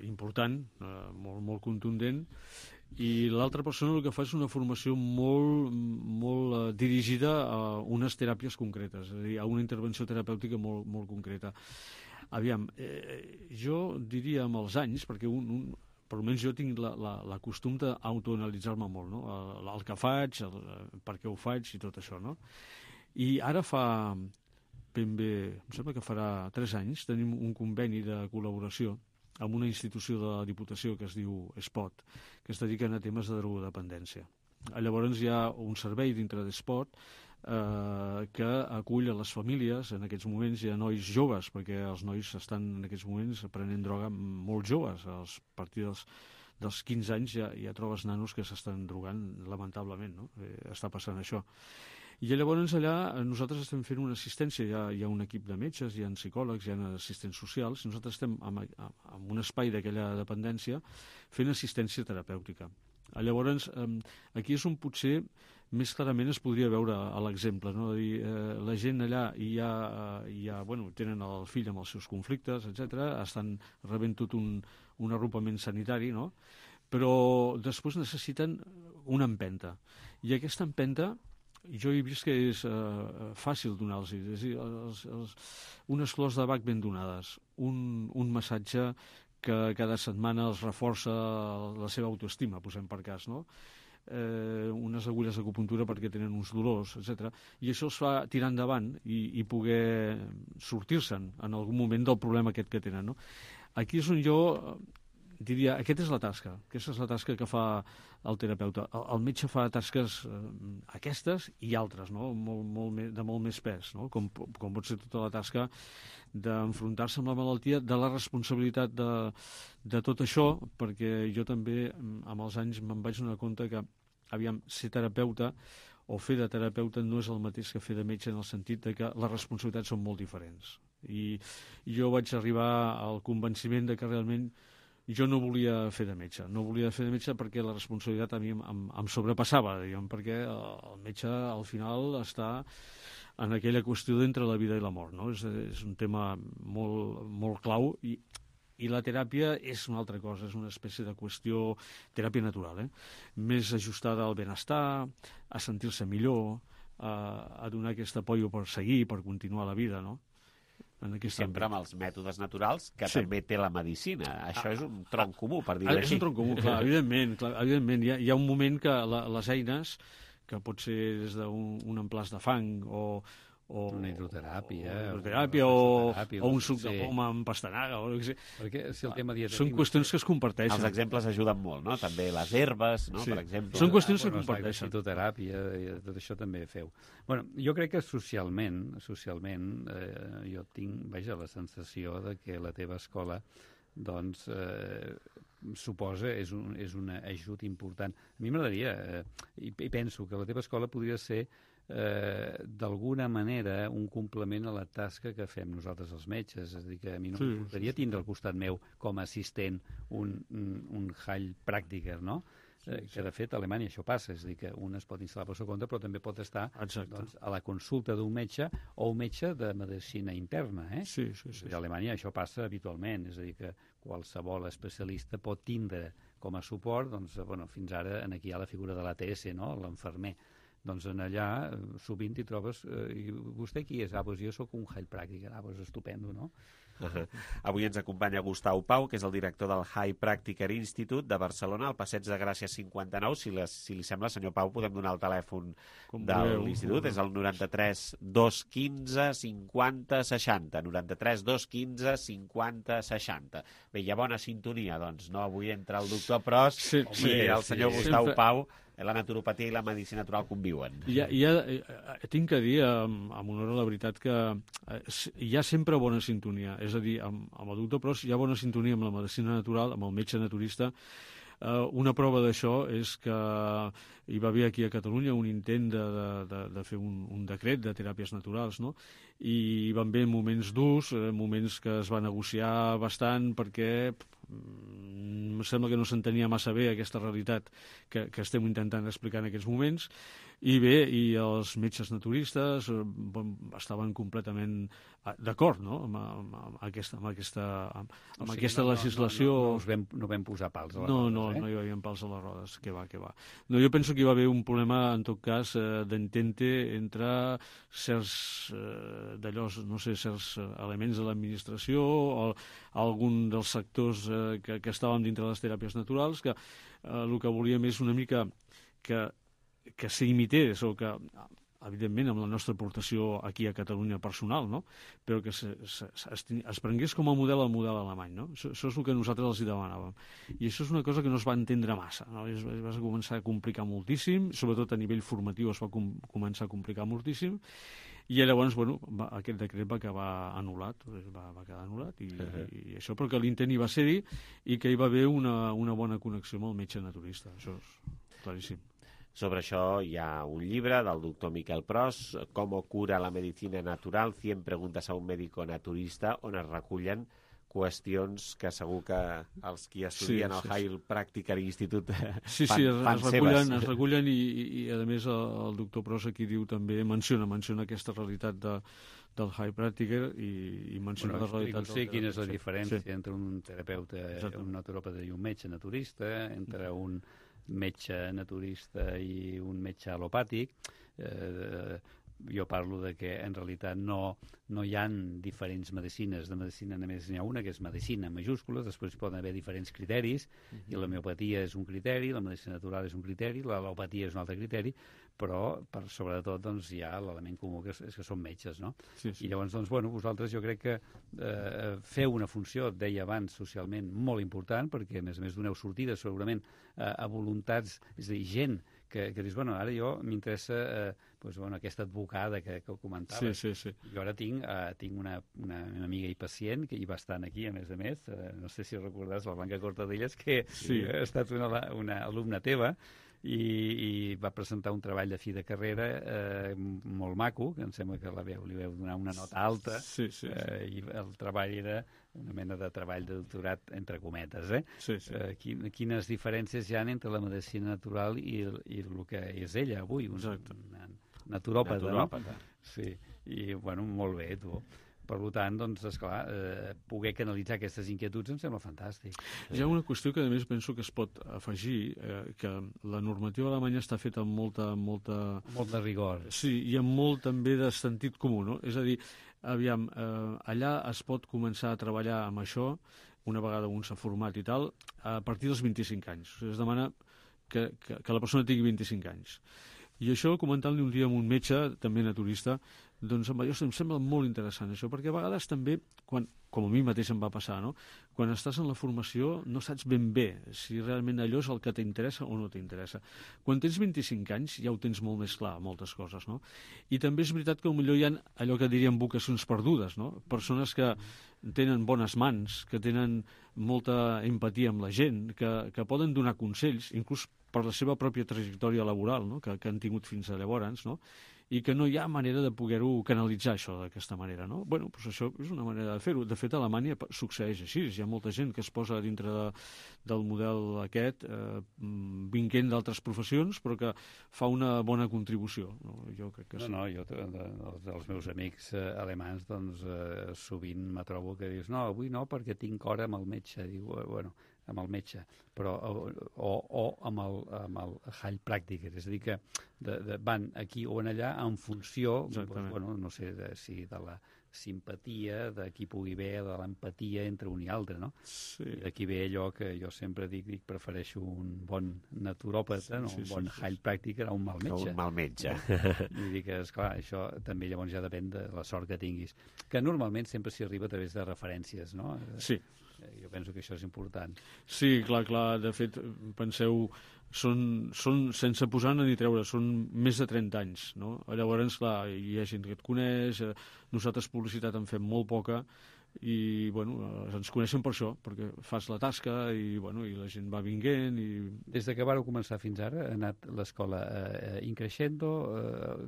important, molt contundent, i l'altra persona el que fa és una formació molt dirigida a unes teràpies concretes, és a dir, a una intervenció terapèutica molt concreta. Aviam, jo diria amb els anys, perquè per almenys jo tinc la costum d'autoanalitzar-me molt, no? El que faig, per què ho faig i tot això, no? I ara fa ben bé, em sembla que farà 3 anys, tenim un conveni de col·laboració amb una institució de la Diputació que es diu SPOT, que es dediquen a temes de drogodependència. Llavors hi ha un servei dintre d'SPOT que acull a les famílies. En aquests moments hi ha nois joves, perquè els nois estan en aquests moments prenent droga molt joves. A partir dels 15 anys ja trobes nanos que s'estan drogant, lamentablement, no? Està passant això. I llavors allà nosaltres estem fent una assistència, hi ha un equip de metges, hi ha psicòlegs, hi ha assistents socials, i nosaltres estem en un espai d'aquella dependència fent assistència terapèutica. Llavors, aquí és on potser més clarament es podria veure l'exemple, no? De dir, la gent allà tenen el fill amb els seus conflictes, etc., estan rebent tot un arropament sanitari, no? Però després necessiten una empenta. I aquesta empenta jo he vist que és fàcil donar-los, és a dir, unes flors de bac ben donades, un massatge que cada setmana els reforça la seva autoestima, posem per cas, no? Unes agulles d'acupuntura perquè tenen uns dolors, etc. I això els fa tirar endavant i poder sortir-se'n en algun moment del problema aquest que tenen, no? Aquí és on jo diria, aquesta és la tasca que fa el terapeuta. El metge fa tasques aquestes i altres, no? De molt més pes, no? Com pot ser tota la tasca d'enfrontar-se amb la malaltia, de la responsabilitat de tot això, perquè jo també amb els anys me'n vaig donar compte que, aviam, ser terapeuta o fer de terapeuta no és el mateix que fer de metge, en el sentit de que les responsabilitats són molt diferents. I jo vaig arribar al convenciment de que realment jo no volia fer de metge. No volia fer de metge perquè la responsabilitat a mi em sobrepassava, diguem, perquè el metge al final està en aquella qüestió d'entre la vida i la mort, no? És un tema molt clau i la teràpia és una altra cosa, és una espècie de qüestió, teràpia natural, més ajustada al benestar, a sentir-se millor, a donar aquest apoyo per seguir, per continuar la vida, no? Sempre amb els mètodes naturals que també té la medicina. Això és un tronc comú, per dir-ho així. És un tronc comú, clar, evidentment. Hi ha un moment que les eines, que pot ser des d'un emplàs de fang o una hidroteràpia o un suc de poma amb pastanaga o no sé. Perquè si el tema dietètic... Són qüestions que es comparteixen. Els exemples ajuden molt, no? També les herbes, no? Per exemple. Són qüestions que es comparteixen. La fitoteràpia, tot això també feu. Bueno, jo crec que socialment jo tinc, la sensació de que la teva escola doncs suposa, és un ajut important. A mi m'agradaria, i penso que la teva escola podria ser d'alguna manera un complement a la tasca que fem nosaltres els metges, és a dir, que a mi no m'agradaria tindre al costat meu com a assistent un Heilpraktiker, no? Que de fet a Alemanya això passa, és a dir, que un es pot instal·lar pel seu compte però també pot estar a la consulta d'un metge o un metge de medicina interna. A Alemanya això passa habitualment, és a dir, que qualsevol especialista pot tindre com a suport, doncs, fins ara aquí hi ha la figura de l'ATS, no? L'enfermer. Doncs en allà sovint hi trobes... I vostè qui és? Doncs jo sóc un Heilpraktiker. Doncs estupendo, no? Avui ens acompanya Gustau Pau, que és el director del Heilpraktiker Institute de Barcelona, al Passeig de Gràcia 59. Si li sembla, senyor Pau, podem donar el telèfon de l'institut. És el 93 215 50 60. 93 215 50 60. Bé, hi ha bona sintonia, doncs, no? Avui entra el doctor Pros i el senyor Gustau Pau La naturopatia i la medicina natural conviuen. Tinc que dir, amb honor a la veritat, que hi ha sempre bona sintonia. És a dir, amb el doctor Pros hi ha bona sintonia amb la medicina natural, amb el metge naturista. Una prova d'això és que hi va haver aquí a Catalunya un intent de fer un decret de teràpies naturals, no? I van haver moments durs, moments que es va negociar bastant perquè em sembla que no s'entenia massa bé aquesta realitat que estem intentant explicar en aquests moments. I bé, i els metges naturistes estaven completament d'acord, no?, amb aquesta legislació. No vam posar pals a les rodes. No hi havia pals a les rodes, que va. No, jo penso que hi va haver un problema, en tot cas, d'entente entre certs certs elements de l'administració o algun dels sectors que estàvem dintre de les teràpies naturals, que el que volíem és una mica que s'imités o que, evidentment, amb la nostra aportació aquí a Catalunya personal, no?, però que es prengués com a model el model alemany, no? Això és el que nosaltres els demanàvem. I això és una cosa que no es va entendre massa, no? Es va començar a complicar moltíssim, sobretot a nivell formatiu es va començar a complicar moltíssim, i llavors, aquest decret va quedar anul·lat, i això, però que l'intent hi va ser-hi i que hi va haver una bona connexió amb el metge naturista, això és claríssim. Sobre això hi ha un llibre del doctor Miquel Pros, «Cómo cura la medicina natural, 100 preguntes a un médico naturista», on es recullen qüestions que segur que els qui estudien al Heilpraktiker Institut fan seves. Es recullen i a més el doctor Pros aquí diu també, menciona aquesta realitat del Heilpraktiker i menciona la realitat. Quina és la diferència entre un terapeuta, un naturòpata i un metge naturista, entre un metge naturista i un metge alopàtic. Jo parlo de que en realitat no hi ha diferents medicines. De medicina només n'hi ha una, que és medicina en majúscules, després poden haver diferents criteris, i l'homeopatia és un criteri, la medicina natural és un criteri, l'alopatia és un altre criteri, però sobretot hi ha l'element comú que és que són metges, no? I llavors, vosaltres jo crec que feu una funció, et deia abans, socialment molt important, perquè a més doneu sortida segurament a voluntats, és a dir, gent que dius, ara jo m'interessa aquesta advocada que comentaves. Jo ara tinc una amiga i pacient que hi va estar aquí, a més, no sé si recordes, la Blanca Cortadellas, que ha estat una alumna teva, i va presentar un treball de fi de carrera molt maco, que em sembla que li veu donar una nota alta, i el treball era una mena de treball de doctorat entre cometes. Quines diferències hi ha entre la medicina natural i el que és ella avui, una naturòpata, no? Sí, i molt bé, tu. Per tant, esclar, poder canalitzar aquestes inquietuds em sembla fantàstic. Hi ha una qüestió que, a més, penso que es pot afegir, que la normativa alemanya està feta amb molt de rigor. Sí, i amb molt també de sentit comú, no? És a dir, aviam, allà es pot començar a treballar amb això, una vegada un s'ha format i tal, a partir dels 25 anys. Es demana que la persona tingui 25 anys. I això, comentant-li un dia amb un metge, també naturista, doncs em sembla molt interessant això, perquè a vegades també, com a mi mateix em va passar, no?, quan estàs en la formació no saps ben bé si realment allò és el que t'interessa o no t'interessa. Quan tens 25 anys ja ho tens molt més clar, moltes coses, no? I també és veritat que potser hi ha allò que diríem vocacions perdudes, no? Persones que tenen bones mans, que tenen molta empatia amb la gent, que poden donar consells, inclús per la seva pròpia trajectòria laboral, no?, que han tingut fins a llavors, no?, i que no hi ha manera de poder-ho canalitzar, això, d'aquesta manera, no? Bueno, doncs això és una manera de fer-ho. De fet, a Alemanya succeeix així. Hi ha molta gent que es posa dintre del model aquest, vinguent d'altres professions, però que fa una bona contribució. Jo crec que sí. Jo, dels meus amics alemans, doncs, sovint me trobo que dius, no, avui no, perquè tinc hora amb el metge. Diu, bueno, amb el metge, però o amb el Heilpraktiker, és a dir, que van aquí o en allà en funció, no sé si de la simpatia, de qui pugui haver, de l'empatia entre un i altre, no? Aquí ve allò que jo sempre dic, prefereixo un bon naturòpata, un bon Heilpraktiker a un mal metge. Un mal metge. Vull dir que, esclar, això també llavors ja depèn de la sort que tinguis, que normalment sempre s'hi arriba a través de referències, no? Sí. Jo penso que això és important. Sí, clar. De fet, penseu, són sense posar-ne ni treure, són més de 30 anys, no? Llavors, clar, hi ha gent que et coneix, nosaltres publicitat en fem molt poca, i ens coneixen per això, perquè fas la tasca i la gent va vinguent. Des que vareu començar fins ara, ha anat l'escola increixendo?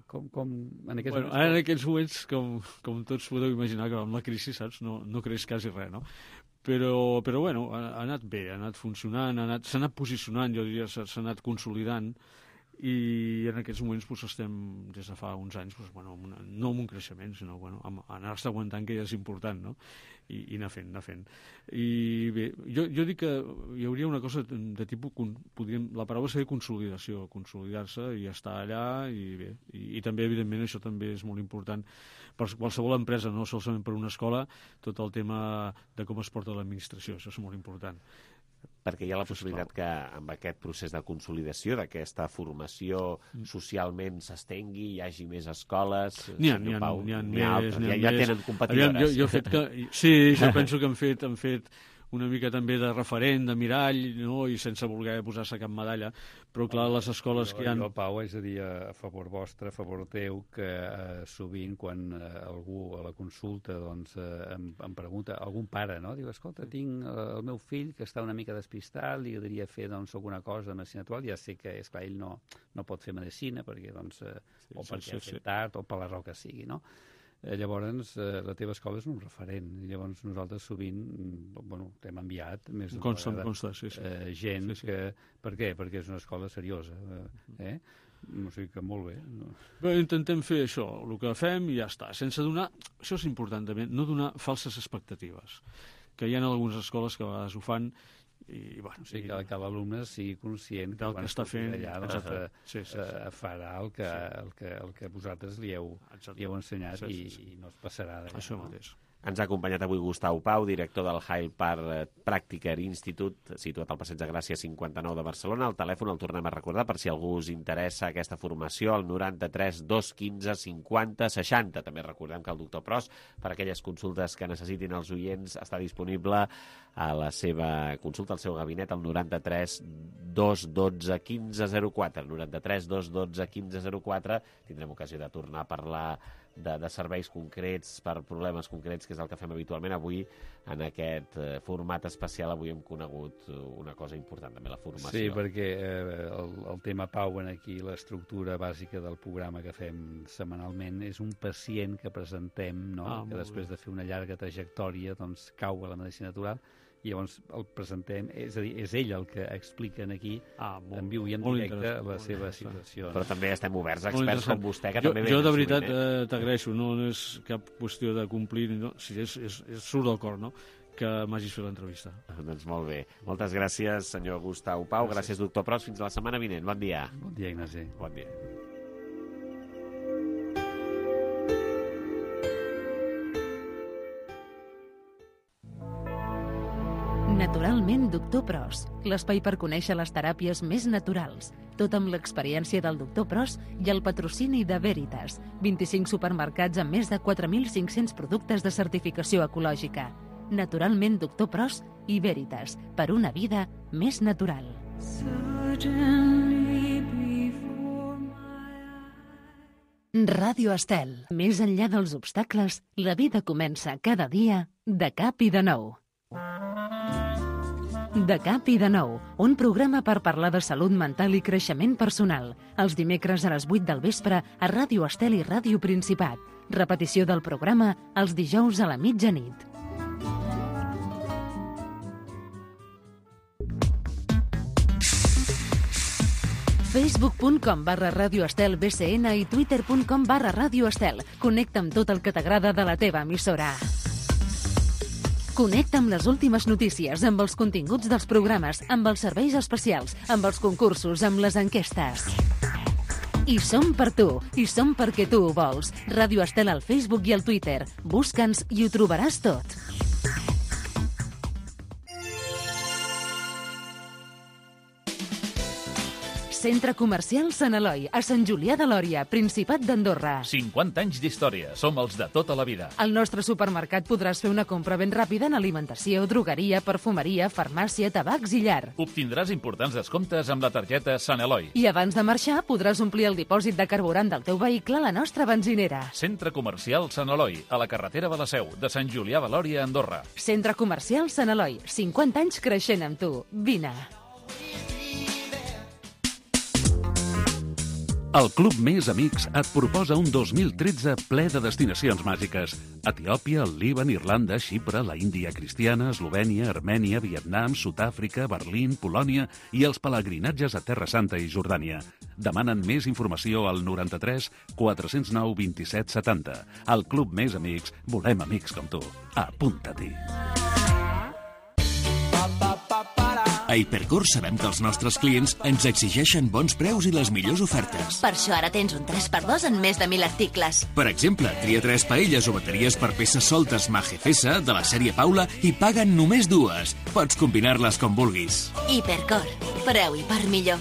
Com en aquests moments? Ara en aquests moments, com tots podeu imaginar, que amb la crisi, saps, no creix quasi res, no? Però ha anat bé, ha anat funcionant, s'ha anat posicionant, jo diria, s'ha anat consolidant, i en aquests moments estem, des de fa uns anys, no amb un creixement, sinó anar-se aguantant, que ja és important, no? I anar fent. I bé, jo dic que hi hauria una cosa de tipus, la paraula seria consolidació, consolidar-se i estar allà, i bé, i també, evidentment, això també és molt important per qualsevol empresa, no solament per una escola, tot el tema de com es porta l'administració, això és molt important. Perquè hi ha la possibilitat que amb aquest procés de consolidació, d'aquesta formació socialment s'estengui, hi hagi més escoles... N'hi ha més. Ja tenen competidores. Jo penso que han fet una mica també de referent, de mirall, no? I sense voler posar-se cap medalla, però clar, les escoles que hi ha... Jo, Pau, és a dir, a favor vostre, a favor teu, que sovint quan algú a la consulta em pregunta, algun pare, no? Diu, escolta, tinc el meu fill que està una mica despistat, li agradaria fer alguna cosa de medicina natural, ja sé que, esclar, ell no pot fer medicina, perquè o perquè ha fet tard, o per la raó que sigui, no? Llavors, la teva escola és un referent. Llavors, nosaltres sovint t'hem enviat més d'una vegada gent que... Per què? Perquè és una escola seriosa. O sigui que molt bé. Bé, intentem fer això, el que fem i ja està. Sense donar... Això és important també, no donar falses expectatives. Que hi ha algunes escoles que a vegades ho fan i, que l'alumne sigui conscient que el que està fent allà farà el que vosaltres li heu ensenyat i no es passarà d'allà. Això mateix. Ens ha acompanyat avui Gustau Pau, director del Hyde Park Practical Institute, situat al Passeig de Gràcia 59 de Barcelona. El telèfon el tornem a recordar per si algú us interessa aquesta formació, el 93 215 50 60. També recordem que el doctor Pros, per aquelles consultes que necessitin els oients, està disponible a la seva consulta, al seu gabinet, al 93 212 1504. 93 212 1504. Tindrem ocasió de tornar a parlar de serveis concrets per problemes concrets, que és el que fem habitualment. Avui, en aquest format especial, avui hem conegut una cosa important, també la formació. Sí, perquè el tema Pau en aquí, l'estructura bàsica del programa que fem setmanalment, és un pacient que presentem, no? Que després de fer una llarga trajectòria cau a la medicina natural, i llavors el presentem, és a dir, és ell el que explica aquí en viu i en directe la seva situació. Però també estem oberts a experts com vostè, que també jo de veritat t'agraeixo, no és cap qüestió de complir, si surt del cor, no?, que m'hagis fet l'entrevista. Doncs molt bé. Moltes gràcies, senyor Gustau Pau. Gràcies, doctor Pros. Fins la setmana vinent. Bon dia. Bon dia, Ignasi. Bon dia. Naturalment, doctor Pros, l'espai per conèixer les teràpies més naturals, tot amb l'experiència del doctor Pros i el patrocini de Veritas, 25 supermercats amb més de 4.500 productes de certificació ecològica. Naturalment, doctor Pros i Veritas, per una vida més natural. Ràdio Estel. Més enllà dels obstacles, la vida comença cada dia de cap i de nou. De cap i de nou, un programa per parlar de salut mental i creixement personal. Els dimecres a les 8 del vespre a Ràdio Estel i Ràdio Principat. Repetició del programa els dijous a la mitjanit. facebook.com/radioestelbcn i twitter.com/radioestel. Connecta amb tot el que t'agrada de la teva emissora. Connecta amb les últimes notícies, amb els continguts dels programes, amb els serveis especials, amb els concursos, amb les enquestes. I som per tu, i som perquè tu ho vols. Ràdio Estel al Facebook i al Twitter. Busca'ns i ho trobaràs tot. Centre Comercial Sant Eloi, a Sant Julià de Lòria, Principat d'Andorra. 50 anys d'història. Som els de tota la vida. Al nostre supermercat podràs fer una compra ben ràpida en alimentació, drogueria, perfumeria, farmàcia, tabacs i llar. Obtindràs importants descomptes amb la targeta Sant Eloi. I abans de marxar podràs omplir el dipòsit de carburant del teu vehicle a la nostra benzinera. Centre Comercial Sant Eloi, a la carretera de la Seu, de Sant Julià de Lòria, Andorra. Centre Comercial Sant Eloi, 50 anys creixent amb tu. Vine. El Club Més Amics et proposa un 2013 ple de destinacions màgiques. Etiòpia, el Líban, Irlanda, Xipre, la Índia cristiana, Eslovènia, Armènia, Vietnam, Sud-àfrica, Berlín, Polònia i els pelegrinatges a Terra Santa i Jordània. Demanen més informació al 93 409 27 70. Al Club Més Amics volem amics com tu. Apunta-t'hi. A Hipercor sabem que els nostres clients ens exigeixen bons preus i les millors ofertes. Per això ara tens un 3x2 en més de 1.000 articles. Per exemple, tria 3 paelles o bateries per peces soltes Magefesa de la sèrie Paula i paguen només 2. Pots combinar-les com vulguis. Hipercor. Preu i per millor.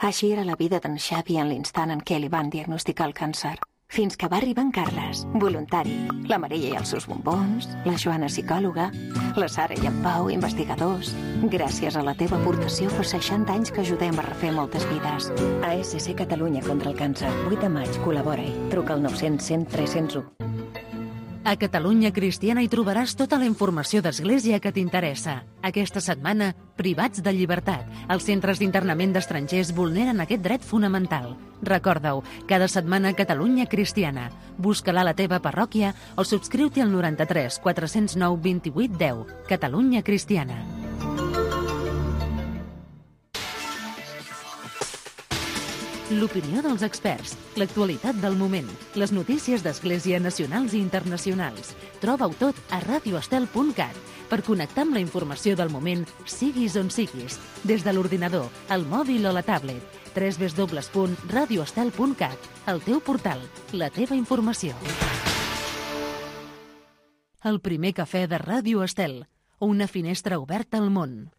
Així era la vida d'en Xavi en l'instant en què li van diagnosticar el càncer. Fins que va arribar en Carles, voluntari, la Maria i els seus bombons, la Joana psicòloga, la Sara i en Pau investigadors. Gràcies a la teva aportació fa 60 anys que ajudem a refer moltes vides. ASC Catalunya contra el càncer, 8 de maig, col·labora-hi. Truca al 900 100 301. A Catalunya Cristiana hi trobaràs tota la informació d'església que t'interessa. Aquesta setmana, privats de llibertat. Els centres d'internament d'estrangers vulneren aquest dret fonamental. Recorda-ho, cada setmana Catalunya Cristiana. Busca-la a la teva parròquia o subscriu-t'hi al 93 409 28 10. Catalunya Cristiana. L'opinió dels experts, l'actualitat del moment, les notícies d'Església nacionals i internacionals. Troba-ho tot a radioestel.cat per connectar amb la informació del moment, siguis on siguis, des de l'ordinador, el mòbil o la tablet. www.radioestel.cat, el teu portal, la teva informació. El primer cafè de Ràdio Estel, una finestra oberta al món.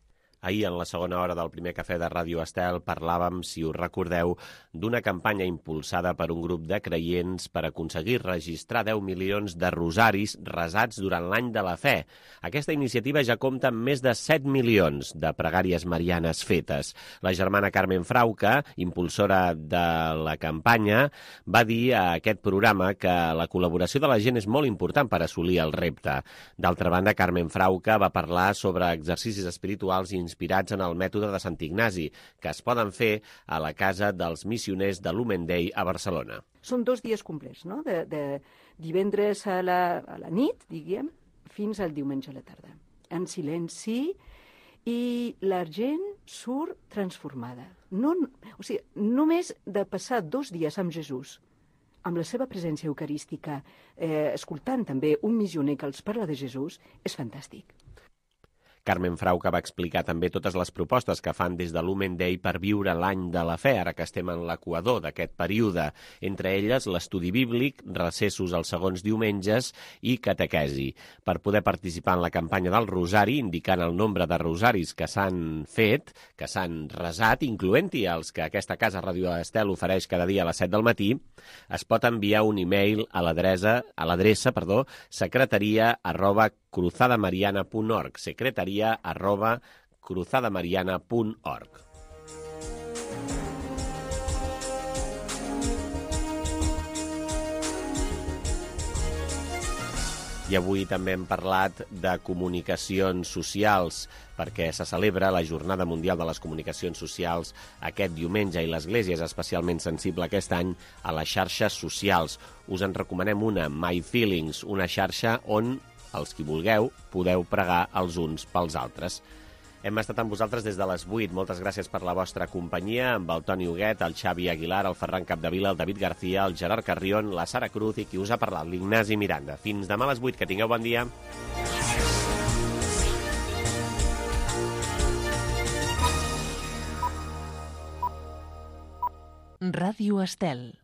Ahir, en la segona hora del primer cafè de Ràdio Estel, parlàvem, si us recordeu, d'una campanya impulsada per un grup de creients per aconseguir registrar 10 milions de rosaris resats durant l'any de la fe. Aquesta iniciativa ja compta amb més de 7 milions de pregàries marianes fetes. La germana Carmen Frauca, impulsora de la campanya, va dir a aquest programa que la col·laboració de la gent és molt important per assolir el repte. D'altra banda, Carmen Frauca va parlar sobre exercicis espirituals i inspirats en el mètode de Sant Ignasi, que es poden fer a la casa dels missioners de l'Human Day a Barcelona. Són 2 dies complets, no? De divendres a la nit, diguem, fins al diumenge a la tarda. En silenci, i la gent surt transformada. O sigui, només de passar 2 dies amb Jesús, amb la seva presència eucarística, escoltant també un missioner que els parla de Jesús, és fantàstic. Carmen Frauca va explicar també totes les propostes que fan des de l'Human Day per viure l'any de la fe, ara que estem en l'equador d'aquest període. Entre elles, l'estudi bíblic, recessos els segons diumenges i catequesi. Per poder participar en la campanya del Rosari, indicant el nombre de rosaris que s'han fet, que s'han resat, incloent-hi els que aquesta casa Ràdio Estel ofereix cada dia a les 7 del matí, es pot enviar un e-mail a l'adreça secretaria@cruzadamariana.org, secretaria@cruzadamariana.org. I avui també hem parlat de comunicacions socials, perquè se celebra la Jornada Mundial de les Comunicacions Socials aquest diumenge i l'Església és especialment sensible aquest any a les xarxes socials. Us en recomanem una, My Feelings, una xarxa on els qui vulgueu podeu pregar els uns pels altres. Hem estat amb vosaltres des de les 8. Moltes gràcies per la vostra companyia, amb el Toni Huguet, el Xavi Aguilar, el Ferran Capdevila, el David García, el Gerard Carrion, la Sara Cruz i qui us ha parlat, l'Ignasi Miranda. Fins demà a les 8. Que tingueu bon dia. Ràdio Estel.